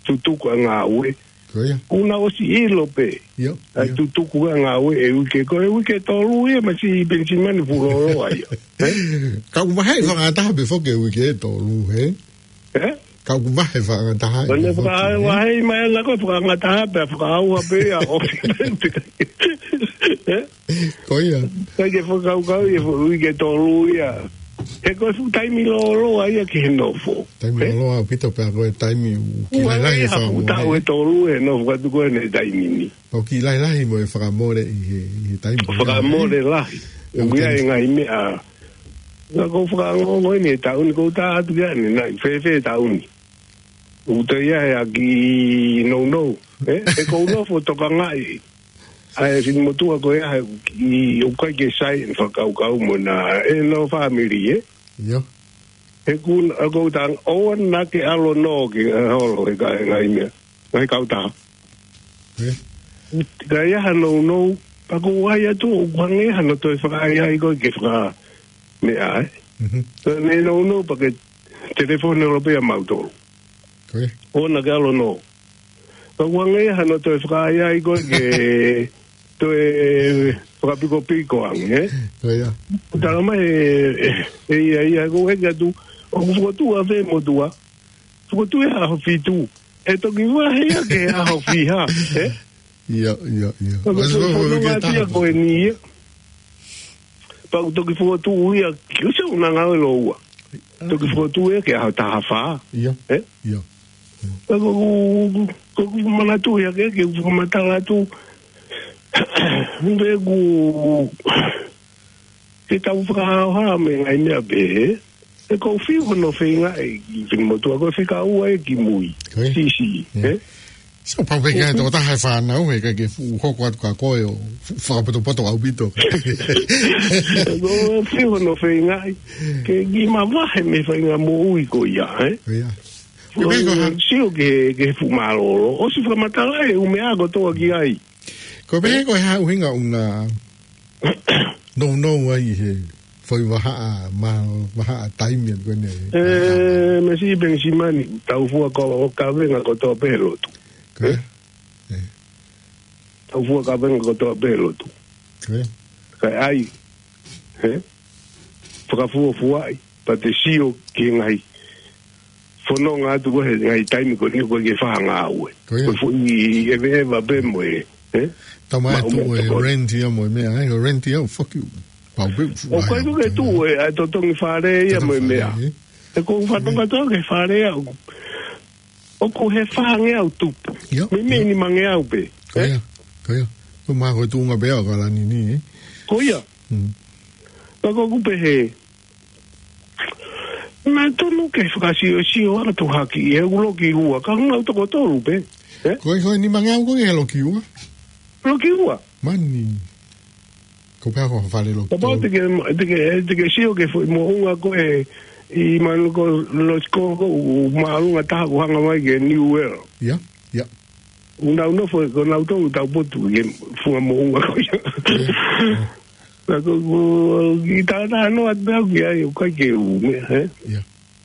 tutuku ʻa e ngāue. Ko ia. ʻOku na ʻosi ʻilo pē. ʻIo, ʻA e ʻio. tutuku ʻa e ngāue e uike. Ko e uike tolu ia masi Penisimani pulolo ai. Eh? Ka ʻoku vahe fakataha pē foki e uike tolu, he? Eh? Ka ʻoku vahe fakataha Ko ʻene e foki, he? fakavahe mai ana ko e fakangataha pē, fakaʻauha pē ia, ʻofi pē. Eh? Ko ia. Kai ke fakakaukau ia, fo-, uike tolu ia. He ko e fuʻu taimi lōloa ia ki he nofo. Taimi Eh? lōloa ʻaupito pea ko e taimi ʻoku kiʻi Ua lahi e ia ha fuʻu fakamoʻoni. taʻu e tolu e nofo atu ko ʻene taimi ni. Pau kiʻi lahilahi mo e fakamole ʻi he, ʻi he taimi ko ia. Fakamole lahi. ʻOku ʻIo, ia thanks. e ngaahi meʻa. Ka ko e fakaongoongo eni e taʻu ni ko u tā atu ia ni, naʻe fēfē e taʻu ni. ʻOku te ia he ʻaki nounou. Eh? E ko u nofo tokangaʻi. ʻA e finemotuʻa ko ia he ʻoku ʻikai ke sai ʻene fakakaukau mo na e no family, eh? ʻIo. He ʻoku, ʻa ko u tanga, ʻoua naʻa ke ʻalu ʻo nō ki he holo he ka, he ngaahi meʻa. Ngaahi kautaha. Eh? Ka ia ha nounou, pea ko u ʻai atu, ʻoku hangē hano toe fakaʻaiʻai ko e ke faka meʻa, eh? Mhm. Ka ne nounou pea ke telefoni holo pē ia mautolu. Ko ia. ʻOua naʻa ke ʻalu ʻo nō. Ka ʻoku hangē hano toe fakaʻaiʻai ko e ke toe fakapikopiko ange, eh? Ko ia. Tala mai e, e, e ia, ia, ko e ke atu, ʻoku fokotuʻu ʻa e motuʻa. Fokotuʻu he ʻaho fitu. ʻE toki vahe ia ki he ʻaho fiha, eh? ʻIo, ʻio, ʻio. Ka ko Mas e ko e fono ke ngati taha. ko eni ia. Pea ʻoku toki fokotuʻu ia, ki usa una ngāue lōua. Toki fokotuʻu ia ki he ʻaho taha fā. ʻIo. Eh? ʻIo. Ka ko, ko, ko, ko manatu ia ke, ke fakamatala atu. Mbe ku, ke tau fakahaohaoa mo e ngaahi meʻa pehē. ʻE ko u fiu hono feinga e ki motuʻa ko e fika ua e ki mui. Ko ia. Sisi, Ia. eh? So, pau pē ke Ko u ai toko taha e fānau, he ʻikai ke fuʻu hoko atu ka ko e ʻo fu-, fakapotopoto ʻaupito. ʻE ko u fiu hono feinga e. Ke ki mavahe mo e faʻahinga moʻui ko ia, eh? Ko ia. Ko e pē ko ha- Sio ke, ke fuʻu mālōlō. ʻOsi fakamatala e ʻū meʻa kotoa ki ai. Ko e pē ko e hā ʻuhinga ʻoku na nounou ai he foʻi vahaʻa, ma-, vahaʻa taimi atu ko eni. Eh, Mesi Penisimani, tau fua ko, ʻo kavenga kotoa pē he lotu. Ko ia. Eh? Eh. Tau fua kavenga kotoa pē he lotu. Ko ia. Kae ʻai, eh? Fakafuafuaʻi, pea te sio ki he ngaahi fononga atu ko e he ngaahi taimi ko eni ko e ke fai ha ngāue. Ko ia. Ko e foʻi ʻeveʻeva pē mo e, eh? Tau mai Ma atu ume e tokoni. rent ia mo e meʻa, eh? Rent ia, fuck you. Pau pē, ʻO ko e ai, tuku ke ai. tuʻu e, ʻa e totongi fale ia Totongi mo e meʻa. fale, eh? ʻE ko u fatonga Ko ia. tō ke fale ia. ʻOku he fāngeau tupu. Ia, Meimei ia. nimangeau pē. Ko Eh? ia, ko ia. Ko ma ko e tuʻunga pē ʻo ka lani ni, eh? Ko ia. Mm. Ka ko u pehē. Naʻe tonu ke fakasiosio atu hake ʻi he ʻū loki ua, ka ngau toko tolu pē. Eh? Ko e, ko e nimangeau ko e loki ua? Loki ua. Mani. Ko pea ko fale loki Kapau tolu. te ke, te ke, te ke sio ke foʻi moʻunga ko e ʻi manu ko Losiko ko u mālunga taha ko hanga mai ke New World. Ia, ia. Unau nofo ko nau tau tau potu ke funga moʻunga ko ia. Ia. Ka ko, ko, ki tā tā no at bea ki ai, ʻoku ʻikai ke u me, eh? Ia,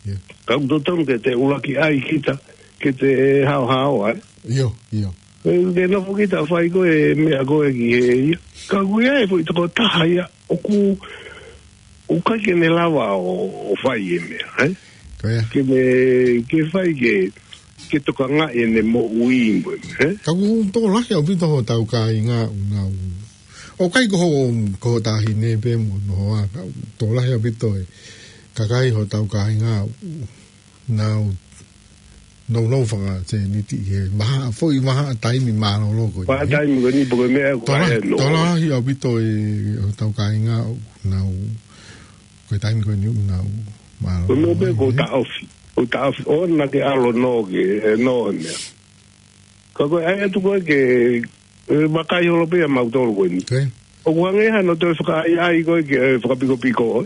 ia. Ka u totonu ke te ʻuluaki ʻai kita, ke te hao hao, eh? Io, io. Ke nofo kita ʻo fai ko e meʻa ko ē ki he ia. Ka ʻoku ʻi ai e foʻi tokotaha ia ʻoku, ʻoku ʻikai ke ne lava ʻo, ʻo fai e meʻa, ē? Ko ia. Ke ne, ke fai ke, ke tokangaʻi ʻene moʻui mo e, ē? Ka ʻoku tokolahi ʻaupito hotau kāinga ʻoku nau. ʻOku ʻikai ko ho, ko ho taʻahine pē mo hono hoa, ka ʻoku tokolahi ʻaupito e kakai hotau kāinga ʻoku nau, nau, nau faka-Seniti he maha, foʻi maha taimi mālōlō ko ē. Maha taimi ko eni pe ko e meʻa ko Tola, e no. Tokolahi ʻaupito e hotau kāinga ʻoku nau, ko e taimi ko eni ʻoku nau mālōlō. Ko e meʻa pē ko e taʻofi. Ko e taʻofi, ʻoua naʻa ke ʻalu ʻo nō ke, e nō he meʻa. Ka ko e ʻai atu ko ē ke, e, vakai holo pē ʻa mautolu ko eni. Ko ia. ʻOku hangē hano toe fakaʻaiʻai ko ē ke, e, fakapikopiko, ē.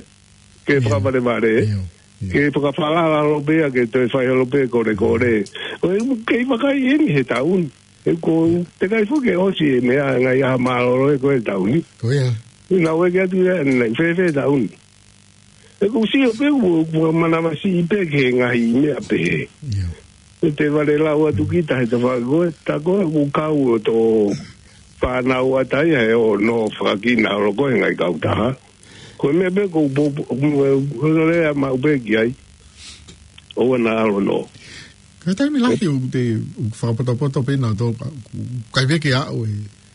Ke Ia. fakavalevale, ē. Ia, ia. Ke fakafalala holo pē ia ke toe fai holo pē kolekole. ʻOku kei vakai eni he taʻu ni. He ko e teʻeki ai foki ke ʻosi e meʻa ngaahi ʻaho mālōlō ē ko e taʻu ni. Ko ia. Naʻa ku ʻeke atu ia, naʻe fēfē e taʻu ni. He ʻoku ou sio pē ʻoku, ʻoku manavasiʻi pē ki he ngaahi meʻa pehē. Ia. ʻE te vale lau atu kita he tafaʻaki ko ē, tā ko ē ʻoku kau ʻo tō fānau ʻataʻatā ia he ʻo nō fakakina holo ko ē he ngaahi kautaha. Ko e meʻa pē ʻoku pou, pou, ʻoku lea maʻu pē ki ai. ʻOua naʻa ʻalu ʻo nō. Ko e taimi lahi ʻoku te, ʻoku fakapotopoto pē nautolu, ʻoku ʻikai pē ke aʻu e,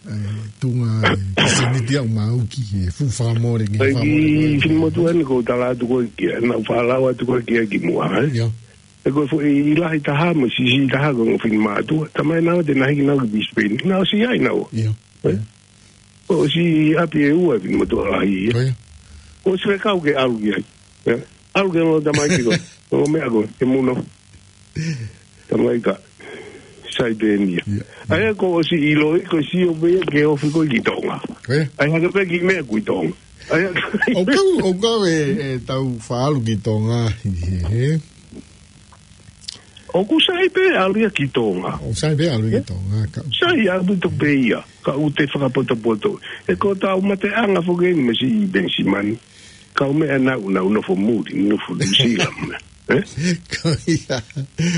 e tuʻunga e Seniti ʻo maʻu ki he fuʻu fakamole, ki he Ai, fakamole. Finemotuʻa ni ʻoku ou tala atu ko ē ki ai, naʻa ku faʻa lau atu ko ē ki ai kimuʻa, ē? Ia. He ko e foʻi lahi taha mo e siʻisiʻi taha ko e ongo finemātuʻa. Talamai naua te na hiki naua ki Brisbane. Naʻa ku ʻosi ʻi ai naua. Ia. Ē? Ia. Kuo ʻosi ʻi ʻapi ʻe ua e finemotuʻa lahi ia. Ko ia. Kuo ʻosi fekau ke ʻalu ki ai. Ē? ʻAlu ki he ongo tamaiki ko ē. Ongo meʻa ko ē, ke mou nofo. Tamaiki ka. Sai pē eni ia. Ia. ʻA ia kuo ʻosi ʻiloʻi, kuo ʻosi ʻilo pē ia ke ofi ko ē ki Tonga. Ko ia. ʻAi hake pē kiʻi meʻa ko ē ʻi Tonga. ʻA ia ʻOku kau, ʻoku kau e, e tau faʻa ʻalu ki Tonga, he, he, he. ʻOku sai pē ʻalu ia ki Tonga. ʻOku sai pē ʻalu ia ki Tonga, ka. Sai ʻaupito pē ia, ka ʻoku te fakapotopoto. He ko hotau mateʻanga foki eni mo siʻi Penisimani. Kau meʻa naʻa nau, nau nofo muli, nofo Nuʻusila mo e meʻa. Ē? Ko ia.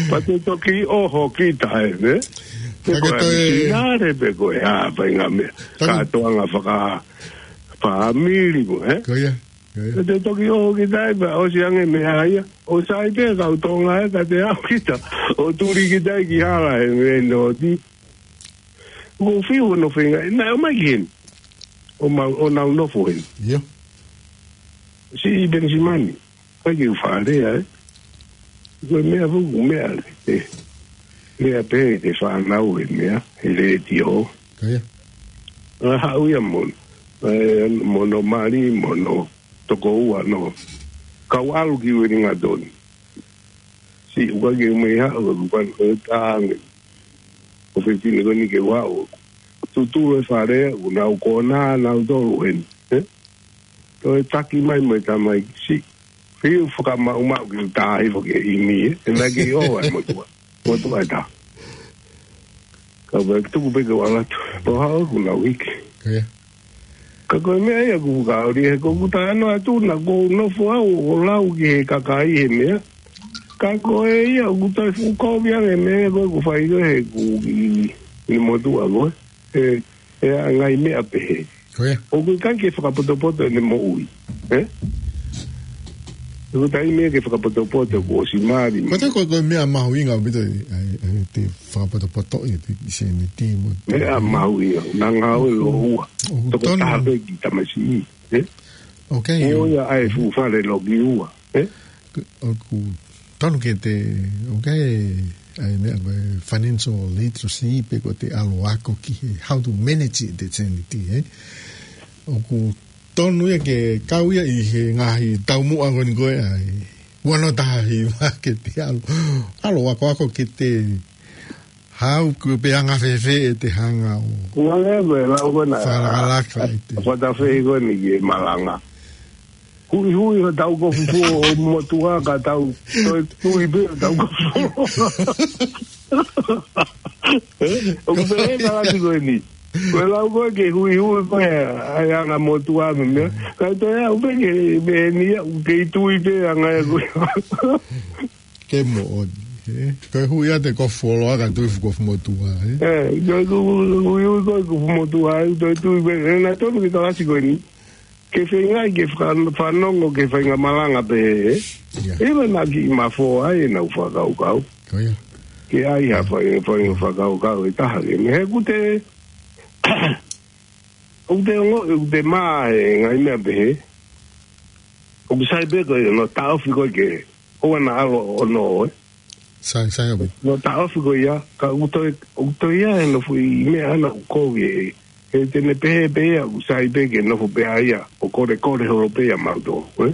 Pea te toki ʻoho kita ē, ē? Ka Ko e toe misinale pē ko e hā, fai ngaahi meʻa. Taku- Kātoanga faka-, fāmili mo, ē? Ko ia. Ko ia. Pea te toki ʻoho kita ē, pea ʻosi ange meʻa ia. ʻOku sai pē kau Tonga ē, ka te aʻu kita ʻo tuli kita ē ki hala he meʻa noti. ʻOku ou fiu hono feinga, naʻe ʻomai ki heni. ʻO mau, ʻo nau nofo heni. Ia. Siʻi Penisimani. ʻIkai ke u faʻa lea, ē. Ko e meʻa foki, meʻa, ē. Lea pē, te fānau he meʻa, he letiō. Ko ia. ʻA, haʻu ia mo, ē, mo hono mali, mo hono tokoua, no. Kau ʻalu ki Uelingatoni. Siʻi ʻoku ʻikai ke u mei haʻu, ʻoku ʻikai ke u tānge. ʻO fefine ko eni ke u haʻu. Tutulu e fale, ʻoku nau konā, nautolu heni. Ē? Toe taki mai mo e tamaiki. Siʻi fiu fakamaʻumaʻu ke u tā hifo ki he ʻimi, ē? He naʻe kei ʻoho ai motuʻa. Motuʻa ʻe taha. Ka u pehē tuku pē ke u ʻalu atu. Pea haʻu ʻoku nau hiki. Ko ia. Ka ko e meʻa ia ʻoku ou kau ʻi he ʻoku ou talanoa atu naʻa ku nofo au ʻo lau ki he kakai he meʻa. Ka ko e ia ʻoku toe fuʻu kovi ange meʻa ko ē ʻoku fai ko ē he ʻoku ʻi, ʻi motuʻa ko ē. He, he ʻa e ngaahi meʻa pehē. Ko ia. ʻOku ʻikai ke fakapotopoto ʻene moʻui. Ē? ʻOku taimi ia ke fakapotopoto kuo ʻosi mali. Ko e, ko e, ko e meʻa mahuʻinga ʻaupito ē, ʻa e, ʻa e te fakapotopoto ʻi he Seniti mo. Meʻa mahuʻinga, naʻa ngāue lōua. ʻOku Toko tonu. Taha pē ki tamasiʻi. Ē? ʻOku ʻikai. Ko ia ʻa e fuʻu fale loki ua. Ē? ʻOku tonu ke te, ʻoku ʻikai, ʻa e meʻa ko e financial literacy pe ko e te ʻalu ʻo ako ki he how to manage the Seniti, ē? ʻOku tonu ia ke kau ia ʻi he ngaahi taumuʻa ko eni ko ē ʻa e ua noa taha hiva ke te ʻalu, ʻalu ʻo ako, ako ke te hau ko e pe anga fēfē ʻete hanga ʻo. Ua lea ko e lau ko ena. Fakalakalaka ʻi te. Fata fē ko eni ke malanga. Huihui hotau kofu fuo ʻo motuʻa ka tau toe tui pē hotau kofu fuo. Ē? ʻOku pehē ʻa e kalasi ko eni. Ko e lau ko ē ke huihui ko ē ʻa e anga motuʻa mo e meʻa. Ka toe aʻu pē ke pehē ni ia, ʻoku kei tui pē anga ia ko ē. Ke moʻoni. Ē, ko e hui ʻa e kofu fuoloa ka tui fuʻu kofu motuʻa, ē? Ē, ko e hui, hui, hui, ko e kofu motuʻa, ē, ʻoku tui, ē, naʻe tonu ke kalasi ko eni. Ke feingaʻi ke faka-, fanongo ke feinga malanga pē, ē? Ia. Ē, ma na ki ma fo ai, ʻenau fakakaukau. Ko ia. Ke ai ha fai, fai fakakaukau ʻe taha ke. Mei he ʻoku te, ʻoku te ongo, ʻoku te mā e ngaahi meʻa pehē. ʻOku sai pē ko e no taʻofi ko e ke. ʻOua naʻa ʻalu ʻo nō, ē? Sai, sai ʻaupito. No taʻofi ko ia, ka ʻoku toe, ʻoku toe ʻi ai e nofo ʻi meʻa ʻana ʻoku kovi ē. He te ne pehē pē ia, ʻoku sai pē ke nofo pē ʻa ia, ʻo kolekole holo pē ia mautolu, ē?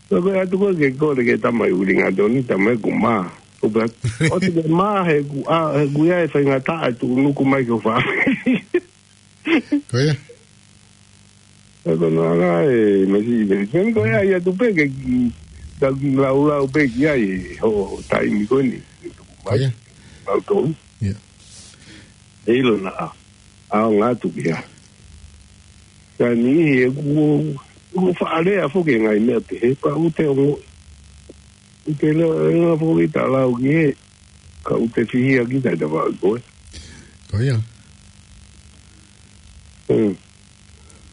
Ka ko e ʻatu ko e ke kole ke tamai ulinga toni, tamai ʻoku mā. ʻOku pē, ʻoku te mā he ʻoku, ʻa, he ʻoku ʻi ai e faingataʻa ʻe tuʻunuku mai ki ho fāmili. Ko ia. Ē, ko e noa ngā e mesi, mesi. Ko ia, ia tu pē ke ki, tau ki laulau pē ki ai, ho taimi ko eni. Ko ia. Mautolu. Ia. ʻE ʻilo naʻa, ʻaonga atu ki ai. Ka niʻihi ʻoku, ʻoku faʻa lea foki e ngaahi meʻa pehē, pea ʻoku te ongo. ʻOku te lea, e ngā foki ta lau ki he, ka ʻoku te fihia ki tai ta vaʻu ko ē. Ko ia. Hmm.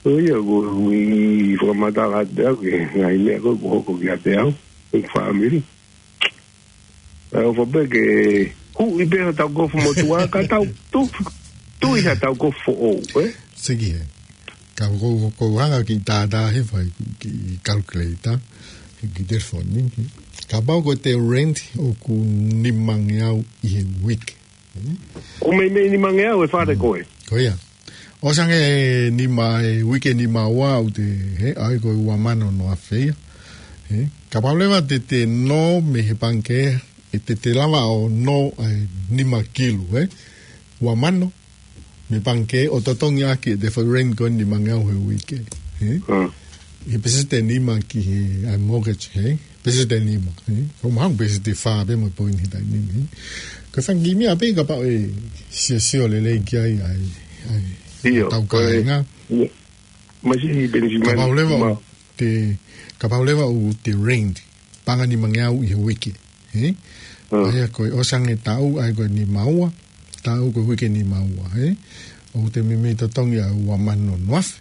Ko ia, ʻoku ou fakamatala atu au ki he ngaahi meʻa ko ē ʻoku hoko kiate au, e fāmili. ʻE ʻofa pē ke huʻi pē hotau kofu motuʻa, ka tau tu, tui hotau kofu foʻou, ē? Siki he. Ka ko, ko, ko hanga ki tātā he fai ki calculator, ki telefoni. Kapau ko e te rent ʻoku nimangeau ʻi he uike. Ko e meimei nimangeau e fale ko ē. Ko ia. ʻOsi ange e nima, e uike nima ua ʻoku te, he, ʻai ko e ua mano noa afe ia. He, kapau leva te te nō mei he pangikē, ʻe te te lava ʻo nō e nima kilu, he? Ua mano, mei he pangikē ʻo totongi ʻaki e te foʻi rent ko e nimangeau he uike. He? Hmm. He peseti nima ki he, ʻa e mortgage, he? Peseti nima, he? Ko mahang peseti fā pē mo e poini he taimi ni, he? Ko e fanga kiʻi meʻa pē kapau ʻe siosio lelei ki ai, ʻa e, ʻa e, ʻio, tau ko e kāinga. Io. Masi Benjamin. Kapau leva ʻoku te, kapau leva ʻoku te rent, paʻanga nimangeau ʻi he uike. He? Mm. ʻA ia ko e ʻosi ange taʻu, ʻa ia ko e nima ua, taʻu ko e uike nima ua, he? ʻOku te meimei totongi ʻa e ua mano noa afe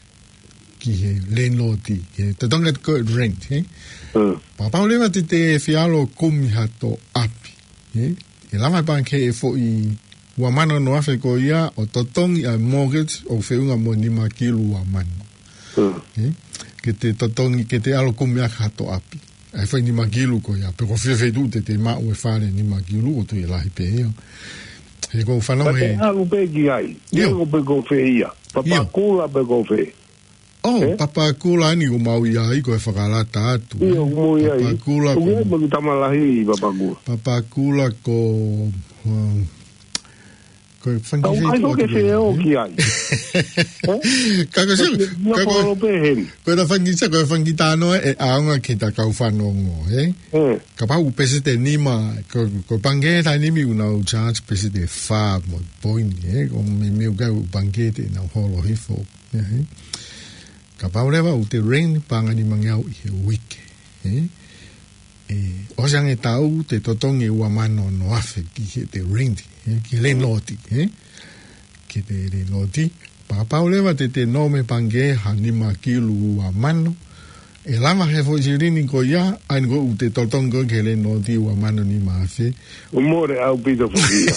ki he landlord, he totongi atu ko e rent, he? Mm. Kapau leva te te fie ʻalu ʻo kumi hato ʻapi, he? ʻE lava e pangikē e foʻi ua mano noa afe ko ia ʻo totongi ʻa e mortgage ʻoku feʻunga mo e nima kilu ua mano. Mm. He? Ke te totongi, ke te ʻalu ʻo kumi ʻaki hato ʻapi. ʻA e foʻi nima kilu ko ia, pe ko fē feituʻu te te maʻu e fale nima kilu ʻoku toe lahi pē ia. He ʻoku ou fanongo he. Pea te ʻalu pē ki ai. ʻIo. ʻIo, pe ko fē ia. Io. Papakura pe ko fē. ʻŌ, ē? Papakura ni ʻoku mau ʻi ai, ko e fakalata atu, ʻio, ē? ʻOku mau ʻi ai. Papakura ʻOku ko ʻi ai mo e tama lahi ʻi Papakura. Papakura ko, um, ko e fanga kiʻi feituʻu ʻoku ke ʻoatu pē, fie ō ē? Ki ai. Ē? Ka ko e sio, ka ko e, ko e polo pē heni. Ko e fanga kiʻi, ko e fanga kiʻi talanoa ʻe ʻaonga ki he ta kau fanongo, ē? Ē. Kapau ʻoku peseti nima, ko, ko e pangikē taimi ni ʻoku nau charge peseti fā mo e poini, ē? Ko e meimei ʻoku ʻi ai e pangikē te nau holo hifo. Ē, ē. Kapau leva ʻoku te rent paʻanga nimangeau ʻi he uike, ē? ʻE, ʻosi ange taʻu te totongi ua mano noa afe ki he te rent, ē? Ki he landlord, ē? Ki he te landlord. Pea kapau leva te te nō mei he pangikē ha nima kilu ua mano, ʻe lava he foʻi silini ko ia, ʻa eni ko ē ʻoku te totongi ko ē ki he landlord ua mano nima afe. ʻOku mole ʻaupito foki ia.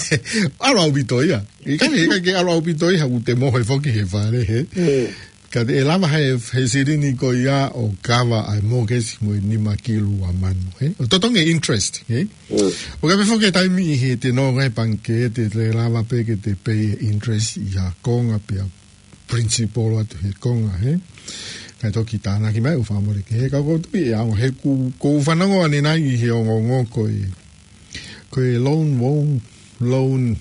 ʻAlu ʻaupito ia. ʻIkai, ʻikai ke ʻalu ʻaupito ia, ʻoku te mohe foki he fale, he. Ē. Ka te ʻe lava he, he silini ko ia ʻo kava ʻa e mortgage mo e nima kilu ua mano, he? ʻO totongi e interest, he? Mm. ʻOku ʻi ai pē foki e taimi ʻi he te nō he pangikē te, te lava pē ke te pay e interest ʻi ha konga pē ʻa e principal atu he konga, he? Kae toki tānaki mai ʻo fakamole ke he ka ko tu ia, he ʻoku, ʻoku ou fanongo ʻanenai ʻi he ongoongo ko e, ko e loan, loan, loan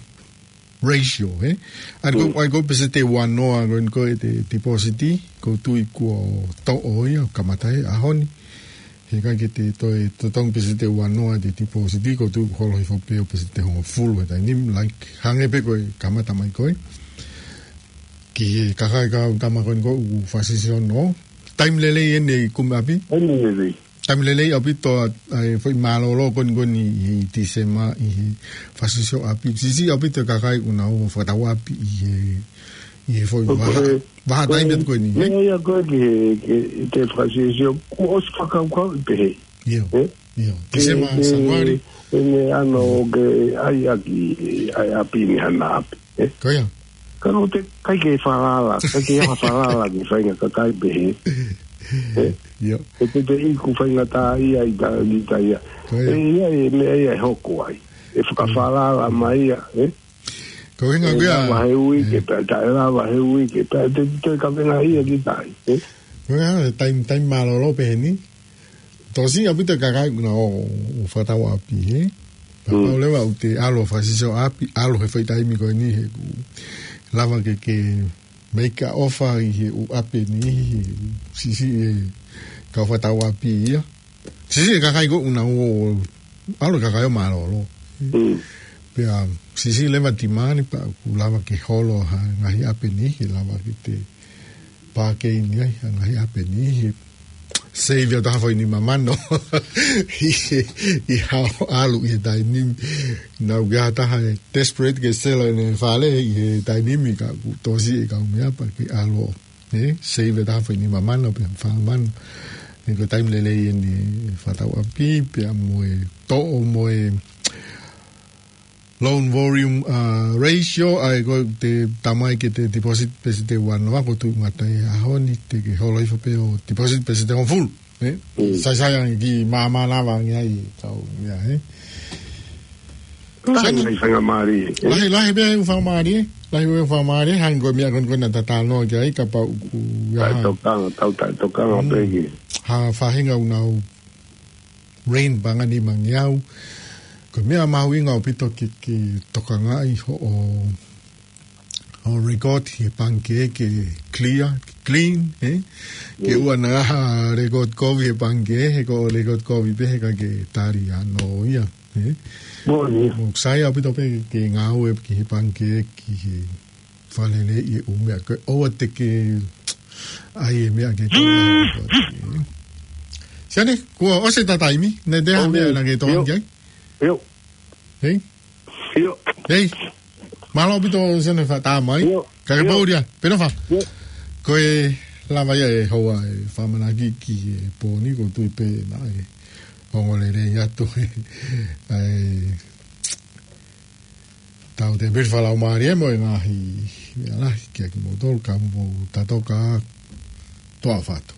ratio, he? ʻA ia ko, mm, ʻa ia ko peseti ua noa ko eni ko e te deposit, ʻoku ou tui kuo toʻo ia, kamata he ʻaho ni. He ʻikai ke te toe totongi peseti ua noa te deposit, ʻoku ou tui kuo holo hifo pē ʻo peseti hongofulu he taimi ni, like, hangē pē ko e kamata mai ko ē. Ki he kakai kau tama ko eni ko ē ʻoku fasisiono. Taimi lelei eni e kumi ʻapi? Taimi lelei. Taimi lelei ʻaupito ʻa, ʻa e foʻi mālōlō ko eni ko eni ʻi Tīsema ʻi he fakasiosioʻapi. Siʻisiʻi ʻaupito e kakai ʻoku nau ō ʻo fakatauʻapi ʻi he, ʻi he foʻi ʻOku vaha, he, vaha taimi atu ko eni, ē? Meʻa ia ko ē ki he, ki he, te fakasiosio, kuo ʻosi fakakaukauʻi pehē. ʻIo, ē? ʻIo. Ke, Tīsema, ke, Sānuali. Ene ano ke ʻai ʻaki, ʻai ʻapi ni hana ʻapi, ē? Ko ia. Ka no te, ʻikai ke falala, ʻikai ke ʻi ai ha falala ki he faʻahinga kakai pehē. Ē? ʻIo. ʻE te te iku faingataʻaʻia ʻi ta, ʻi ta ia. Ko ia. ʻE ia, ʻe meʻa ia ʻe hoko ai. ʻE fakafalala mai ia, ē? Ko e ʻuhinga ʻe ko ia. Lava he uike, ē, pea taʻe lava he uike, pea te, te kavenga ia ki tai, ē? Ko e ʻuhinga, taimi, taimi mālōlō pehē ni. Tokosiʻi ʻaupito e kakai ʻoku nau ō, ō fakatauʻapi, ē? Pea Mm. pau leva ʻoku te ʻalu ʻo fakasisioʻapi, ʻalu he foʻi taimi ko eni he ʻoku lava ke, ke make a offer ʻi he ʻū ʻapi ni, he siʻisiʻi e kau fakatauʻapi ia. Siʻisiʻi e kakai ko ē ʻoku nau ō, ʻalu e kakai ʻo mālōlō. Mm. Pea siʻisiʻi leva e demand pea ʻoku lava ke holo ha ngaahi ʻapi ni, ke lava ke te pākei ni ai, ha ngaahi ʻapi ni, he save ʻo taha foʻi nima mano. ʻI he, ʻi haʻo ʻalu ʻi he taimi ni. Naʻa ʻoku ʻi ai ha taha ʻe desperate ke sell ʻene fale ʻi he taimi ni ka ʻoku tokosiʻi e kau meʻa pea ke ʻalu ʻo, ē, save ʻo taha foʻi nima mano pe fā mano. He ko e taimi lelei eni e fakatauʻapi, pea mo e toʻo mo e loan volume, uh, ratio, ʻa ia ko e te tamai ke te deposit pē sete uanoa, ko e tuʻu ngata ʻi he ʻaho ni, te ke holo hifo pē ʻo deposit pē sete hongofulu, ē? Mm. Sai sai ange ki māmani lava ange ai, kau ia, ē? Lahi Sani. Mai faingamālie, ē? Lahi, lahi pē ʻū faingamālie, ē? Lahi pē ʻū faingamālie, hangē ko e meʻa ko eni ko ena tatano ki ai, kapau ʻoku ia Taʻe ha. tokanga, tau taʻe tokanga Mm. pē ki. Ha faʻahinga ʻoku nau rent pē ʻa e nima ngeau. Ko e meʻa mahuʻinga ʻaupito ke, ke tokangaʻi hoʻo, hoʻo record he pangikē ke clear, ke clean, ē? Ke Mm. ʻoua naʻa ha record kovi he pangikē, he ko e record kovi pē he ʻikai ke tali ʻa hono ia, ē? Moʻoni. ʻOku sai ʻaupito pē ke ngāue ki he pangikē, ki he faleleiʻi e ʻū meʻa ko ē, ʻoua te ke ʻai e meʻa ke kau ai. Sione, kuo ʻosi ʻeta taimi, naʻe ʻi ai ha ʻOu, meʻa ʻio. naʻa ke tokanga ʻio. ki ai? ʻIo. Hei? ʻIo. Hei? Mālō ʻaupito Sione fakatātā mai. ʻIo. Ka ke ʻIo. pōlia, pē nofo. ʻIo. Ko e lava ia e houa e fakamanaki ki he pō ni, ʻoku ou tui pē naʻe ongo lelei atu ʻa e Tau te pili fakalaumālie mo e ngaahi meʻa lahi kia kimoutolu ka mou tatoka toa fatu.